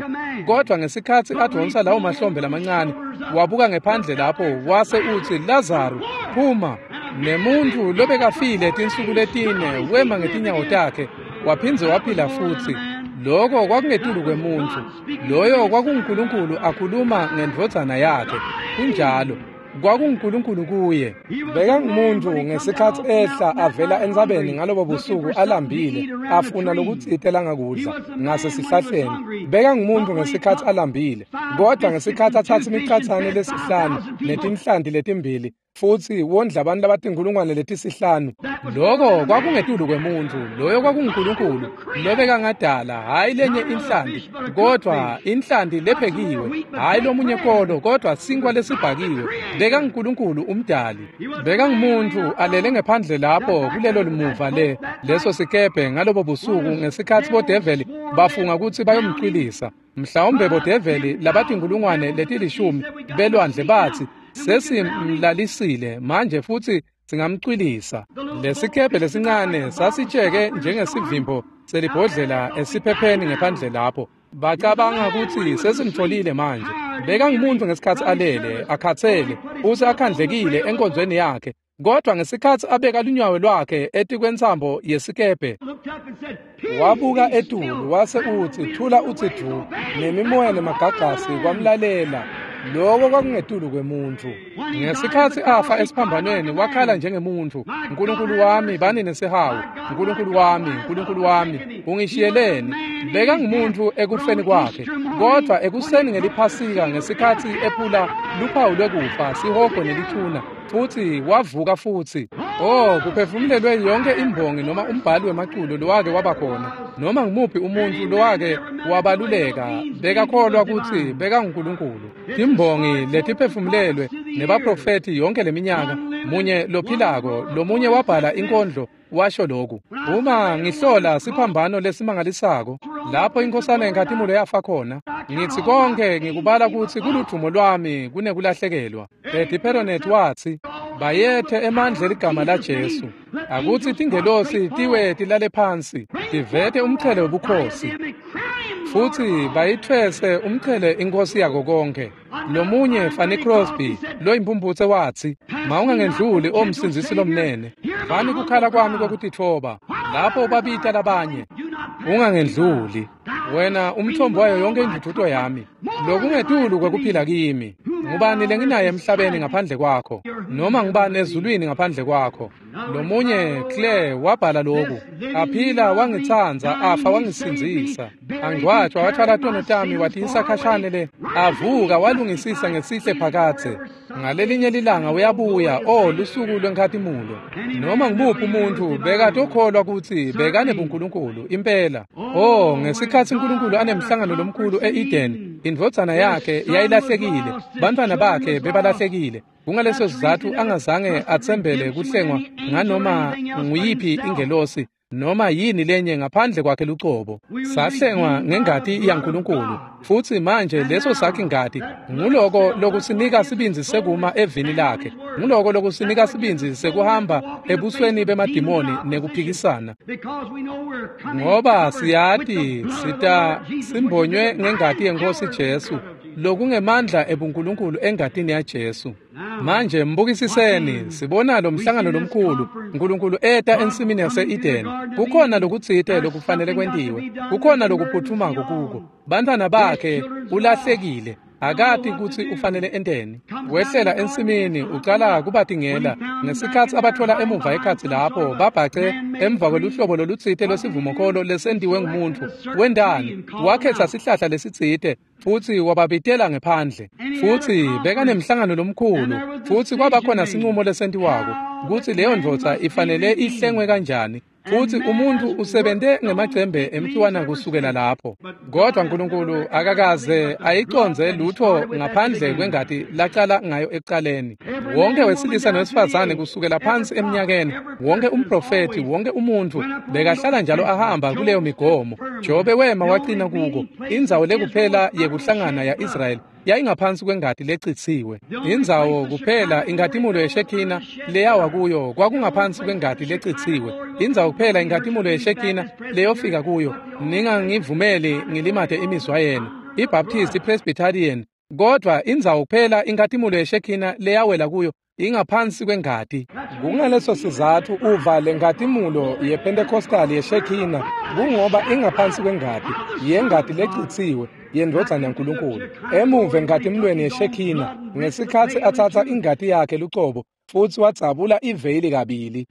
kodwa ngesikhatsi adonsa lawo mahlombe lamancane wabuka ngephandle lapho wase utsi Lazaro phuma. Nemuntu lobekafile tinsuku letine wema ngetinyawo takhe waphindze waphila futsi. Lokho kwakungetulu kwemuntu. Loyo kwakunguNkulunkulu akhuluma ngendvodzana yakhe. Kunjalo. KwakunguNkulunkulu kuye. Bekangumuntu ngesikhathi ehla avela entsabeni ngalobo busuku alambile, afuna lokutsite langakudla ngasesihlahleni. Bekangumuntu ngesikhathi alambile, kodwa ngesikhathi athatha imicathane lesihlanu netinhlanti letimbili futsi wondla abantu labatinkulungwane letisihlanu. Lokho kwakungetulu kwemuntu, loyo kwakunguNkulunkulu lobekangadala, hhayi lenye inhlanti, kodwa inhlanti lephekiwe, hhayi lomunye kolo, kodwa sinkwa lesibhakiwe. BekanguNkulunkulu umdali. Bekangumuntu alele ngephandle lapho kulelo limuva le leso sikebhe ngalobo busuku ngesikhathi bodeveli bafunga ukuthi bayomcwilisa. Mhlawumbe bodeveli labatinkulungwane letilishumi belwandle bathi sesimlalisile manje futhi singamcwilisa. Lesikebhe lesincane sasitsheke njengesivimbo selibhodlela esiphepheni ngephandle lapho. Bacabanga ukuthi sesimtholile manje. Bekangumuntu ngesikhathi alele, akhathele, futhi akhandlekile enkonzweni yakhe. Kodwa ngesikhathi abeka lunyawo lwakhe etikwentsambo yesikebhe, wabuka etulu wase uthi thula uthi du, nemimoya nemagagasi kwamlalela. Lokho kwakungetulu kwemuntu. Ngesikhathi afa esiphambanweni wakhala njengemuntu, "Nkulunkulu wami bani nesihawu, Nkulunkulu wami, Nkulunkulu wami, ungishiyeleni?" Bekangumuntu ekufeni kwakhe, kodwa ekuseni ngeliphasika ngesikhathi ephula luphawu lwekufa, sihogo nelithuna, futhi wavuka futhi. Oh, kuphefumulelwe yonke imbongi noma umbhali wemaculo lowake waba khona, noma ngumuphi umuntu lowake wabaluleka, bekakholwa ukuthi bekanguNkulunkulu. Timbongi letiphefumulelwe nebaprofethi yonke leminyaka, munye lophilako, lomunye wabhala inkondlo washo lokhu: uma ngihlola siphambano lesimangalisako lapho inkosana yenkhatimulo yafa khona, ngithi konke ngikubala ukuthi kuludumo lwami kunekulahlekelwa. Eddie Peronet wathi, bayethe emandla eligama laJesu, akuthi tingelosi tiwe tilale phansi, tivete umqhele wobukhosi, futhi bayithwese umqhele inkosi yako konke. Lomunye Fanny Crosby loyimpumputse wathi, mawungangendluli omsindzisi lomnene, vani kukhala kwami kwekutitfoba lapho babita labanye, ungangendluli wena umthombo wayo yonke induduzo yami, lokungetulu kwekuphila kimi. Ngubani lenginaye emhlabeni ngaphandle kwakho, noma ngubani ezulwini ngaphandle kwakho? Lomunye Claire wabhala lokhu: aphila wangitsandza, afa wangisindzisa, angcwatshwa wathwala tono tami watiyisa khashane le, avuka walungisisa ngesihle phakadze. Ngalelinye lilanga uyabuya, oh lusuku lwenkhatimulo. Noma ngubuphi umuntu bekatokholwa ukuthi bekanebuNkulunkulu impela. Oh, ngesikhathi uNkulunkulu anemhlangano lomkhulu e-Eden, indvodzana yakhe yayilahlekile, bantwana bakhe bebalahlekile. Kungaleso sizathu angazange atsembele kuhlengwa nganoma nguyiphi ingelosi noma yini lenye ngaphandle kwakhe lucobo. Sahlengwa ngengati yaNkulunkulu, futhi manje leso sakhe ingati nguloko lokusinika sibindzi sekuma evini lakhe, nguloko lokusinika sibindzi sekuhamba ebusweni bemadimoni nekuphikisana, ngoba siyati sita simbonywe ngengati yenkosi Jesu, lokungemandla ebuNkulunkulu engatini yaJesu. Manje mbukisiseni, sibona lo mhlangano lomkhulu, uNkulunkulu eta ensimini yase-Eden. Kukhona lokutsite lokufanele kwentiwe, kukhona lokuphuthumako kuko. Bantwana bakhe ulahlekile, akati kutsi ufanele enteni. Wehlela ensimini ucala kubatingela ngesikhathi abathola emuva ekhatsi lapho babhace emva kweluhlobo lolutsite lwesivumokholo lesentiwe ngumuntu. Wendani? Wakhetha sihlahla lesitsite futhi wababitela ngephandle. Futhi bekanemhlangano lomkhulu, futhi kwaba khona sinqumo lesentiwako kutsi leyo ndvodza ifanele ihlengwe kanjani. Futhi umuntu usebente ngemacembe emkhiwana kusukela lapho. Kodwa uNkulunkulu akakaze ayiconze lutho ngaphandle kwengati lacala ngayo ekuqaleni. Wonke wesilisa nowesifazane kusukela phansi eminyakeni, wonke umprofethi, wonke umuntu bekahlala njalo ahamba kuleyo migomo. Jobe wema waqina kuko. Indzawo lekuphela yekuhlangana ya-Israyeli yayingaphansi kwengati lecitsiwe. Indzawo kuphela inkhatimulo yeShekina leyawa kuyo kwakungaphansi kwengati lecitsiwe. Indzawo kuphela inkhatimulo yeShekina leyofika kuyo, ningangivumeli ngilimate imizwa yenu, iBaptist, iPresbyterian, kodwa indzawo kuphela inkhatimulo yeShekina leyawela kuyo Ingaphansi kwengati. Kungaleso sizathu uva lenkatimulo yePentecostal yeShekina, kungoba ingaphansi kwengati, yengati lecitsiwe yendvodzana yaNkulunkulu. Emuva enkatimulweni yeShekina, ngesikhatsi atsatsa ingati yakhe lucobo futsi wadzabula iveyili kabili.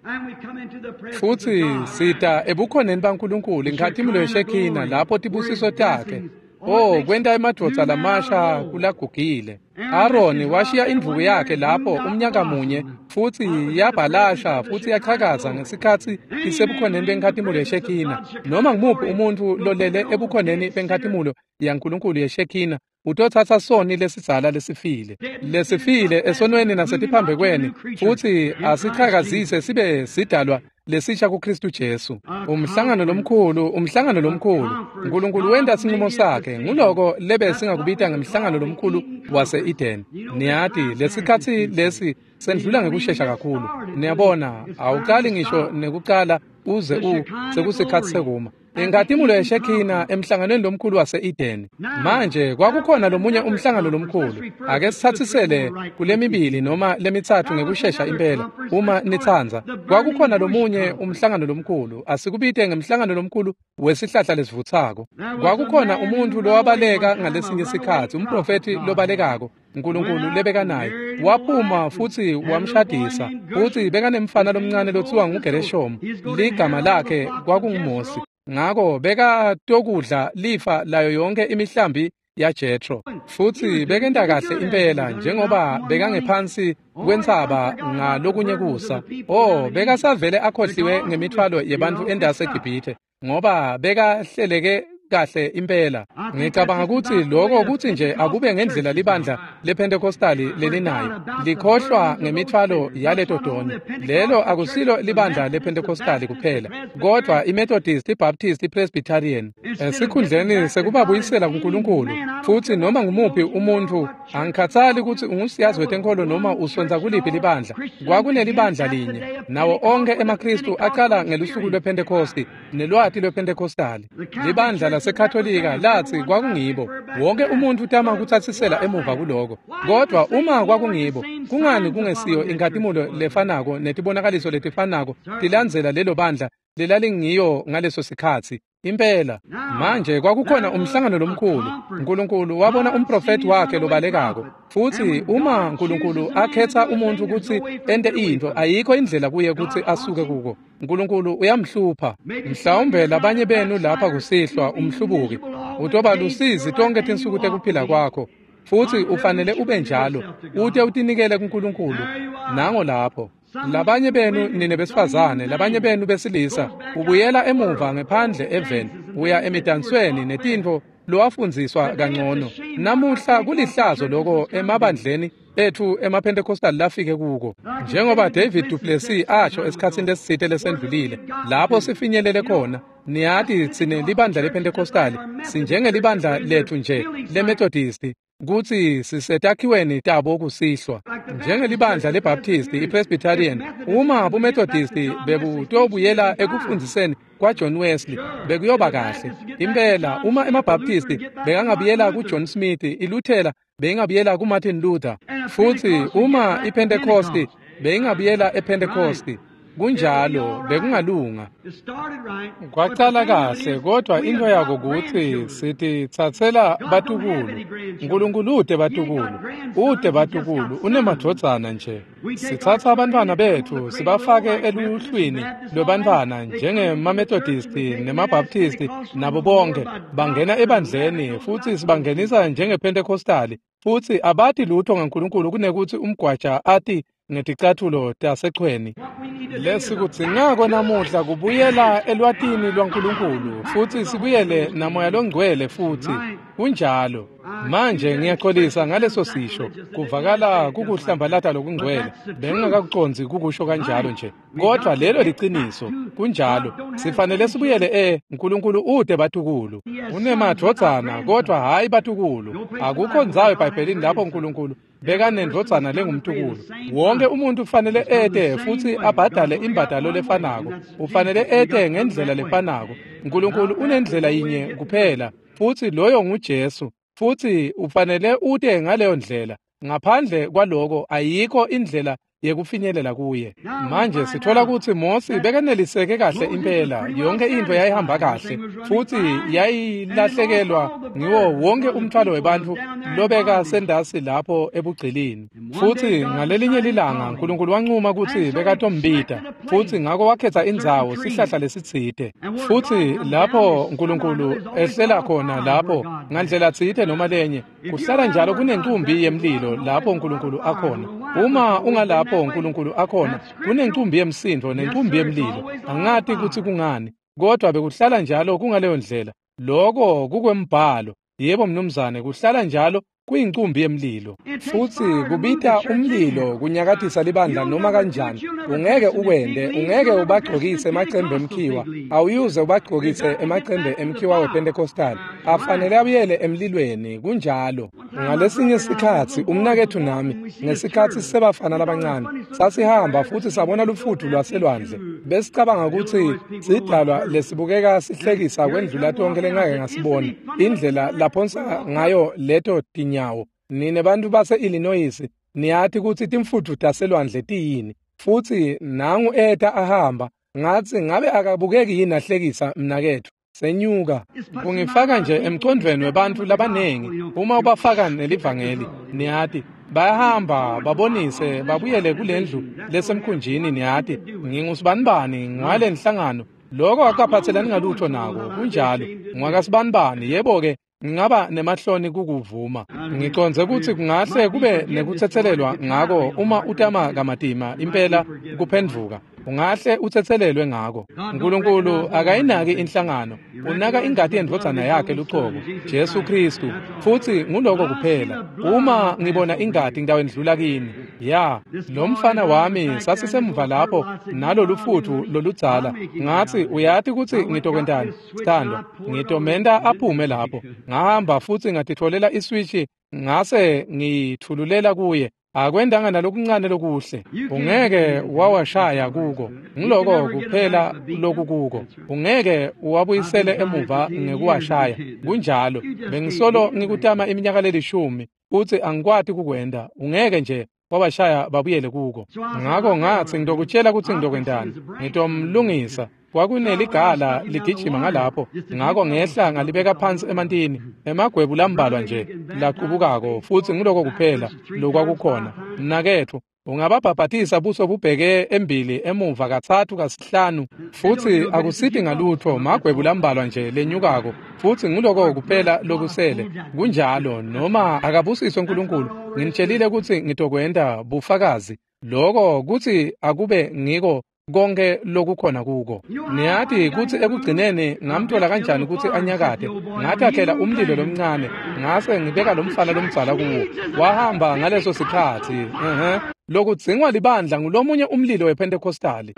Futsi sita ebukhoneni baNkulunkulu inkhatimulo yeShekina lapho tibusiso takhe. Oh, kwenta emadvodza lamasha kulagugile. Aroni washiya indvuku yakhe lapho umnyaka munye futsi yabhalasha futsi yachakaza ngesikhatsi isebukhoneni benkhatimulo yeShekina. Noma ngumuphi umuntfu lolele ebukhoneni benkhatimulo yaNkulunkulu yeShekina utotsatsa soni lesidzala lesifile lesifile esonweni nasetiphambekweni futsi asichakazise sibe sidalwa lesisha kuKristu Jesu. Umhlangano lomkhulu, umhlangano lomkhulu. uNkulunkulu wenta sinqumo sakhe. Nguloko lebe singakubita ngemhlangano lomkhulu wase-Eden. Niyati lesikhatsi lesi sendlula ngekushesha kakhulu. Niyabona, awuqali ngisho nekuqala uze u sekusikhatsi sekuma. Inkhatimulo yeShekina emhlanganweni lomkhulu wase-Eden. Manje kwakukhona lomunye umhlangano lomkhulu. Ake sithathisele kulemibili noma lemitsatfu ngekushesha impela uma nitsandza. Kwakukhona lomunye umhlangano lomkhulu. Asikubite ngemhlangano lomkhulu wesihlahla lesivutsako. Kwakukhona umuntfu lowabaleka ngalesinye sikhatsi, umprofethi lobalekako uNkulunkulu lebekanaye. Waphuma futsi wamshadisa, futsi bekanemfana lomncane lotsiwa nguGereshom. Ligama lakhe kwakunguMosi. Ngako bekatokudla lifa layo yonke imihlambi yaJethro. Futsi bekenta kahle impela njengoba bekangephansi kwentsaba ngalokunye kusa. Oh, bekasavele akhohliwe ngemithwalo yebantfu endase eGibhithe ngoba bekahleleke kahle impela. Ngicabanga kutsi lokho kutsi nje akube ngendlela libandla lePentecostali lelinayo, likhohlwa ngemithwalo yaleto toni. Lelo akusilo libandla lePentecostali kuphela, kodwa iMethodist, iBaptist, iPresbyterian. Esikhundleni sekubabuyisela kuNkulunkulu, futsi noma ngumuphi umuntfu, angikhatsali kutsi ungusiyazi wetenkholo noma usonza kuliphi libandla, kwakunelibandla linye nawo onke emaKristu aqala ngelusuku lwePentecosti nelwati lwePentecostali. Libandla laseKatolika latsi kwakungibo. Wonke umuntu utama kutsatsisela emuva kuloko, kodwa uma kwakungibo, kungani kungesiyo inkhatimulo lefanako netibonakaliso letifanako tilandzela lelo bandla lelalingiyo ngaleso sikhatsi? Impela. Manje kwakukhona umhlangano lomkhulu. uNkulunkulu wabona umprofethi wakhe lobalekako. Futsi uma uNkulunkulu akhetha umuntu kutsi ente intfo, ayikho indlela kuye kutsi asuke kuko. uNkulunkulu uyamhlupha. Mhlawumbe labanye benu lapha kusihlwa umhlubuki utoba lusizi tonke tinsuku tekuphila kwakho, futsi ufanele ube njalo ute utinikele kuNkulunkulu. Nango lapho labanye benu nine besifazane, labanye benu besilisa, ubuyela emuva ngephandle eveni, uya emidansweni netintfo lowafundziswa kangcono. Namuhla kulihlazo loko emabandleni ethu emaPentecostal lafike kuko. Njengoba David Duplessis asho esikhatsini lesitsite lesendlulile, lapho sifinyelele khona, niyati tsine libandla lePentecostal sinjengelibandla lethu nje leMethodist, kutsi sisetakhiweni tabo kusihlwa. Njengelibandla leBaptist, iPresbyterian, uma buMethodist bebutobuyela ekufundziseni kwaJohn Wesley, bekuyoba kahle. Impela, uma emaBaptist bekangabuyela kuJohn Smith, iLuthela beyingabuyela kuMartin Luther, futsi uma iPentecost beyingabuyela ePentecost. Kunjalo, bekungalunga. Kwacala kahle, kodwa into yako kutsi sititsatsela batukulu. uNkulunkulu ute batukulu, ute batukulu, unemadvodzana nje. Sitsatsa abantwana bethu sibafake eluhlwini lwebantfwana njengemaMethodist nemaBaptist nabo bonke bangena ebandleni, futsi sibangenisa njengePentecostali, futsi abati lutho ngaNkulunkulu kunekutsi umgwaja ati ngeticathulo tasechweni. Lesikudzingako namuhla kubuyela elwatini lwaNkulunkulu futsi sibuyele namoya longcwele futsi. Kunjalo. Manje ngiyaxolisa ngaleso sisho, kuvakala kukuhlambalata lokungcwele. Bengingakakucondzi kukusho kanjalo nje, kodwa lelo liciniso. Kunjalo. Sifanele sibuyele e uNkulunkulu ute batukulu. Unemadvodzana kodwa hayi batukulu. Akukho ndzawo eBhayibhelini lapho uNkulunkulu bekanendvodzana lengumtukulu. Wonke umuntu ufanele ete futsi abhadale imbadalo lefanako. Ufanele ete ngendlela lefanako. uNkulunkulu unendlela yinye kuphela, futsi loyo nguJesu. Futsi ufanele ute ngaleyo ndlela. Ngaphandle kwaloko ayikho indlela yekufinyelela kuye. Manje sithola kutsi Mosi bekaneliseke kahle impela, yonke intfo yayihamba kahle, futsi yayilahlekelwa ngiwo wonke umthwalo webantfu lobeka sendasi lapho ebugcilini. Futsi ngalelinye lilanga Nkulunkulu wancuma kutsi bekatombita, futsi ngako wakhetsa indzawo, sihlahla lesitsite. Futsi lapho Nkulunkulu ehlela khona lapho ngandlela tsite noma lenye, kuhlala njalo kunencumbi yemlilo lapho Nkulunkulu akhona. Uma ungalapho Nkulunkulu akhona, kunencumbi yemsindvo nencumbi yemlilo. Angati kutsi kungani, kodwa bekuhlala njalo kungaleyo ndlela. Loko kukwembhalo. Yebo mnumzane, kuhlala njalo kuyincumbi yemlilo. Futsi kubita umlilo kunyakatisa libandla noma kanjani. Ungeke ukwende, ungeke ubagcokise emacembe emkhiwa, awuyuze ubagcokise emacembe emkhiwa wePentecostal. Afanele abuyele emlilweni, kunjalo. Ngalesinye sikhatsi umnaketfu nami, ngesikhatsi sebafana labancane, sasihamba futsi sabona lufutfu lwaselwandle. Besicabanga kutsi sidalwa lesibukeka sihlekisa kwendlula tonkhe lengake ngasibona. Indlela laphonsa ngayo leto tinyawo. Nine bantu base-Illinois niyati kutsi timfutfu taselwandle tiyini. Futsi nangu eta ahamba, ngatsi ngabe akabukeki yini ahlekisa mnaketfu. Senyuka. Kungifaka nje emcondvweni webantfu labanengi uma ubafaka nelivangeli, niyati bayahamba babonise babuyele kulendlu lesemkhunjini, niyati ngingusibanibani ngale nhlangano. Loko akaphathelani ngalutho nako, kunjalo. Ngwakasibanibani, yebo-ke ngingaba nemahloni kukuvuma. Ngicondze kutsi kungahle kube nekutsetselelwa ngako uma utama kamatima impela kuphendvuka. Ungahle utsetselelwe ngako. Nkulunkulu akayinaki inhlangano, unaka ingati yendvodzana yakhe lucobo, Jesu Khristu, futsi nguloko kuphela. Uma ngibona ingati ngitawendlula kini. Ya, lo mfana wami sasisemuva lapho nalolufutfu loludzala. Ngatsi uyati kutsi ngitokwentani, sithandwa, ngitomenta aphume lapho. Ngahamba futsi ngatitfolela iswishi ngase ngiyithululela kuye. Akwendanga nalokuncane lokuhle. Ungeke wawashaya kuko. Ngiloko kuphela lokukuko. Ungeke uwabuyisele emuva ngekuwashaya. Kunjalo. Bengisolo ngikutama iminyaka lelishumi futsi angikwati kukwenda. Ungeke nje wabashaya babuyele kuko. Ngako ngatsi ngitokutshela kutsi ngitokwentani. Ngitomlungisa. Kwakuneligala ligijima ngalapho, ngako ngehla ngalibeka phansi emantini, emagwebu lambalwa nje laqubukako, futsi nguloko kuphela lokwakukhona. Mnaketfu, ungababhabhatisa buso bubheke embili emuva katsatfu kasihlanu, futsi akusiti ngalutfo, magwebu lambalwa nje lenyukako, futsi nguloko kuphela lokusele. Kunjalo, noma akabusiswe Nkulunkulu, nginitshelile kutsi ngitokwenta bufakazi. Loko kutsi akube ngiko konke lokukhona kuko. Niyati kutsi ekugcineni ngamthola kanjani kutsi anyakate. Ngatakhela umlilo lomncane, ngase ngibeka lomfana lomdzala kuwo. Wahamba ngaleso sikhatsi. Ehhe. Lokudzingwa libandla ngulomunye umlilo wePentecostali.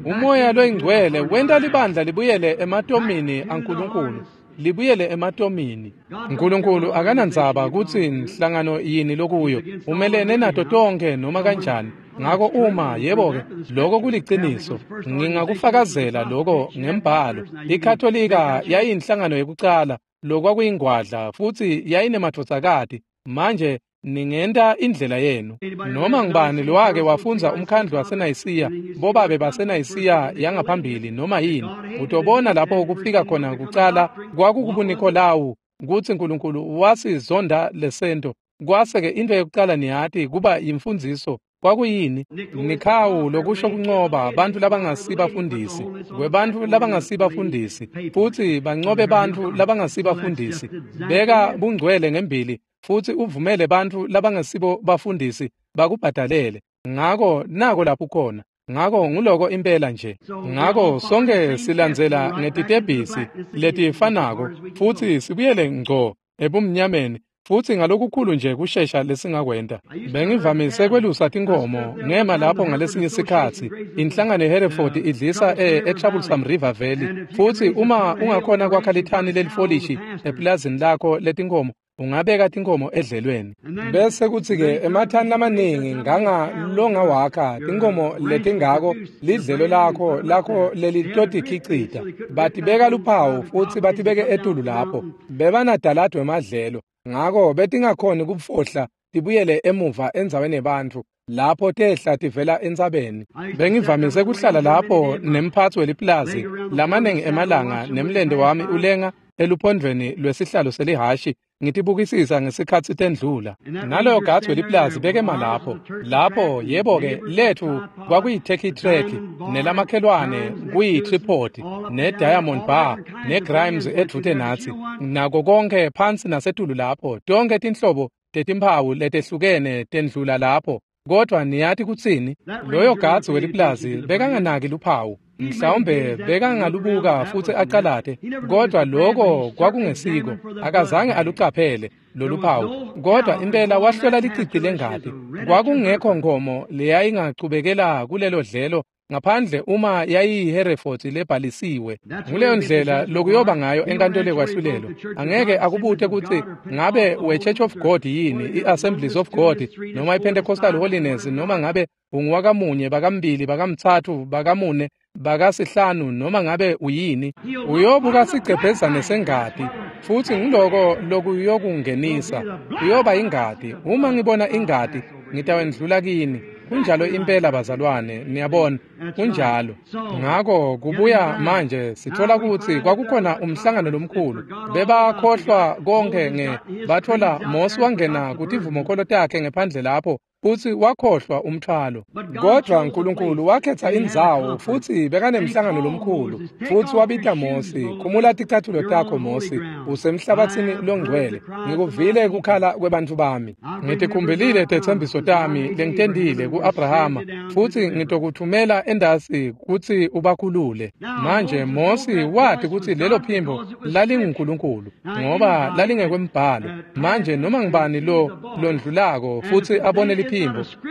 Umoya loyingcwele wenta libandla libuyele ematomini aNkulunkulu. Libuyele ematomini. Nkulunkulu akanandzaba kutsi inhlangano yini lokuyo, umelene nato tonke noma kanjani. Ngako uma, yebo-ke, loko kuliciniso. Ngingakufakazela loko ngembhalo. IKatolika yayinhlangano yekucala, lokwakuyingwadla, futsi yayinemadvodzakati. Manje ningenta indlela yenu. Noma ngubani lowake wafundza umkhandlu waseNayisiya, bobabe baseNayisiya yangaphambili noma yini, utobona lapho kufika khona kucala kwakukubuNikolawu, kutsi Nkulunkulu wasizonda lesento. Kwase-ke into yekucala niyati kuba yimfundziso. Kwakuyini? Nikhawu lokusho kuncoba bantfu labangasibafundisi, kwebantfu labangasibafundisi, futsi bancobe bantfu labangasibafundisi. Beka bungcwele ngembili futsi uvumele bantfu labangasibo bafundisi bakubhadalele. Ngako nako lapho khona. Ngako nguloko impela nje. Ngako sonke silandzela ngetitebhisi letifanako futsi sibuyele ngco ebumnyameni, futsi ngalokukhulu nje kushesha lesingakwenta. Bengivamise kwelusa tinkhomo ngema lapho ngalesinye sikhatsi. Inhlangano yeHereford idlisa e-Troublesome River Valley, futsi uma ungakhona kwakha lithani lelifolishi epulazini lakho letinkhomo, ungabeka tinkhomo edlelweni. Bese kutsi-ke emathani lamaningi nganga longawakha tinkhomo letingako lidlelo lakho lakho lelitotikhicita. Batibeka luphawu futsi batibeke etulu lapho. Bebanadaladi wemadlelo, ngako betingakhoni kufohla tibuyele emuva endzaweni yebantfu lapho tehla tivela entsabeni. Bengivamise kuhlala lapho nemphatsi weliplazi lamaningi emalanga nemlente wami ulenga eluphondvweni lwesihlalo selihhashi ngitibukisisa ngesikhatsi tendlula. Naloyo gadzi weliplazi bekema lapho. Lapho yebo-ke letfu kwakuyi-Turkey Track nelamakhelwane kuyi-Tripod ne-Diamond Bar ne-Grimes edvute natsi nako konke phansi nasetulu lapho tonkhe tinhlobo tetimphawu letehlukene tendlula lapho. Kodwa niyati kutsini? Loyo gadzi weliplazi bekanganaki luphawu. Mhlawumbe bekangalubuka futsi acalate, kodwa loko kwakungesiko. Akazange alucaphele loluphawu, kodwa impela wahlola licici lengati. Kwakungekho nkomo leyayingachubekela kulelo dlelo ngaphandle uma yayiyiHereford lebhalisiwe. Nguleyo ndlela lokuyoba ngayo enkantolo yekwahlulelo. Angeke akubute kutsi ngabe we-Church of God yini, i-Assemblies of God noma i-Pentecostal Holiness, noma ngabe unguwakamunye, bakambili, bakamtsatfu, bakamune, bakasihlanu, noma ngabe uyini. Uyobuka sigcebhezane sengati, futsi ngiloko lokuyokungenisa. Kuyoba ingati. Uma ngibona ingati, ngitawendlula kini. Kunjalo impela bazalwane, niyabona, kunjalo. Ngako kubuya manje sithola kutsi kwakukhona umhlangano lomkhulu. Bebakhohlwa konke nge bathola Mose wangena kutivumokholo takhe ngephandle lapho futsi wakhohlwa umthwalo. Kodwa uNkulunkulu wakhetha indzawo futsi bekanemhlangano lomkhulu futsi wabita Mose, khumula ticatfulo takho Mose, usemhlabathini longcwele. Ngikuvile kukhala kwebantfu bami. Ngitikhumbulile tetsembiso tami lengitendile ku-Abrahama futsi ngitokuthumela endasi kutsi ubakhulule. Manje Mose wati kutsi lelo phimbo lalinguNkulunkulu ngoba lalingekwembhalo. Manje noma ngibani lo londlulako futsi abone liphimbo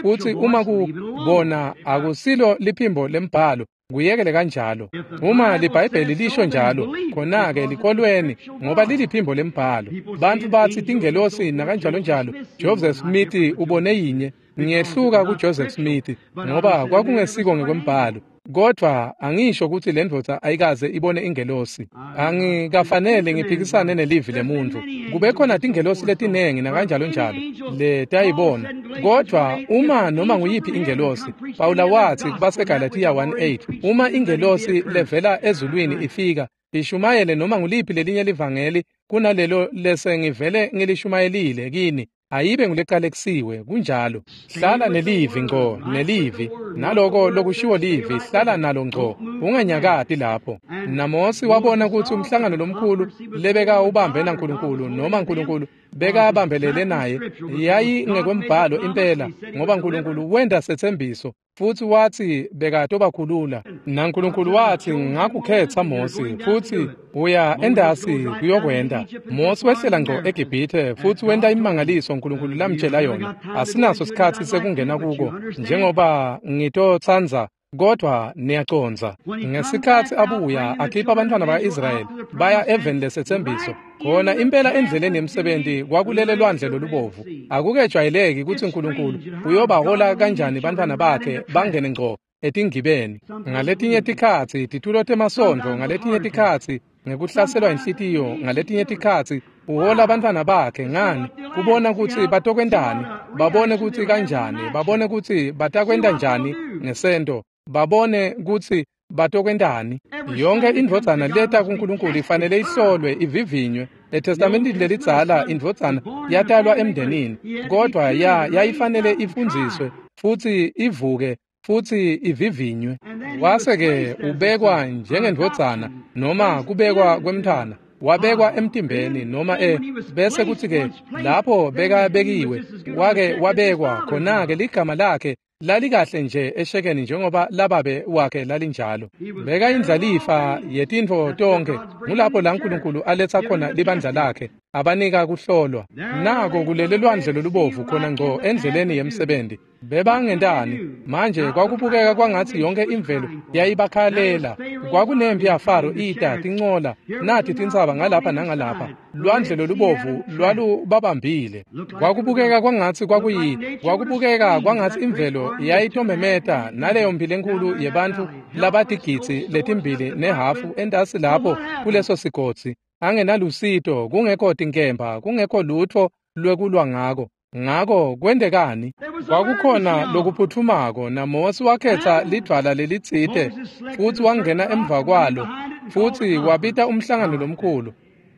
futsi uma kubona akusilo liphimbo lembhalo, kuyekele kanjalo. Uma liBhayibheli lisho njalo, khona-ke likholweni ngoba liliphimbo lembhalo. Bantfu batsi tingelosi nakanjalo njalo. Joseph Smith ubone yinye. Ngiyehluka kuJoseph Smith ngoba kwakungesiko ngekwembhalo. Kodwa angisho kutsi le ndvodza ayikaze ibone ingelosi. Angikafanele ngiphikisane nelivi lemuntfu. Kube khona tingelosi letinengi nakanjalo njalo letayibona. Kodwa uma noma nguyiphi ingelosi, Pawula watsi kubaseGalathiya one eight, uma ingelosi levela ezulwini ifika ishumayele noma nguliphi lelinye livangeli kunalelo lesengivele ngilishumayelile kini, ayibe nguleqalekisiwe. Kunjalo. Hlala nelivi ngco, nelivi naloko lokushiwo livi, hlala nalo ngco, unganyakati lapho. NaMose wabona kutsi umhlangano lomkhulu lebeka ubambe naNkulunkulu noma uNkulunkulu bekabambelele naye yayingekwembhalo impela, ngoba uNkulunkulu wenta setsembiso futsi watsi bekatobakhulula. NaNkulunkulu watsi ngakukhetsa Mose futsi uya endasi kuyokwenta. Mose wehlela ngco eGibhithe futsi wenta imimangaliso uNkulunkulu lamtjela yona. Asinaso sikhatsi sekungena kuko njengoba ngitotsandza, kodwa niyacondza. Ngesikhatsi abuya akhipha abantwana ba-Israyeli baya eveni lesetsembiso, khona impela endleleni yemsebenti kwakulele lwandle lolubovu. Akukejwayeleki kutsi uNkulunkulu uyobahola kanjani bantwana bakhe bangene ngco etingibeni. Ngaletinye tikhatsi titulo temasondvo, ngaletinye tikhatsi ngekuhlaselwa inhlitiyo, ngaletinye tikhatsi uhola abantwana bakhe ngani kubona kutsi batokwentani, babone kutsi kanjani, babone kutsi batakwenta njani ngesento, babone kutsi batokwentani. Yonke indvodzana leta kuNkulunkulu ifanele ihlolwe, ivivinywe. ETestamentini lelidzala indvodzana yatalwa emndenini, kodwa ya yayifanele ifundziswe futsi ivuke futsi ivivinywe. Wase-ke ubekwa njengendvodzana noma kubekwa kwemntfwana, wabekwa emtimbeni noma e bese kutsi-ke lapho bekabekiwe wake wabekwa khona-ke ligama lakhe lalikahle nje eshekeni njengoba lababe wakhe lalinjalo. Bekayindlalifa yetintfo tonkhe. Ngulapho la uNkulunkulu aletsa khona libandla lakhe, abanika kuhlolwa. Nako kulele lwandle lolubovu khona ngco endleleni yemsebenti. Bebangentani? Manje kwakubukeka kwangatsi yonke imvelo yayibakhalela. Kwakunempi yaFaro ita tincola nati tintsaba ngalapha nangalapha. Lwandle lolubovu lwalubabambile. Kwakubukeka kwangatsi kwakuyi kwakubukeka kwangatsi imvelo yayitomemeta naleyo mphilo enkulu yebantfu labatigidzi letimbili nehafu entasi lapho kuleso sigodzi, angenalusito, kungekho tinkemba, kungekho lutfo lwekulwa ngako. Ngako kwentekani? Kwakukhona lokuphuthumako, naMosi wakhetsa lidvwala lelitsite futsi wangena emva kwalo futsi wabita umhlangano lomkhulu.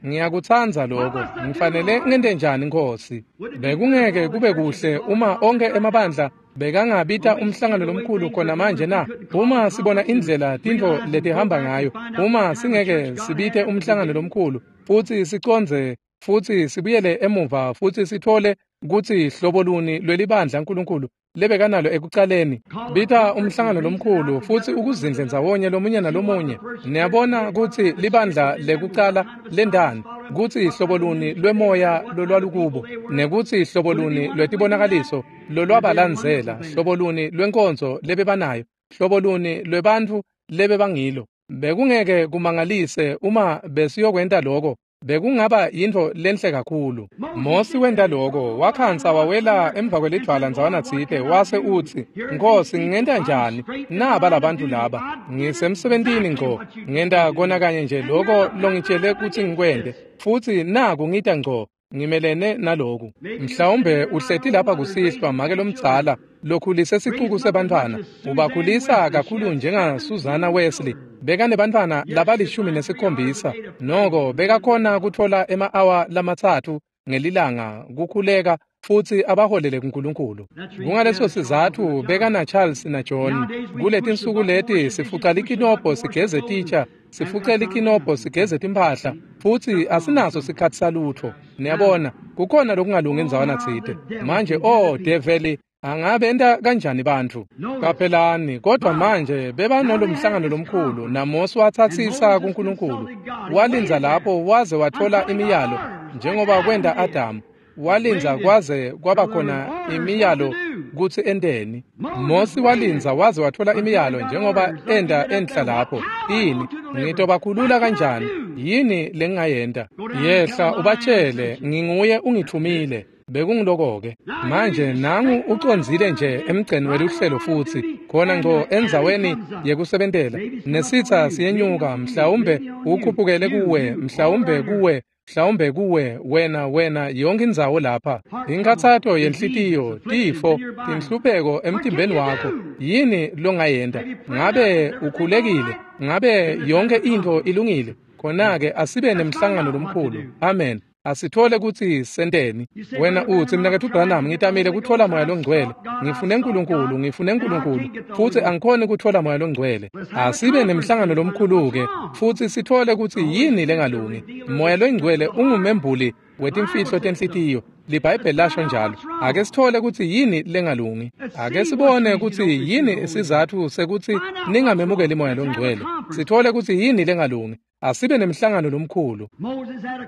Ngiyakutsandza lokho. Ngifanele ngente njani, Nkosi? Bekungeke kube kuhle uma onke emabandla bekangabita umhlangano lomkhulu khona manje na? Uma sibona indlela tintfo letihamba ngayo, uma singeke sibite umhlangano lomkhulu futsi sicondze futsi sibuyele emuva futsi sitfole kutsi hlobo luni lwelibandla uNkulunkulu lebekanalo ekucaleni. Bita umhlangano lomkhulu futsi ukuzindle ndzawonye lomunye nalomunye. Niyabona kutsi libandla lekucala lendani, kutsi hlobo luni lwemoya lolwalukubo, nekutsi hlobo luni lwetibonakaliso lolwabalandzela, hlobo luni lwenkonzo lebebanayo, hlobo luni lwebantfu lebebangilo. Bekungeke kumangalise uma besiyokwenta lokho. Bekungaba yintfo lenhle kakhulu. Mosi wenta lokho, wakhansa wawela emva kwelidvwala ndzawana tsite, wase utsi, Nkosi, ngingenta njani? Naba labantu laba, ngisemsebentini ngco, ngenta kona kanye nje lokho longitshele kutsi ngikwente, futsi naku ngita ngco, ngimelene naloku. Mhlawumbe uhleti lapha kusihlwa make lomdzala lokhulise sicuku sebantfwana, ubakhulisa kakhulu njenga Susanna Wesley. Bekanebantfwana labalishumi nesikhombisa, noko bekakhona kutfola ema-awa lamatsatfu ngelilanga kukhuleka futsi abaholele kuNkulunkulu. Kungaleso sizatfu bekana Charles na John. Kuletinsuku leti sifuca likinobho sigeze titsha, sifuce likinobho sigeze timphahla, futsi asinaso sikhatsi salutfo. Niyabona, kukhona lokungalungi endzawana tsite. Manje, oh develi, angabe enta kanjani bantfu? Qaphelani, kodwa manje bebanolomhlangano lomkhulu, naMosi watsatsisa kuNkulunkulu. Walindza lapho waze watfola imiyalo, njengoba kwenta Adamu. Walindza kwaze kwaba khona imiyalo kutsi enteni. Mosi walindza waze watfola imiyalo njengoba enta enhla lapho. Ini? Ngitobakhulula kanjani? Yini lengingayenta? Yehla ubatshele, nginguye ungithumile. Bekungiloko-ke. Manje nangu ucondzile nje emgceni weluhlelo futsi khona ngco endzaweni yekusebentela. Nesitsa siyenyuka, mhlawumbe ukhuphukele kuwe, mhlawumbe kuwe, mhlawumbe kuwe, wena wena yonke indzawo lapha. Inkhatsato yenhlitiyo, tifo, tinhlupheko emtimbeni wakho. Yini longayenta? Ngabe ukhulekile? Ngabe yonke intfo ilungile? Khona-ke asibe nemhlangano lomkhulu. Amen. Asithole kutsi senteni. Wena utsi, mnaketfu Branham, ngitamile kutfola moya longcwele. Ngifune uNkulunkulu, ngifune uNkulunkulu, futsi angikhoni kutfola moya longcwele. Asibe nemhlangano lomkhulu-ke, futsi sithole kutsi yini lengalungi. Moya longcwele ungumembuli wetimfihlo tenhlitiyo. LiBhayibheli lasho njalo. Ake sithole kutsi yini lengalungi. Ake sibone kutsi yini isizatfu sekutsi ningamemukeli moya longcwele. Sithole kutsi yini lengalungi. Asibe nemhlangano lomkhulu.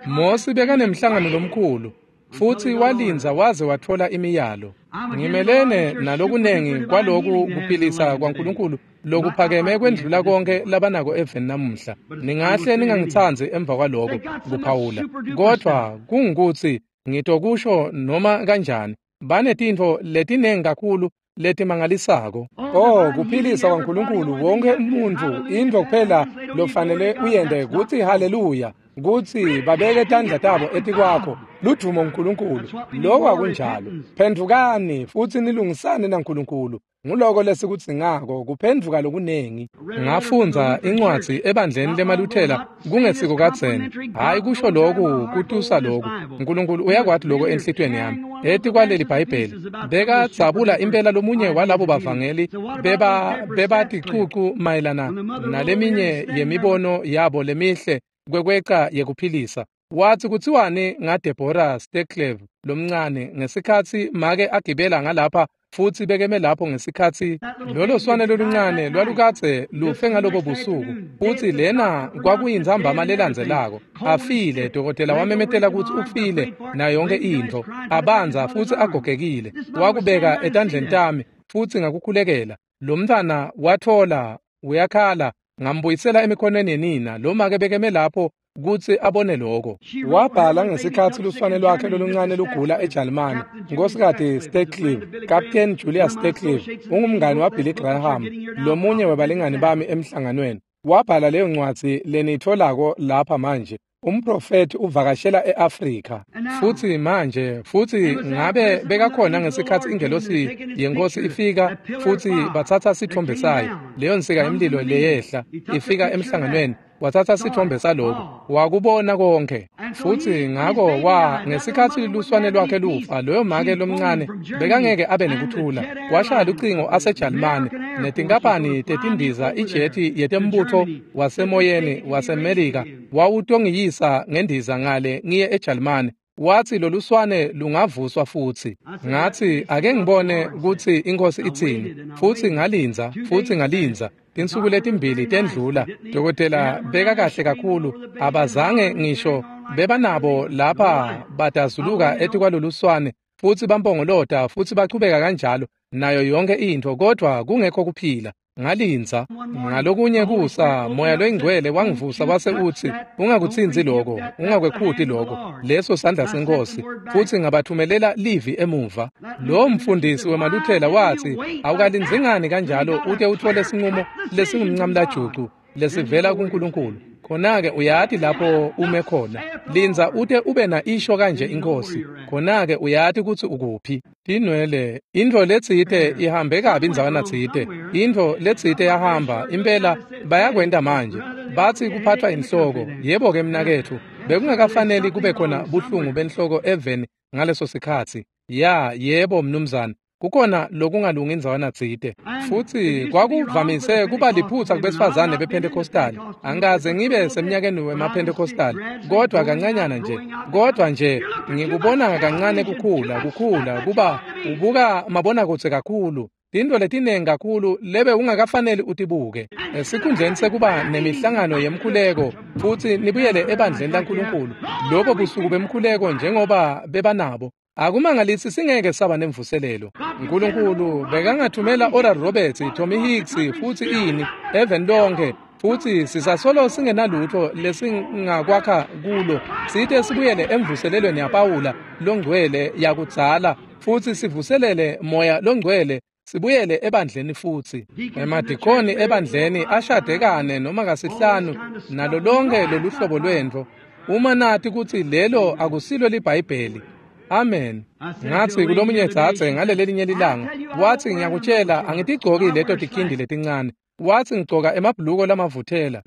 Mosi bekanemhlangano lomkhulu futsi walindza waze watfola imiyalo. Ngimelene nalokunengi kwaloku kuphilisa kwaNkulunkulu lokuphakeme kwendlula konke labanako eveni namuhla. Ningahle ningangitsandzi emva kwaloko kuphawula, kodvwa kungukutsi ngitokusho noma kanjani. Banetintfo letinengi kakhulu letimangalisako. Oh, kuphilisa kwaNkulunkulu wonke umuntfu, intfo kuphela lofanele uyente kutsi haleluya, kutsi babeke tandla tabo etikwakho, ludumo uNkulunkulu. Lokho akunjalo. Phendvukani futsi nilungisane naNkulunkulu. Nguloko lesikudzingako, kuphendvuka lokunengi. Ngafundza incwadzi ebandleni lemaLuthela kungesiko kadzeni. Hhayi kusho loku, kutusa loku. Nkulunkulu uyakwati loko enhlitiyweni yami. Etikwaleli Bhayibheli bekadzabula impela lomunye walabo bavangeli beba bebaticucu mayelana naleminye yemibono yabo lemihle kwekweca yekuphilisa. Watsi kutsiwani ngaDeborah Steklev lomncane ngesikhatsi make agibela ngalapha futsi bekeme lapho ngesikhatsi lolo swane loluncane lwalukadze lufe ngalobo busuku, futsi lena kwakuyintsambama lelandzelako. Afile, dokotela wamemetela kutsi ufile nayo yonke intfo, abanza futsi agogekile. Wakubeka etandleni tami futsi ngakukhulekela. Lo mntfwana watfola, uyakhala, ngambuyisela emikhonweni yenina. Lo make bekeme lapho kutsi abone lokho. Wabhala ngesikhatsi luswane lwakhe loluncane lugula eJalimane. Nkosikazi Steklive, Captain Julius Steklive, ungumngani waBilly Graham, lomunye webalingani bami emhlanganweni. Wabhala leyo ncwadzi leniyitfolako lapha manje. Umprofeti uvakashela eAfrika. Futhi manje, futhi ngabe bekakhona ngesikhathi ingelosi yenkosi ifika futhi bathatha sithombe sayo, leyo nsika yemlilo leyehla ifika emhlanganweni, wathatha sithombe saloko, wakubona konke. Futhi ngako wa ngesikhathi luswane lwakhe lufa, loyo make lomncane bekangeke abe nekuthula. Washaya lucingo aseJalimane netinkampani tetindiza ijeti yetembutho wasemoyeni waseMelika wawutongiyisa ngendiza ngale ngiye eJalimane. Wathi loluswane lungavuswa futhi. Ngathi ake ngibone ukuthi inkosi itsini. Futhi ngalinza, futhi ngalinza. Tinsuku letimbili tendlula, dokotela beka kahle kakhulu, abazange ngisho bebanabo lapha badazuluka etikwaloluswane futhi bampongolota futhi bachubeka kanjalo nayo yonke into, kodwa kungekho kuphila. Ngalinza. Ngalokunye kusa moya loyingcwele wangivusa wase uthi, ungakutsinzi lokho, ungakwekhuti lokho, leso sandla senkosi. Futhi ngabathumelela livi emuva. Lo mfundisi wemaluthela wathi, awukalinzi ngani kanjalo ute uthole sinqumo lesingumncamlajucu lesivela kuNkulunkulu? Khona-ke uyati lapho ume khona. Linza ute ube na isho kanje inkosi. Khona-ke uyati kutsi ukuphi. Tinwele, intfo letsite ihambe kabi indzawana tsite. Intfo letsite yahamba, impela bayakwenta manje. Batsi kuphathwa inhloko. Yebo-ke mnaketfu, bekungakafaneli kube khona buhlungu benhloko eveni ngaleso sikhatsi. Ya, yebo mnumzane. Kukhona lokungalungi indzawana tsite. Futhi kwakuvamise kuba liphutsa kubesifazane bePentecostal. Angikaze ngibe semnyakeni wemaPentecostal, kodwa kancanyana nje. Kodwa nje ngikubona kancane kukhula, kukhula kuba ubuka mabonakudze kakhulu. Tintfo letinengi kakhulu lebe ungakafaneli utibuke. Esikhundleni sekuba nemihlangano yemkhuleko futhi nibuyele ebandleni laNkulunkulu, lobo busuku bemkhuleko njengoba bebanabo. Akumangalisi singeke saba nemvuselelo. Nkulunkulu bekangathumela Oral Roberts, Tommy Hicks futhi ini even lonke, futhi sisasolo singenalutho lesingakwakha kulo. Sithe sibuyele emvuselelweni yaPawula longcwele yakudzala futhi sivuselele moya longcwele, sibuyele ebandleni futhi. Emadikoni ebandleni ashadekane noma kasihlanu nalo lonke loluhlobo lwentfo. Uma nati kutsi lelo akusilo liBhayibheli. Amen. Ngathi kulomunye dzadze ngalelelinye lilanga, wathi ngiyakutshela angitigcoki leto tikhindi letincane. Wathi ngigcoka emabhuluko lamavuthela.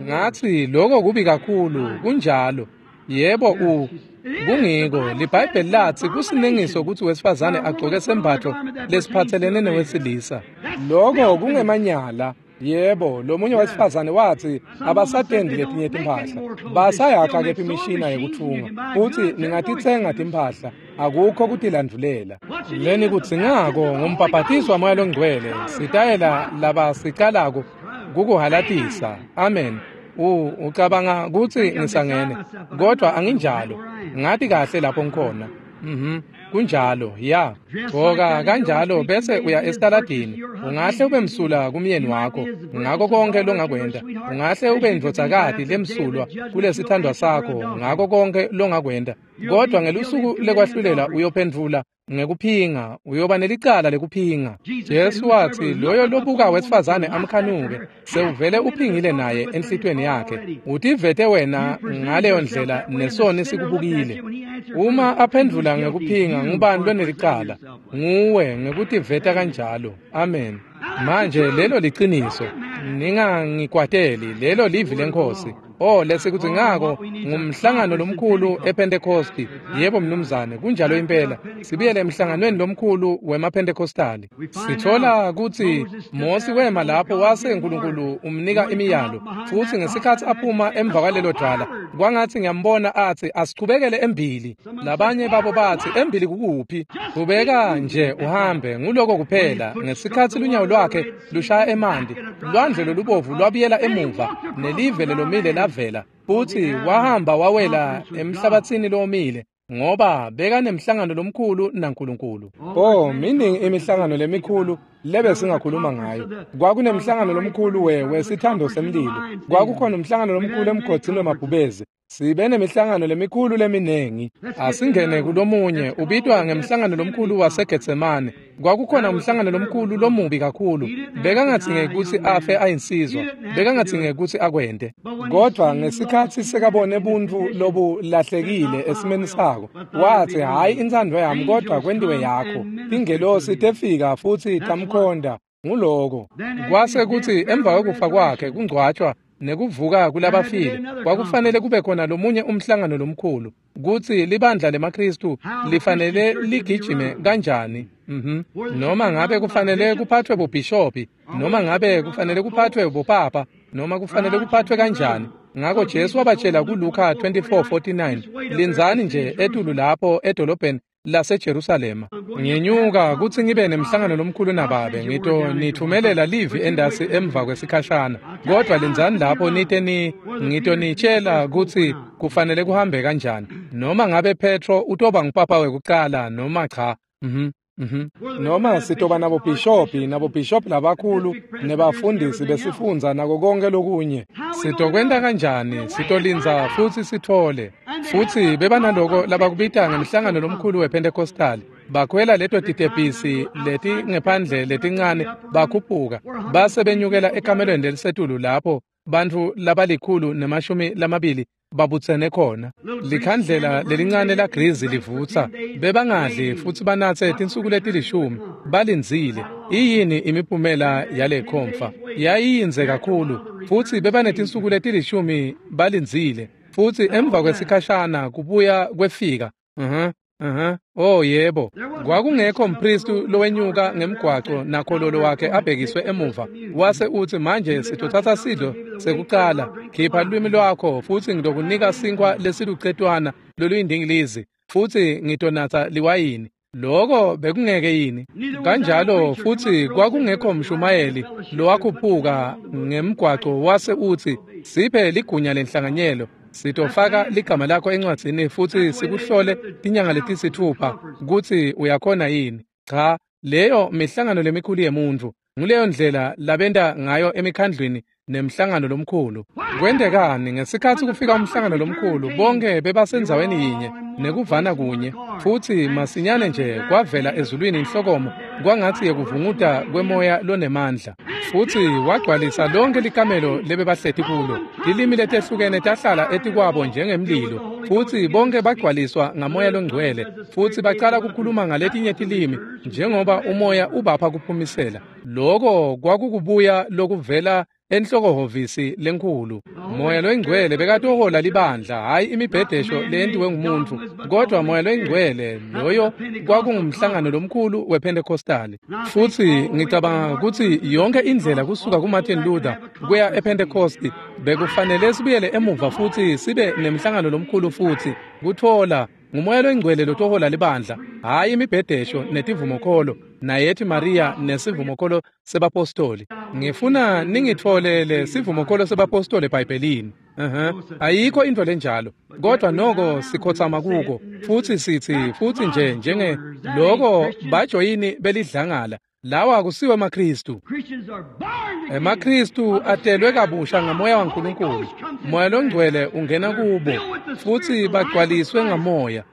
Ngathi lokho kubi kakhulu, kunjalo. Yebo u kungiko liBhayibheli lathi kusinengiso ukuthi wesifazane agcoke sembatho lesiphathelene newesilisa. Lokho kungemanyala. Yebo, lomunye wesifazane wathi abasatendi letinye timphahla. Basayakha kephi imishina yekuthunga. Uthi ningatitsenga timphahla, akukho kutilandvulela. Leni kudzingako ngumbhabhatiso wamoya longcwele, sitayela labasicalako kukuhalatisa. Amen. U ucabanga kutsi ngisangene, kodwa anginjalo. Ngathi kahle lapho ngikhona. Mhm. Kunjalo, ya. Gcoka kanjalo bese uya esitaladini. Ungahle ube msulwa kumyeni wakho ngako konke longakwenta. Ungahle ube indvodzakati lemsulwa kulesithandwa sakho ngako konke longakwenta. Kodwa ngelusuku lekwahlulela uyophendvula ngekuphinga, uyoba nelicala lekuphinga. Jesu wathi loyo lobuka wesifazane amkhanuke sewuvele uphingile naye enhlitweni yakhe. Utivete wena ngaleyo ndlela nesoni sikubukile. Uma aphendvula ngekuphinga, ngubani lonelicala? Nguwe ngekutiveta kanjalo. Amen. Manje lelo liciniso. Ningangikwateli, lelo livi lenkosi. Oh, lesikuthi ngako ngumhlangano lomkhulu ePentecosti. Yebo mnumzane, kunjalo impela. Sibuyele emhlanganweni lomkhulu wemaPentecostali. Sithola kutsi Mosi wema lapho wase uNkulunkulu umnika imiyalo. Futhi ngesikhathi aphuma emva kwalelo dwala, kwangathi ngiyambona athi asichubekele embili. Labanye babo bathi embili kukuphi? Qhubeka nje uhambe, nguloko kuphela. Ngesikhathi lunyawo lwakhe lushaya emanti, lwandle lolubovu lwabuyela emuva, nelive lelomile lavela. Futhi wahamba wawela emhlabathini lomile, ngoba bekanemhlangano lomkhulu naNkulunkulu. Oh, miningi imihlangano lemikhulu lebe singakhuluma ngayo. Kwakunemhlangano lomkhulu we wesithando semlilo. Kwakukhona umhlangano lomkhulu emgodini wemabhubezi. Sibe nemihlangano lemikhulu leminingi. Asingene kulomunye ubitwa ngemhlangano lomkhulu waseGetsemane. Kwakukhona umhlangano lomkhulu lomubi kakhulu. Bekangadzinge kutsi afe ayinsizwa. Bekangadzinge kutsi akwente. Kodwa ngesikhatsi sekabone buntfu lobulahlekile esimeni sako, watsi hhayi intsandvo yami kodwa kwentiwe yakho. Tingelosi tefika futsi tamkhonda. Nguloko. Kwase kutsi emva kwekufa kwakhe kungcwatshwa nekuvuka kulabafile, kwakufanele kube khona lomunye umhlangano lomkhulu kutsi libandla lemaKristu lifanele ligijime kanjani. Mhm. Noma ngabe kufanele kuphathwe bubhishopi, noma ngabe kufanele kuphathwe bupapa, noma kufanele kuphathwe kanjani. Ngako Jesu wabatshela kuLuka twenty-four forty-nine, lindzani nje etulu lapho edolobheni laseJerusalema. Ngenyuka kutsi ngibe nemhlangano lomkhulu nababe, ngito nithumelela livi endasi emva kwesikhashana. Kodwa lindzani lapho nite ni ngitonitshela kutsi kufanele kuhambe kanjani. Noma ngabe Petro utoba ngupapa wekucala noma cha. Mhm. Mhm. Noma sitoba nabobhishopi nabobhishopi labakhulu nebafundisi besifundza nako konke lokunye. Sitokwenta kanjani? Sitolindza futsi sithole. Futsi bebanaloko labakubita ngemhlangano lomkhulu wePentecostal. Bakhwela leto titebhisi leti ngephandle letincane bakhuphuka base benyukela ekamelweni lelisetulu lapho bantfu labalikhulu nemashumi lamabili babutsene khona. Likhandlela lelincane la grizi livutsa. Bebangadli futsi banatse tinsuku letilishumi balindzile. Iyini imiphumela yale khomfa? Yayiyindze kakhulu futsi bebanetinsuku letilishumi balindzile. Futsi emva kwesikhashana kubuya kwefika. Mhm. Mhm. Oh yebo. Kwakungekho mpristu lowenyuka ngemgwaco nakhololo wakhe abhekiswe emuva. Wase utsi manje sitothatha sidlo sekucala. Khipha lulwimi lwakho futsi ngitokunika sinkwa lesilucetwana loluyindingilizi futsi ngitonatsa liwayini. Loko bekungeke yini? Kanjalo futsi kwakungekho mshumayeli lowakhuphuka ngemgwaco wase utsi siphe ligunya lenhlanganyelo. Sitofaka ligama lakho encwadzini futsi sikuhlole tinyanga letisithupha kutsi uyakhona yini. Cha, leyo mihlangano lemikhulu yemuntfu. Nguleyo ndlela labenta ngayo emikhandlwini nemhlangano lomkhulu. Kwentekani ngesikhatsi kufika umhlangano lomkhulu? Bonke bebasendzaweni yinye nekuvana kunye, futsi masinyane nje kwavela ezulwini inhlokomo kwangatsi yekuvunguta kwemoya lonemandla, futsi wagcwalisa lonke likamelo lebebahleti kulo. Tilimi letehlukene tahlala etikwabo njengemlilo, futsi bonke bagcwaliswa ngamoya longcwele, futsi bacala kukhuluma ngaletinye tilimi njengoba umoya ubapha kuphumisela. Loko kwakukubuya lokuvela enhlokohhovisi lenkhulu. Moya loyingcwele bekatohola libandla, hhayi imibhedesho leyentiwe ngumuntu, kodwa moya loyingcwele loyo kwakungumhlangano lomkhulu wePentecostal. Futsi ngicabanga kutsi yonke indlela kusuka kuMartin Luther kuya ePentecost bekufanele sibuyele emuva futsi sibe nemhlangano lomkhulu futsi kutfola ngumoya loyingcwele lotohola libandla, hhayi imibhedesho netivumokholo nayethi Maria nesivumokholo sebapostoli. Ngifuna ningitfolele sivumokholo sebapostoli eBhayibhelini. Uh-huh. Ayikho into lenjalo, kodwa noko sikhotsama kuko futsi sitsi futsi nje njenge loko bajoyini belidlangala. Lawa akusiwo emaKristu. EmaKristu atelwe kabusha ngamoya waNkulunkulu. Moya longcwele ungena kubo futsi bagcwaliswe ngamoya.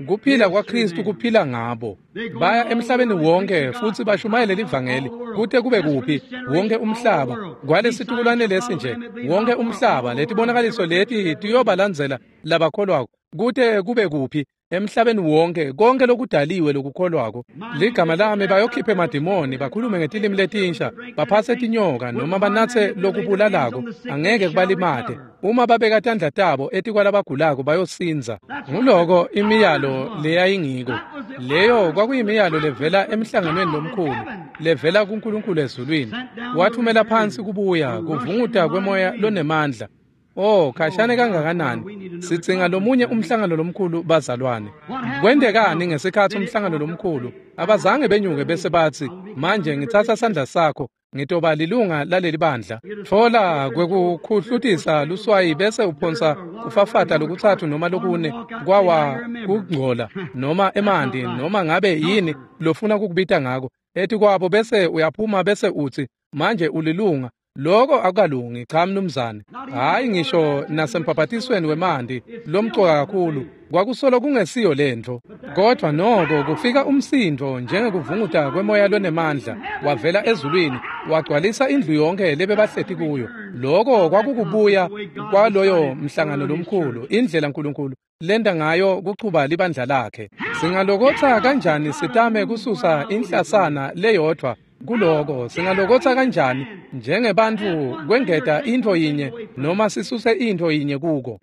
Kuphila kwaKristu kuphila ngabo. Baya emhlabeni wonke futsi bashumayele livangeli kute kube kuphi wonke umhlaba. Kwalesitukulwane lesi nje wonke umhlaba, letibonakaliso leti tiyobalandzela labakholwako kute kube kuphi emhlabeni wonke, konke lokudaliwe lokukholwako. Ligama lami bayokhipha emadimoni, bakhulume ngetilimi letinsha, baphase tinyoka noma banatse lokubulalako, angeke kubalimate. Uma babeka tandla tabo etikwalabagulako bayosindza. Nguloko imiyalo leyayingiko. Leyo kwakuyimiyalo levela emhlanganweni lomkhulu, levela kuNkulunkulu ezulwini. Wathumela phansi kubuya kuvunguta kwemoya lonemandla. Oh, khashane kangakanani. Sidzinga lomunye umhlangano lomkhulu bazalwane. Kwentekani ngesikhatsi umhlangano lomkhulu? Abazange benyuke bese batsi, manje ngitsatsa sandla sakho, ngitoba lilunga laleli bandla. Tfola kwekukhuhlutisa luswayi bese uphonsa kufafata lokutsatfu noma lokune kwawa kungcola noma emanti noma ngabe yini lofuna kukubita ngako. Etikwabo bese uyaphuma bese utsi, manje ulilunga. Loko akukalungi, cha mnumzane. Hhayi ngisho nasembhabhatisweni wemanti lomcoka kakhulu, kwakusolo kungesiyo lentfo. Kodwa noko kufika umsindvo njengekuvunguta kwemoya lonemandla wavela ezulwini wagcwalisa indlu yonke lebebahleti kuyo. Loko kwakukubuya kwaloyo mhlangano lomkhulu, indlela Nkulunkulu lenda ngayo kuchuba libandla lakhe. Singalokotsa kanjani sitame kususa inhlasana leyodvwa kuloko? Singalokotsa kanjani njengebantfu kwengeta intfo yinye noma sisuse intfo yinye kuko?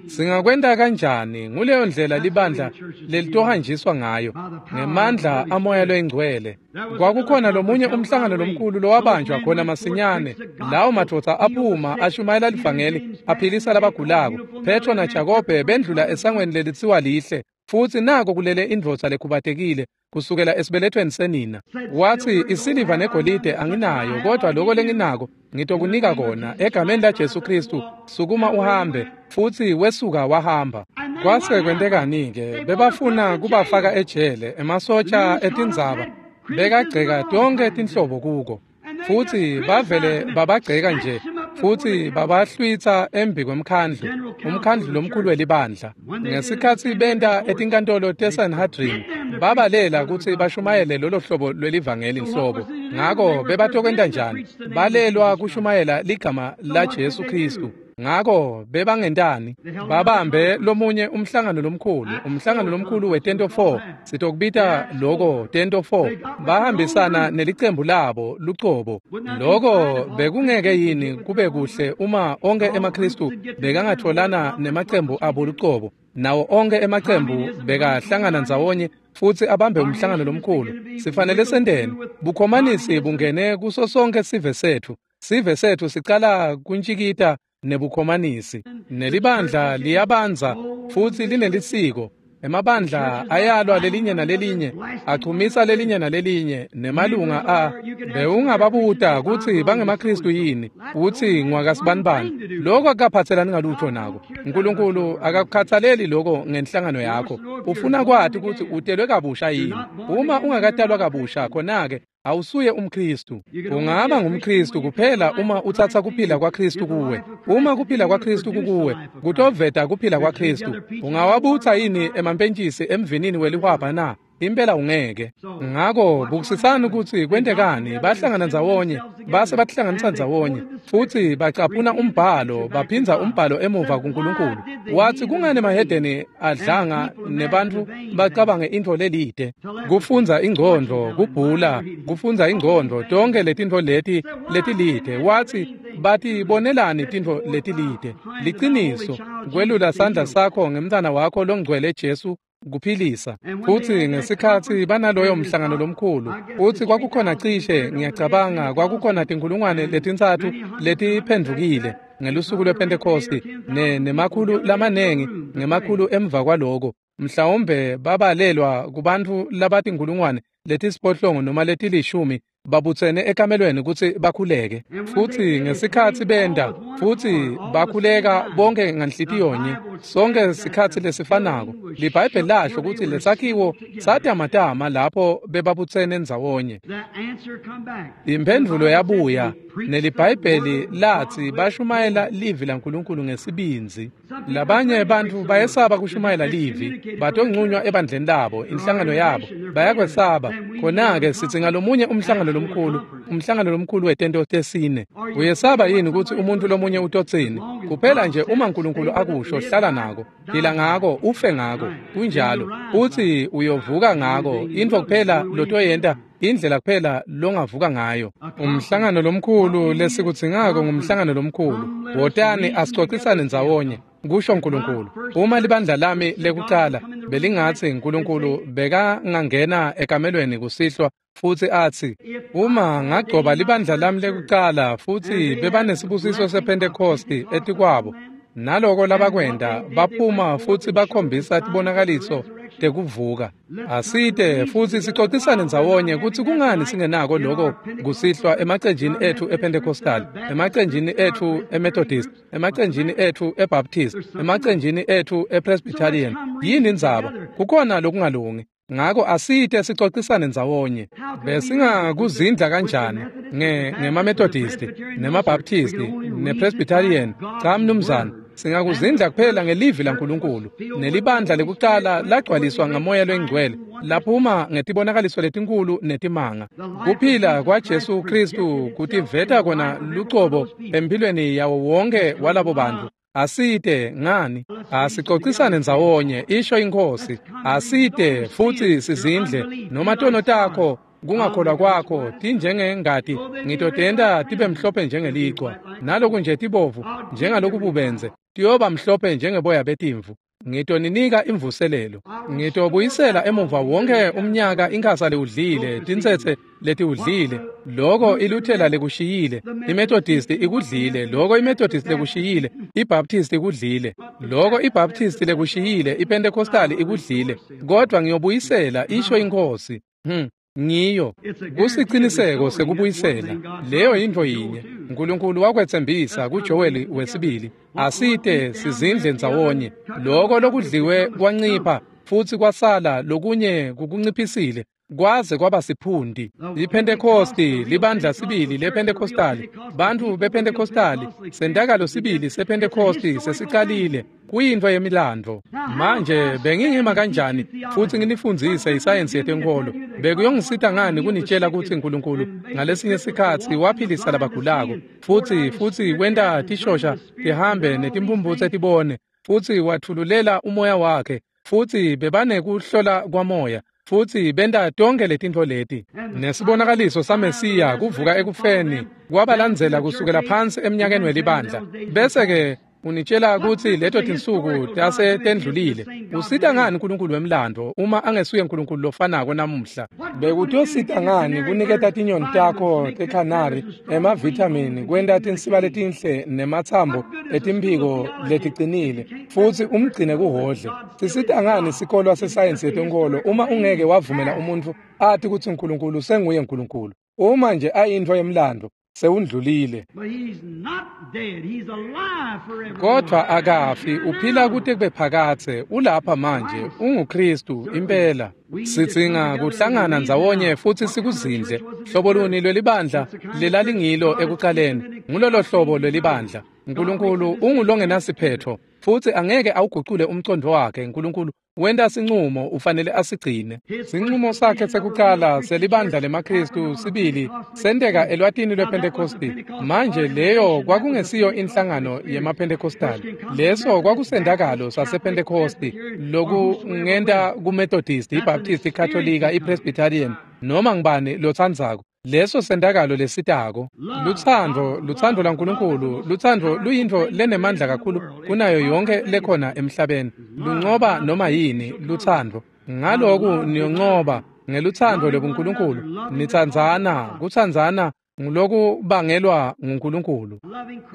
Singakwenta kanjani? Nguleyo ndlela libandla lelitohanjiswa ngayo, ngemandla amoya loyingcwele. Kwakukhona lomunye umhlangano lomkhulu lowabanjwa khona masinyane. Lawo madvodza aphuma ashumayela livangeli, aphilisa labagulako. Petro naJakobe bendlula esangweni lelitsiwa Lihle, futsi nako kulele indvodza lekhubatekile kusukela esibelethweni senina. Watsi, isiliva negolide anginayo, kodwa loko lenginako ngitokunika kona. Egameni laJesu Kristu, sukuma uhambe. Futsi wesuka wahamba. Kwase kwentekani-ke? Bebafuna kubafaka ejele, emasotja etindzaba bekagceka tonkhe tinhlobo kuko. Futsi bavele babagceka nje, futsi babahlwitsa embi kwemkhandlu, umkhandlu lomkhulu welibandla. Ngesikhatsi benta etinkantolo teSanhedrin, babalela kutsi bashumayele lolo hlobo lwelivangeli nhlobo. Ngako bebatokwenta njani? Balelwa kushumayela ligama laJesu Kristu. Ngako bebangentani? Babambe lomunye umhlangano lomkhulu, umhlangano lomkhulu wetento four, sitokubita loko tento four. Bahambisana nelicembu labo lucobo. Loko bekungeke yini kube kuhle uma onke emaKristu bekangatholana nemacembu abo lucobo, nawo onke emacembu bekahlangana ndzawonye futsi abambe umhlangano lomkhulu? Sifanele senteni? Bukhomanisi bungene kuso sonke sive setfu. Sive setfu sicala kuntjikita nebukhomanisi. Nelibandla liyabandza futsi linelisiko. Emabandla ayalwa lelinye nalelinye, achumisa lelinye nalelinye, nemalunga a bewungababuta kutsi bangemaKristu yini, utsi ngwakasibanibani. Loko akukaphatselani ngalutho nako. Nkulunkulu akakukhatsaleli loko ngenhlangano yakho. Ufuna kwati kutsi utelwe kabusha yini. Uma ungakatalwa kabusha, khona-ke awusuye umKristu. Ungaba ngumKristu kuphela uma utsatsa kuphila kwaKristu kuwe. Uma kuphila kwaKristu kukuwe, kutoveta kuphila kwaKristu. Ungawabutsa yini emampentjisi emvinini welihwabha na? Impela ungeke. Ngako bukisisani kutsi kwentekani. Bahlangana ndzawonye, base batihlanganisa ndzawonye, futsi bacaphuna umbhalo, baphindza umbhalo emuva kuNkulunkulu. Watsi kungani emahedeni adlanga nebantfu bacabange intfo lelide? Kufundza ingcondvo, kubhula, kufundza ingcondvo, tonkhe letintfo leti letilide. Watsi batibonelani tintfo letilide? Liciniso, kwelula sandla sakho ngemntfwana wakho longcwele Jesu kuphilisa. Futsi ngesikhatsi banaloyo mhlangano lomkhulu, utsi kwakukhona cishe, ngiyacabanga kwakukhona tinkhulungwane letintsatfu letiphendvukile ngelusuku lwePhentekhosti, ne nemakhulu lamanengi ngemakhulu emva kwaloko. Mhlawumbe babalelwa kubantfu labatinkhulungwane letisiphohlongo noma letilishumi babutsene ekamelweni kutsi bakhuleke. Futsi ngesikhatsi benta, futsi bakhuleka bonke nganhlitiyonye, sonke sikhatsi lesifanako. LiBhayibheli lasho kutsi lesakhiwo satamatama lapho bebabutsene ndzawonye. Imphendvulo yabuya, neliBhayibheli latsi bashumayela livi laNkulunkulu ngesibindzi. Labanye bantfu bayesaba kushumayela livi, batoncunywa ebandleni labo, inhlangano yabo, bayakwesaba. Khona-ke sitsi ngalomunye umhlangano lomkhulu, umhlangano lomkhulu wetento tesine. Uyesaba yini kutsi umuntu lomunye utotsini? Kuphela nje uma Nkulunkulu akusho, hlala nako, phila ngako, ufe ngako. Kunjalo. Utsi uyovuka ngako, intfo kuphela lotoyenta, indlela kuphela longavuka ngayo. Umhlangano lomkhulu lesikudzingako ngumhlangano lomkhulu. Wotani asicocisane ndzawonye, kusho Nkulunkulu. Uma libandla lami lekucala belingatsi Nkulunkulu bekangangena ekamelweni kusihlwa futsi atsi, uma ngagcoba libandla lami lekucala futsi bebanesibusiso sePhentekhosti etikwabo, naloko labakwenta, baphuma futsi bakhombisa tibonakaliso tekuvuka. Asite futsi sicocisane ndzawonye kutsi kungani singenako loko kusihlwa emacenjini etfu ePentecostal, emacenjini etfu eMethodist, emacenjini etfu eBaptist, emacenjini etfu ePresbyterian. Yini indzaba? Kukhona lokungalungi. Ngako asite sicocisane ndzawonye. Besingakuzindla kanjani nge ngemaMethodisti, nemaBaptisti, nePresbyterian? Cha mnumzane, singakuzindla kuphela ngelivi laNkulunkulu. Nelibandla lekucala lagcwaliswa ngaMoya loyiNgcwele, laphuma ngetibonakaliso letinkulu netimanga. Kuphila kwaJesu Khristu kutiveta kona lucobo empilweni yawo wonke walabo bantfu. Asite ngani? Asicocisane ndzawonye, isho iNkhosi. Asite futsi sizindle noma tono takho, kungakholwa kwakho tinjengengati, ngitotenta tibe mhlophe njengelichwa, naloku nje tibovu njengalokububenze, tiyoba mhlophe njengeboya betimvu. Ngitoninika imvuselelo. Ngitobuyisela emuva wonke umnyaka inkhasa lewudlile, tintsetse letiwudlile, loko iLuthela lekushiyile, iMethodisti ikudlile, loko iMethodisti lekushiyile, iBaptisti ikudlile, loko iBaptisti lekushiyile, iPentecostali ikudlile, kodwa ngiyobuyisela, isho iNkhosi. Hmm. Ngiyo kusiciniseko sekubuyisela. Leyo yintfo yinye Nkulunkulu wakwetsembisa kuJoweli wesibili. Asite sizindle ndzawonye. Loko lokudliwe kwancipha futsi kwasala lokunye kukunciphisile kwaze kwaba siphundi. IPhentekosti, libandla sibili lePhentekostali, bantfu bePhentekostali, sentakalo sibili sePhentekosti sesicalile, kuyintfo yemilandvo. Manje bengingima kanjani futsi nginifundzise isayensi yetenkholo? Bekuyongisita ngani kunitshela kutsi Nkulunkulu ngalesinye sikhatsi waphilisa labagulako, futsi futsi wenta tishosha tihambe netimphumphutse tibone, futsi watfululela umoya wakhe, futsi bebanekuhlola kwamoya, futsi benta tonkhe letintfo leti. Nesibonakaliso saMesiya kuvuka ekufeni kwabalandzela kusukela phansi emnyakeni welibandla. Bese-ke unitshela kutsi leto tinsuku tase tendlulile. Usita ngani Nkulunkulu wemlandvo uma angesuye Nkulunkulu lofanako namuhla? Bekutosita ngani kuniketa tinyoni takho tekhanari emavithamini, kwenta tinsiba letinhle nematsambo etimphiko leticinile, futsi umgcine kuhodle? Sisita ngani sikolwa sesayensi yetenkholo uma ungeke wavumela umuntfu ati kutsi Nkulunkulu senguye Nkulunkulu? Uma nje ayintfo yemlandvo, sewundlulile. Kodvwa akafi, uphila kute kube phakadze, ulapha manje, unguKhristu impela. Sidzinga kuhlangana ndzawonye futsi sikuzindle. Hlobo luni lwelibandla lelalingilo ekucaleni? Ngulolo hlobo lwelibandla. Nkulunkulu ungulongenasiphetho, futsi angeke awugucule umcondvo wakhe. Nkulunkulu wenta sincumo, ufanele asigcine. Sincumo sakhe sekucala selibandla lemaKhristu sibili senteka elwatini lwePhentekosti. Manje leyo kwakungesiyo inhlangano yemaPhentekostali, leso kwakusendakalo sasePhentekosti, lokungenta kuMethodisti, iBaptisti, iKatolika, iPresbyterian, noma ngibani lotsandzako. Leso sentakalo lesitako. Lutsandvo, lutsandvo laNkulunkulu, lutsandvo luyintfo lenemandla kakhulu kunayo yonke lekhona emhlabeni. Luncoba noma yini, lutsandvo. Ngaloku niyoncoba ngelutsandvo lwebuNkulunkulu. Nitsandzana, kutsandzana ngulokubangelwa nguNkulunkulu.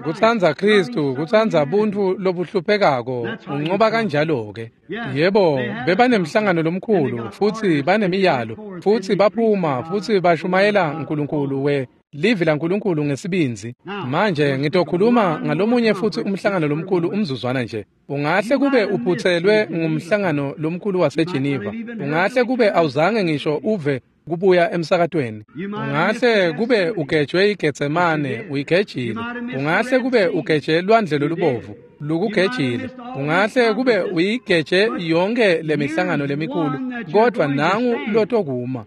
Kutsandza Khristu, kutsandza buntfu lobuhluphekako, uncoba kanjalo-ke. Yebo, bebanemhlangano lomkhulu, futsi banemiyalo, futsi baphuma, futsi bashumayela Nkulunkulu we livi laNkulunkulu ngesibindzi. Manje ngitokhuluma ngalomunye futsi umhlangano lomkhulu umzuzwana nje. Ungahle kube uphutselwe ngumhlangano lomkhulu waseGeneva. Ungahle kube awuzange ngisho uve kubuya emsakatweni. Ungahle kube ugejwe iGetsemane, uyigejile. Ungahle kube ugeje lwandle lolubovu, lukugejile. Ungahle kube uyigeje yonke lemihlangano lemikhulu, kodwa nangu lotokuma.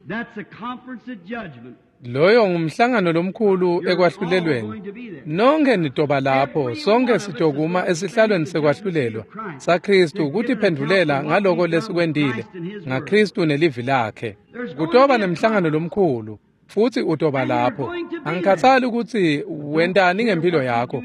Loyo ngumhlangano lomkhulu ekwahlulelweni. Nonke nitoba lapho, sonke sitokuma esihlalweni sekwahlulelwa saKhristu kutiphendvulela ngaloko lesikwentile ngaKhristu nelivi lakhe. Kutoba nemhlangano lomkhulu, futsi utoba lapho. Angikhathali kutsi wentani ngempilo yakho.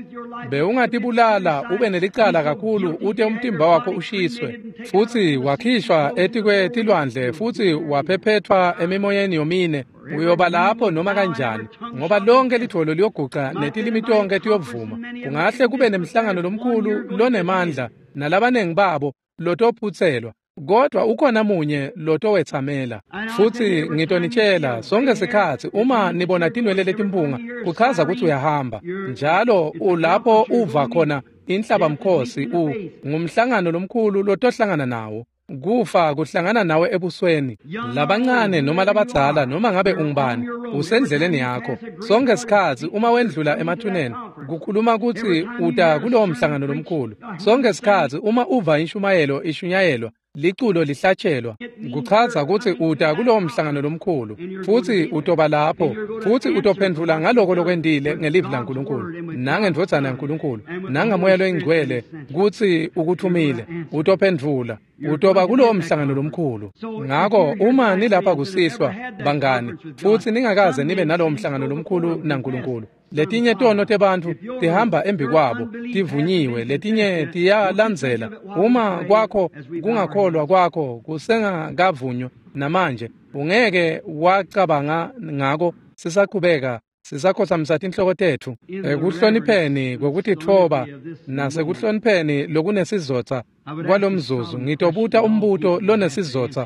Bewungatibulala ube nelicala kakhulu ute umtimba wakho ushiswe, futsi wakhishwa etikwetilwandle futsi waphephethwa emimoyeni yomine. Uyoba lapho noma kanjani, ngoba lonke lidvolo liyoguca netilimi tonke tiyovuma. Kungahle kube nemhlangano lomkhulu lonemandla nalabanengi babo lotophutselwa, kodwa ukhona munye lotowetsamela. Futsi ngitonitshela sonke sikhatsi uma nibona tinwele letimpunga, kuchaza kutsi uyahamba. Njalo ulapho uva khona inhlabamkhosi, u ngumhlangano lomkhulu lotohlangana nawo. Kufa kuhlangana nawe ebusweni. Labancane noma labadzala noma ngabe ungubani, usendleleni yakho. Sonke sikhatsi uma wendlula emathuneni, kukhuluma kutsi uta kulowo mhlangano lomkhulu. Sonke sikhatsi uma uva inshumayelo ishunyayelwa, liculo lihlatshelwa, kuchaza kutsi uta kulowo mhlangano lomkhulu, futsi utoba lapho, futsi utophendvula ngaloko lokwentile ngelivi laNkulunkulu, nangendvodzana yaNkulunkulu, nangaMoya loyiNgcwele kutsi ukuthumile. Utophendvula, utoba kulowo mhlangano lomkhulu. Ngako uma nilapha kusihlwa, bangani, futsi ningakaze nibe nalowo mhlangano lomkhulu naNkulunkulu, letinye tono tebantfu tihamba embi kwabo, tivunyiwe, letinye tiyalandzela. Uma kwakho kungakholwa kwakho kusengakavunywa namanje, ungeke wacabanga ngako. Sisaqhubeka sisakhothamisa tinhloko tetfu ekuhlonipheni kwekutitfoba nasekuhlonipheni lokunesizotsa kwalomzuzu. Ngitobuta umbuto lonesizotsa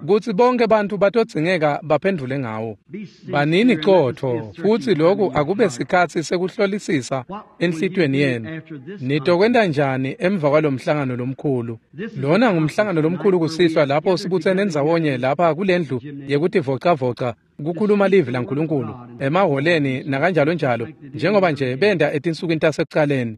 kutsi bonke bantfu batodzingeka baphendvule ngawo. Banini qotho, futsi lokhu akube sikhatsi sekuhlolisisa enhlitiyweni yenu. Nitokwenta njani emva kwalomhlangano lomkhulu? Lona ngumhlangano lomkhulu kusihlwa lapho sibutsene ndzawonye lapha kulendlu yekutivocavoca kukhuluma livi laNkulunkulu emahholeni nakanjalo njalo, njengoba nje benda etinsukwini tasekucaleni.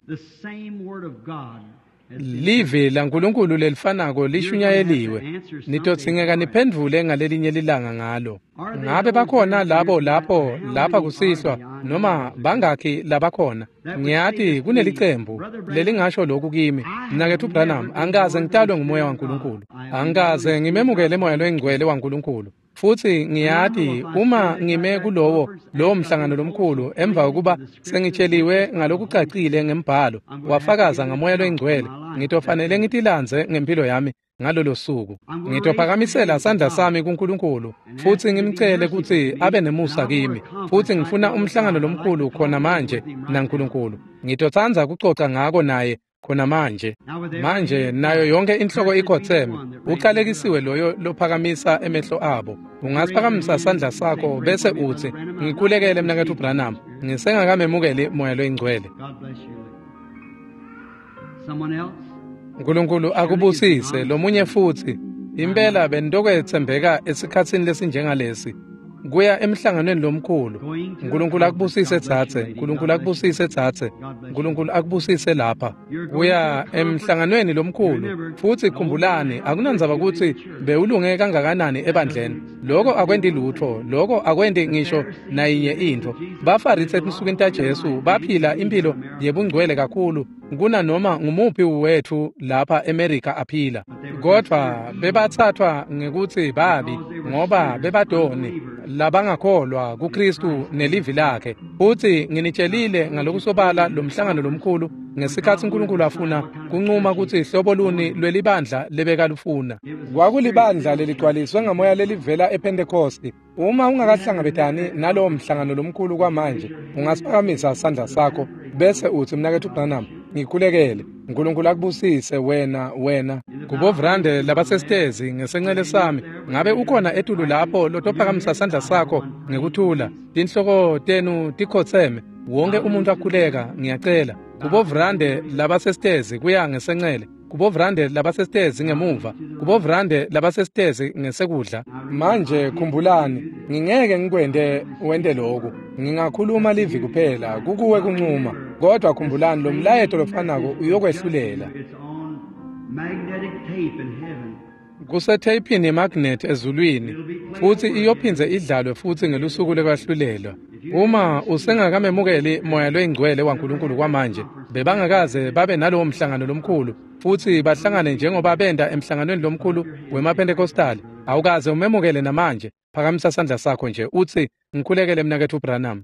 Livi laNkulunkulu lelifanako lishunyayeliwe. Nitodzingeka niphendvule ngalelinye lilanga ngalo. Ngabe bakhona labo lapho lapha kusihlwa, noma bangakhi labakhona? Ngiyati kunelicembu lelingasho lokhu kimi, Mnaketfu Branham, angikaze ngitalwe nguMoya waNkulunkulu, angikaze ngimemukele Moya loyiNgcwele waNkulunkulu. Futsi ngiyati uma ngime kulowo lowo mhlangano lomkhulu emva kokuba sengitsheliwe ngalokucacile ngembhalo wafakaza ngaMoya loyiNgcwele, ngitofanele ngitilandze ngempilo yami ngalolo suku. Ngitophakamisela sandla sami kuNkulunkulu futsi ngimcele kutsi abe nemusa kimi, futsi ngifuna umhlangano lomkhulu khona manje naNkulunkulu. Ngitotsandza kucoca ngako naye khona manje. Manje nayo yonke inhloko ikhotseme. Uqalekisiwe loyo lophakamisa emehlo abo. Ungasiphakamisa sandla sakho bese utsi, ngikhulekele Mnaketfu Branham, ngisengakamemukeli Moya loyiNgcwele. Nkulunkulu akubusise. Lomunye futsi. Impela benitokwetsembeka esikhatsini lesinjengalesi kuya emhlanganweni lomkhulu. Nkulunkulu akubusise dzadze, Nkulunkulu akubusise dzadze, Nkulunkulu akubusise lapha. Kuya emhlanganweni lomkhulu. Futsi khumbulani, akunandzaba kutsi bewulunge kangakanani ebandleni, loko akwenti lutfo, loko akwenti ngisho nayinye intfo. Bafarisi etinsukwini taJesu baphila impilo yebungcwele kakhulu kunanoma ngumuphi wetfu lapha eMerika aphila, kodvwa bebatsatfwa ngekutsi babi ngoba bebadoni labangakholwa kuKristu nelivi lakhe. Futsi nginitshelile ngalokusobala lomhlangano lomkhulu ngesikhatsi uNkulunkulu afuna kuncuma kutsi hlobo luni lwelibandla lebekalufuna. Kwakulibandla leligcwaliswe ngamoya lelivela ePhentekosti. Uma ungakahlangabetani nalowo mhlangano lomkhulu kwamanje, ungasiphakamisa sandla sakho bese utsi, Mnaketfu Branham, ngikhulekele. Nkulunkulu akubusise wena wena. Kubovrande labasesitezi ngesencele sami, ngabe ukhona etulu lapho lotophakamisa sandla sakho ngekuthula? Tinhloko tenu tikhotseme, wonke umuntu akhuleka, ngiyacela. Kubovrande labasesitezi kuya ngesencele, kubovrande labasesitezi ngemuva, kubovrande labasesitezi ngesekudla. Manje khumbulani, ngingeke ngikwente wente lokhu. Ngingakhuluma livi kuphela, kukuwe kuncuma. Kodwa khumbulani, lo mlayeto lofanako uyokwehlulela. Kusetheyphini yemagnethi ezulwini, futsi iyophindze idlalwe futsi ngelusuku lekwahlulelwa. Uma usengakamemukeli Moya loyiNgcwele waNkulunkulu kwamanje, bebangakaze babe nalowo mhlangano lomkhulu futsi bahlangane njengoba benta emhlanganweni lomkhulu wemaPhentekostali, awukaze umemukele namanje, phakamisa sandla sakho nje utsi, ngikhulekele Mnaketfu Branham.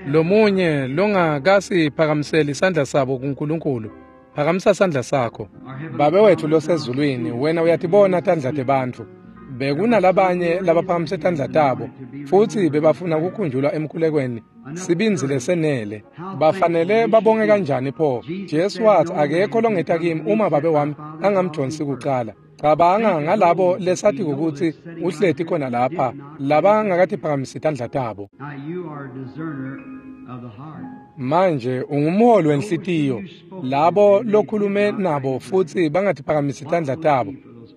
Lomunye longakasiphakamiseli sandla sabo kuNkulunkulu, phakamisa sandla sakho. Babe wetfu losezulwini, wena uyatibona tandla tebantfu. Bekunalabanye labaphakamise tandla tabo futsi bebafuna kukhunjulwa emkhulekweni sibindzi lesenele. Bafanele babonge kanjani pho? Jesu watsi, akekho longeta kimi uma Babe wami angamdonsi kucala. Cabanga ngalabo lesatiko kutsi uhleti khona lapha labangakatiphakamisi tandla tabo. Manje ungumholi wenhlitiyo, labo lokhulume nabo futsi bangatiphakamisi tandla tabo.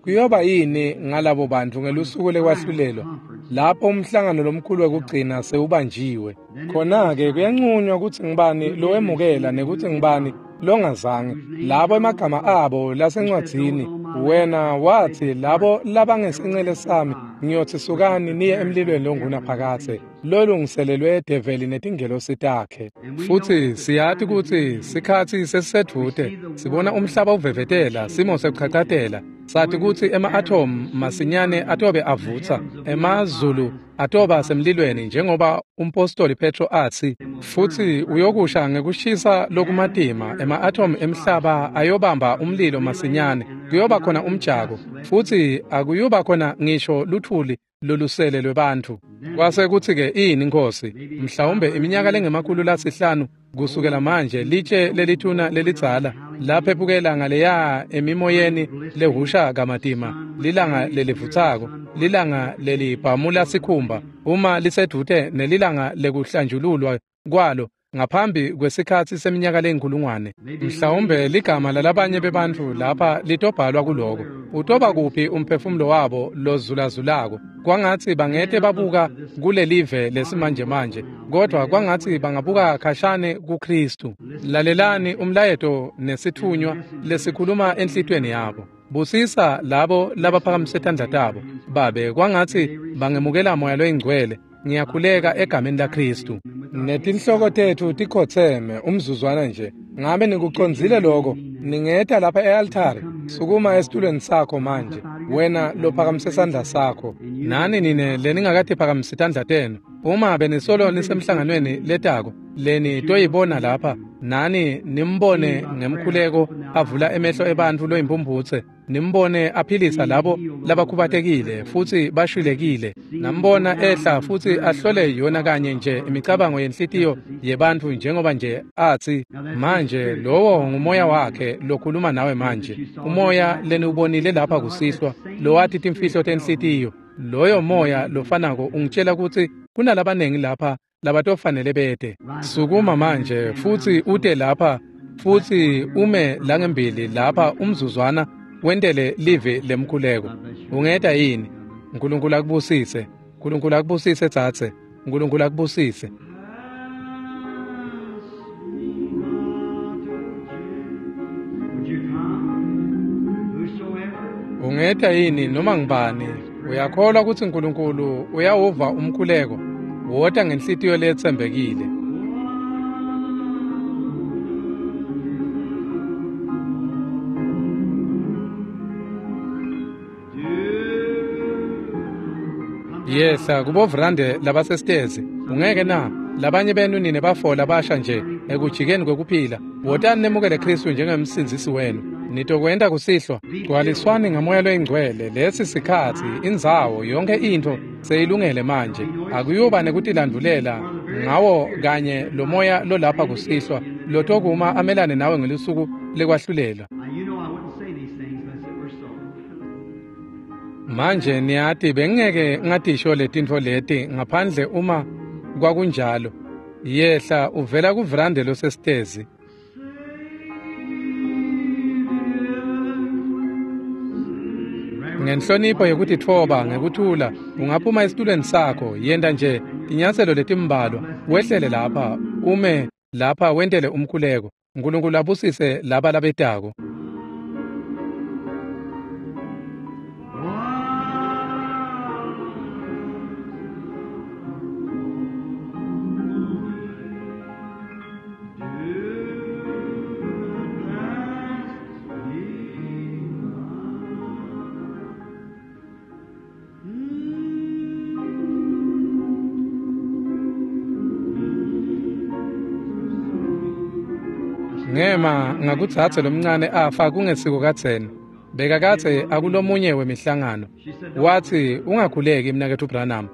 Kuyoba yini ngalabo bantu ngelusuku lekwahlulelwa lapho umhlangano lomkhulu wekugcina sewubanjiwe? Khona-ke kuyanqunywa kutsi ngibani lowemukela nekutsi ngibani longazange. Labo emagama abo lasencwadzini, wena watsi labo labangesinxele sami ngiyotsi sukani niye emlilweni longunaphakadze lolungiselelwe develi netingelosi takhe. Futsi siyati kutsi sikhatsi sesisedvute, sibona umhlaba uvevetela, simo sekuchachatela. Sathi kutsi ema-atom masinyane atobe avutsa, emazulu atoba semlilweni njengoba umpostoli Petro atsi, futsi uyokusha ngekushisa lokumatima, ema-atom emhlaba ayobamba umlilo masinyane, kuyoba khona umjako, futsi akuyuba khona ngisho luthuli lolusele lwebantfu. Kwase kutsi-ke ini Nkosi, mhlawumbe iminyaka lengemakhulu lasihlanu kusukela manje, litshe lelithuna lelidzala laphephukela ngaleya emimoyeni lehusha kamatima, lilanga lelivutsako, lilanga lelibhamula sikhumba, uma lisedvute nelilanga lekuhlanjululwa kwalo ngaphambi kwesikhatsi seminyaka leyinkulungwane. Mhlawumbe ligama lalabanye bebantfu lapha litobhalwa kuloko. Utoba kuphi umphefumulo wabo lozulazulako? Kwangatsi bangete babuka kulelive lesimanjemanje, kodwa kwangatsi bangabuka khashane kuKristu. Lalelani umlayeto nesithunywa lesikhuluma enhlitiyweni yabo. Busisa labo labaphakamise tandla tabo, Babe, kwangatsi bangemukela Moya loyiNgcwele. Ngiyakhuleka egameni laKristu. Netinhloko tetfu tikhotseme umzuzwana nje. Ngabe nikucondzile lokho? Ningeta lapha e-altare. Sukuma esitulweni sakho manje, wena lophakamise sandla sakho. Nani nine leningakatiphakamisi tandla tenu, uma benisolo nisemhlanganweni letako leni toyibona lapha, nani nimbone ngemkhuleko avula emehlo ebantfu loyimpumphutse, nimbone aphilisa labo labakhubatekile futsi bashwilekile, nambona ehla futsi ahlole yona kanye nje imicabango yenhlitiyo yebantfu njengoba nje atsi manje lowo ngumoya wakhe lokhuluma nawe manje, umoya leniwubonile lapha kusihlwa lowati timfihlo tenhlitiyo. Loyo moya lofanako ungitshela kutsi kunalabanengi lapha labatofanele bete. Sukuma manje futsi ute lapha futsi ume langembili lapha umzuzwana wentele live lemkhuleko. Ungeta yini? Nkulunkulu akubusise. Nkulunkulu akubusise tsatse. Nkulunkulu akubusise. Ungeta yini noma ngibani? Uyakholwa kutsi Nkulunkulu uyawuva umkhuleko? Wota ngenhlitiyo letsembekile. Yehla kubovrande labasesitezi. Ungeke na? Labanye benu nine bafola basha nje ekujikeni kwekuphila. Wotani nemukele Kristu njengemsindzisi wenu. Nitokwenta kusihlwa. Gcwaliswani ngamoya loyingcwele. Lesi sikhatsi, indzawo, yonke intfo seyilungele manje. Akuyuba nekutilandulela ngawo kanye lo moya lolapha kusihlwa lotokuma amelane nawe ngelusuku lekwahlulela. Manje niyati bengeke ngatisho letintfo leti ngaphandle uma kwakunjalo. Yehla uvela kuvrande losesitezi. Ngenhlonipho yekutitfoba ngekuthula ungaphuma esitulweni sakho, yenta nje tinyatselo letimbalwa, wehlele lapha, ume lapha wentele umkhuleko. Nkulunkulu abusise laba labetako. Ngema ngakutsatse lomncane afa kungesiko kadzeni. Bekakadze akulomunye wemihlangano. Watsi ungakhuleki mnaketfu Branham.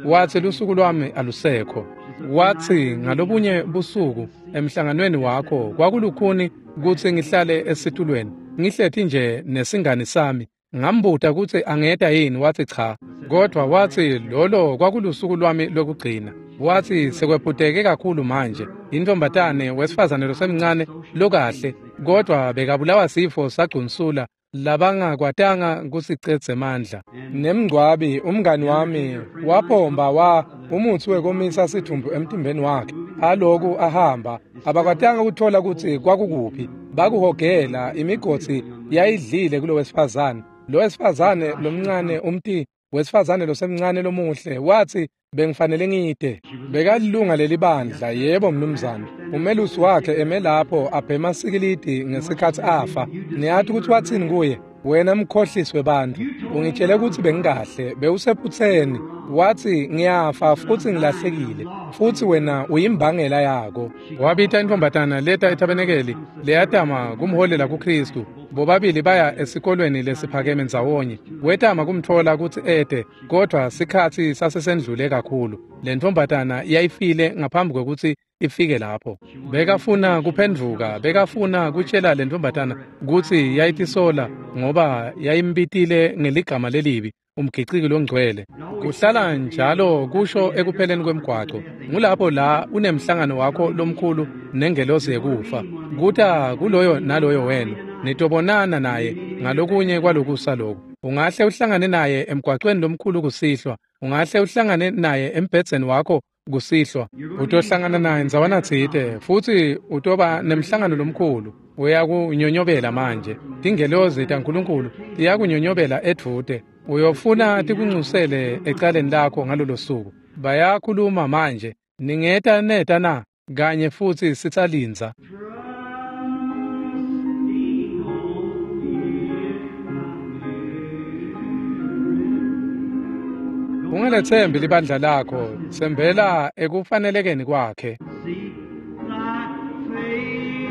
Watsi lusuku lwami alusekho. Watsi ngalobunye busuku emhlanganweni wakho kwakulukhuni kutsi ngihlale esitulweni. Ngihleti nje nesingani sami. Ngambuta kutsi angeta yini, watsi cha. Kodwa watsi lolo kwakulusuku lwami lokugcina. Watsi sekwephuteke kakhulu manje. Intombatane wesifazane losemncane lokahle, kodwa bekabulawa sifo sagcunsula Labangakwatanga kusicedze mandla. Nemngcwabi umngani wami wapomba wa umutsi wekomisa sidvumbu emtimbeni wakhe. Aloku ahamba abakwatanga kuthola kutsi kwakukuphi. Bakuhogela imigodzi yayidlile kulo wesifazane. Lo wesifazane lomncane umti wesifazane losemncane lomuhle wathi bengifanele ngide. Bekalilunga lelibandla yebo mnumzane. Umelusi wakhe eme lapho abhema sikilidi ngesikhathi afa. Niyathi ukuthi wathini kuye? Wena mkhohliswe bantu. Ungitshele ukuthi bengikahle, bewusephutheni. Wathi ngiyafa futhi ngilahlekile. Futhi wena uyimbangela yako. Wabita intombatana leta etabenekeli leyatama kumholela kuKristu. Bobabili baya esikolweni lesiphakeme ndzawonye. Wetama kumthola ukuthi ede, kodwa sikhathi sasesendlule kakhulu. Le ntombatana yayifile ngaphambi kwekuthi ifike lapho. Bekafuna kuphendvuka, bekafuna kutshela le ntombatana kutsi yayitisola ngoba yayimbitile ngeligama lelibi umgiciki longcwele. Kuhlala njalo kusho ekupheleni kwemgwaco. Ngulapho la unemhlangano wakho lomkhulu nengelosi yekufa. Kuta kuloyo naloyo wena nitobonana naye ngalokunye kwalokusa lokhu. Ungahle uhlangane naye emgwacweni lomkhulu kusihlwa, ungahle uhlangane naye embhedzeni wakho kusihlwa. Utohlangana naye ndzawana tsite futhi utoba nemhlangano lomkhulu. Uyakunyonyobela manje. Tingelozi taNkulunkulu tiyakunyonyobela edvute. Uyofuna tikuncusele ecaleni lakho ngalolo suku. Bayakhuluma manje. Ningeta neta na kanye futhi sitsalindza. Ungalethembi libandla lakho, tsembela ekufanelekeni kwakhe. Seek thy face,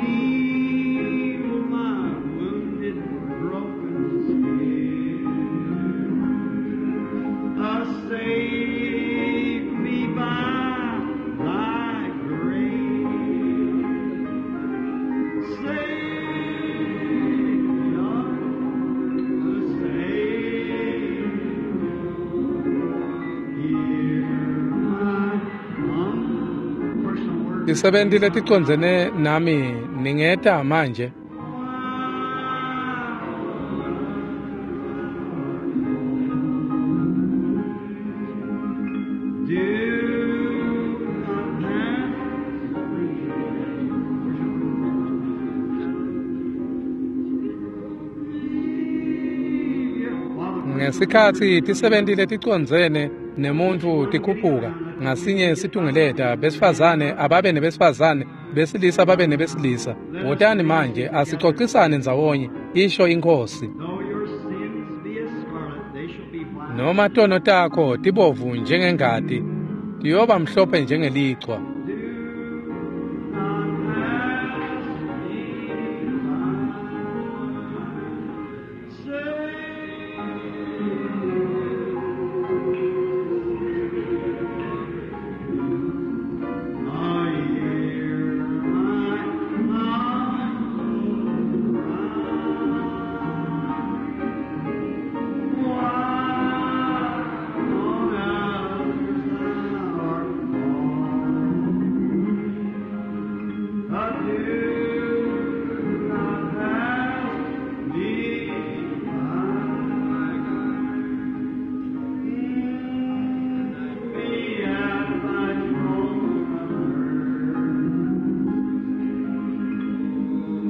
heal my wounded, broken spirit. Uh, save me by thy grace. Savior, Savior, hear my humble personal word. Tisebenti leticondzene nami ningeta manje. Do not pass. Ngesikhathi tisebenti leticondzene nemuntfu tikhuphuka ngasinye situngeleta besifazane ababe nebesifazane besilisa babe nebesilisa. Wotani manje asicocisane ndzawonye, isho iNkhosi. Though your sins be as scarlet, they shall be white. Noma tono takho tibovu njengengati, tiyoba mhlophe njengelichwa. Do not pass me by.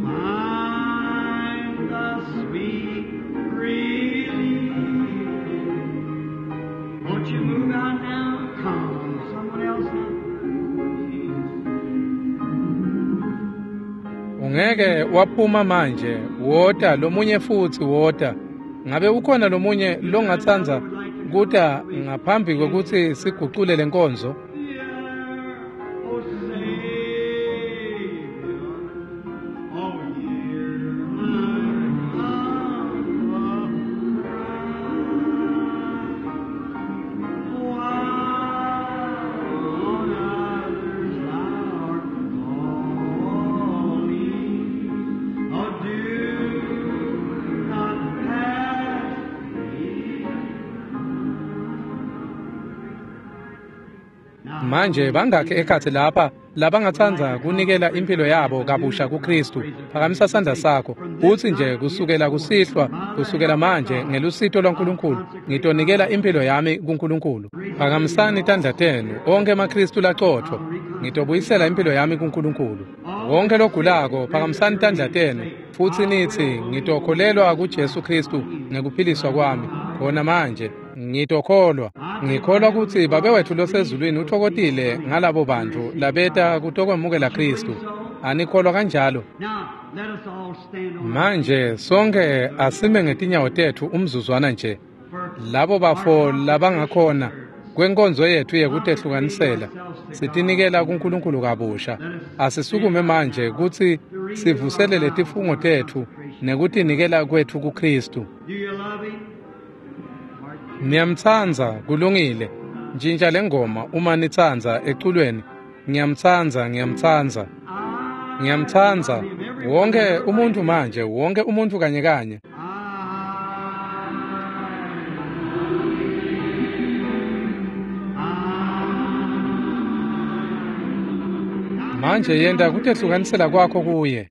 Find the sweet relief. Won't you move out now? Come, someone else now. Ungeke waphuma manje, wota lomunye futhi wota. Ngabe ukhona lomunye longatsandza kuta ngaphambi kwekutsi sigucule lenkonzo? Yeah, oh Savior, oh hear my humble cry. While on others thou art calling, oh do not pass me. Manje bangakhi ekhatsi lapha labangatsandza kunikela impilo yabo kabusha kuKristu? Phakamisa sandla sakho utsi nje kusukela kusihlwa, kusukela manje ngelusito lwaNkulunkulu ngitonikela impilo yami kuNkulunkulu. Phakamisani tandla tenu onke emaKristu lacotfo, ngitobuyisela impilo yami kuNkulunkulu. Wonke logulako phakamisani tandla tenu futsi nitsi ngitokholelwa kuJesu Kristu ngekuphiliswa kwami khona manje. Ngitokholwa, ngikholwa kutsi Babe wetfu losezulwini utfokotile ngalabo bantfu labeta kutokwemukela Kristu. Anikholwa kanjalo? Manje sonke asime ngetinyawo tetfu umzuzwana nje. Labo bafo labangakhona kwenkonzo yetfu yekutehlukanisela sitinikela kuNkulunkulu kabusha. Asisukume manje kutsi sivuselele tifungo tetfu nekutinikela kwetfu kuKristu. Ngiyamtsandza, kulungile. Ntshintsha lengoma uma nitsandza eculweni. Ngiyamtsandza, ngiyamtsandza. Ngiyamtsandza. Wonke umuntu manje, wonke umuntu kanye kanye. Manje yenta kutehlukanisela kwakho kuye.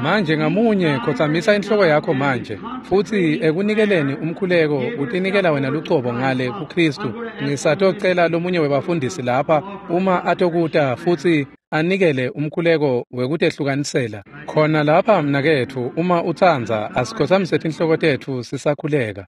Manje ngamunye khotsamisa inhloko yakho manje futsi ekunikeleni umkhuleko utinikela wena lucobo ngale kuKristu. Ngisatocela lomunye webafundisi lapha uma atokuta futsi anikele umkhuleko wekutehlukanisela khona lapha mnaketfu. Uma utsandza asikhotsamise tinhloko tetfu sisakhuleka.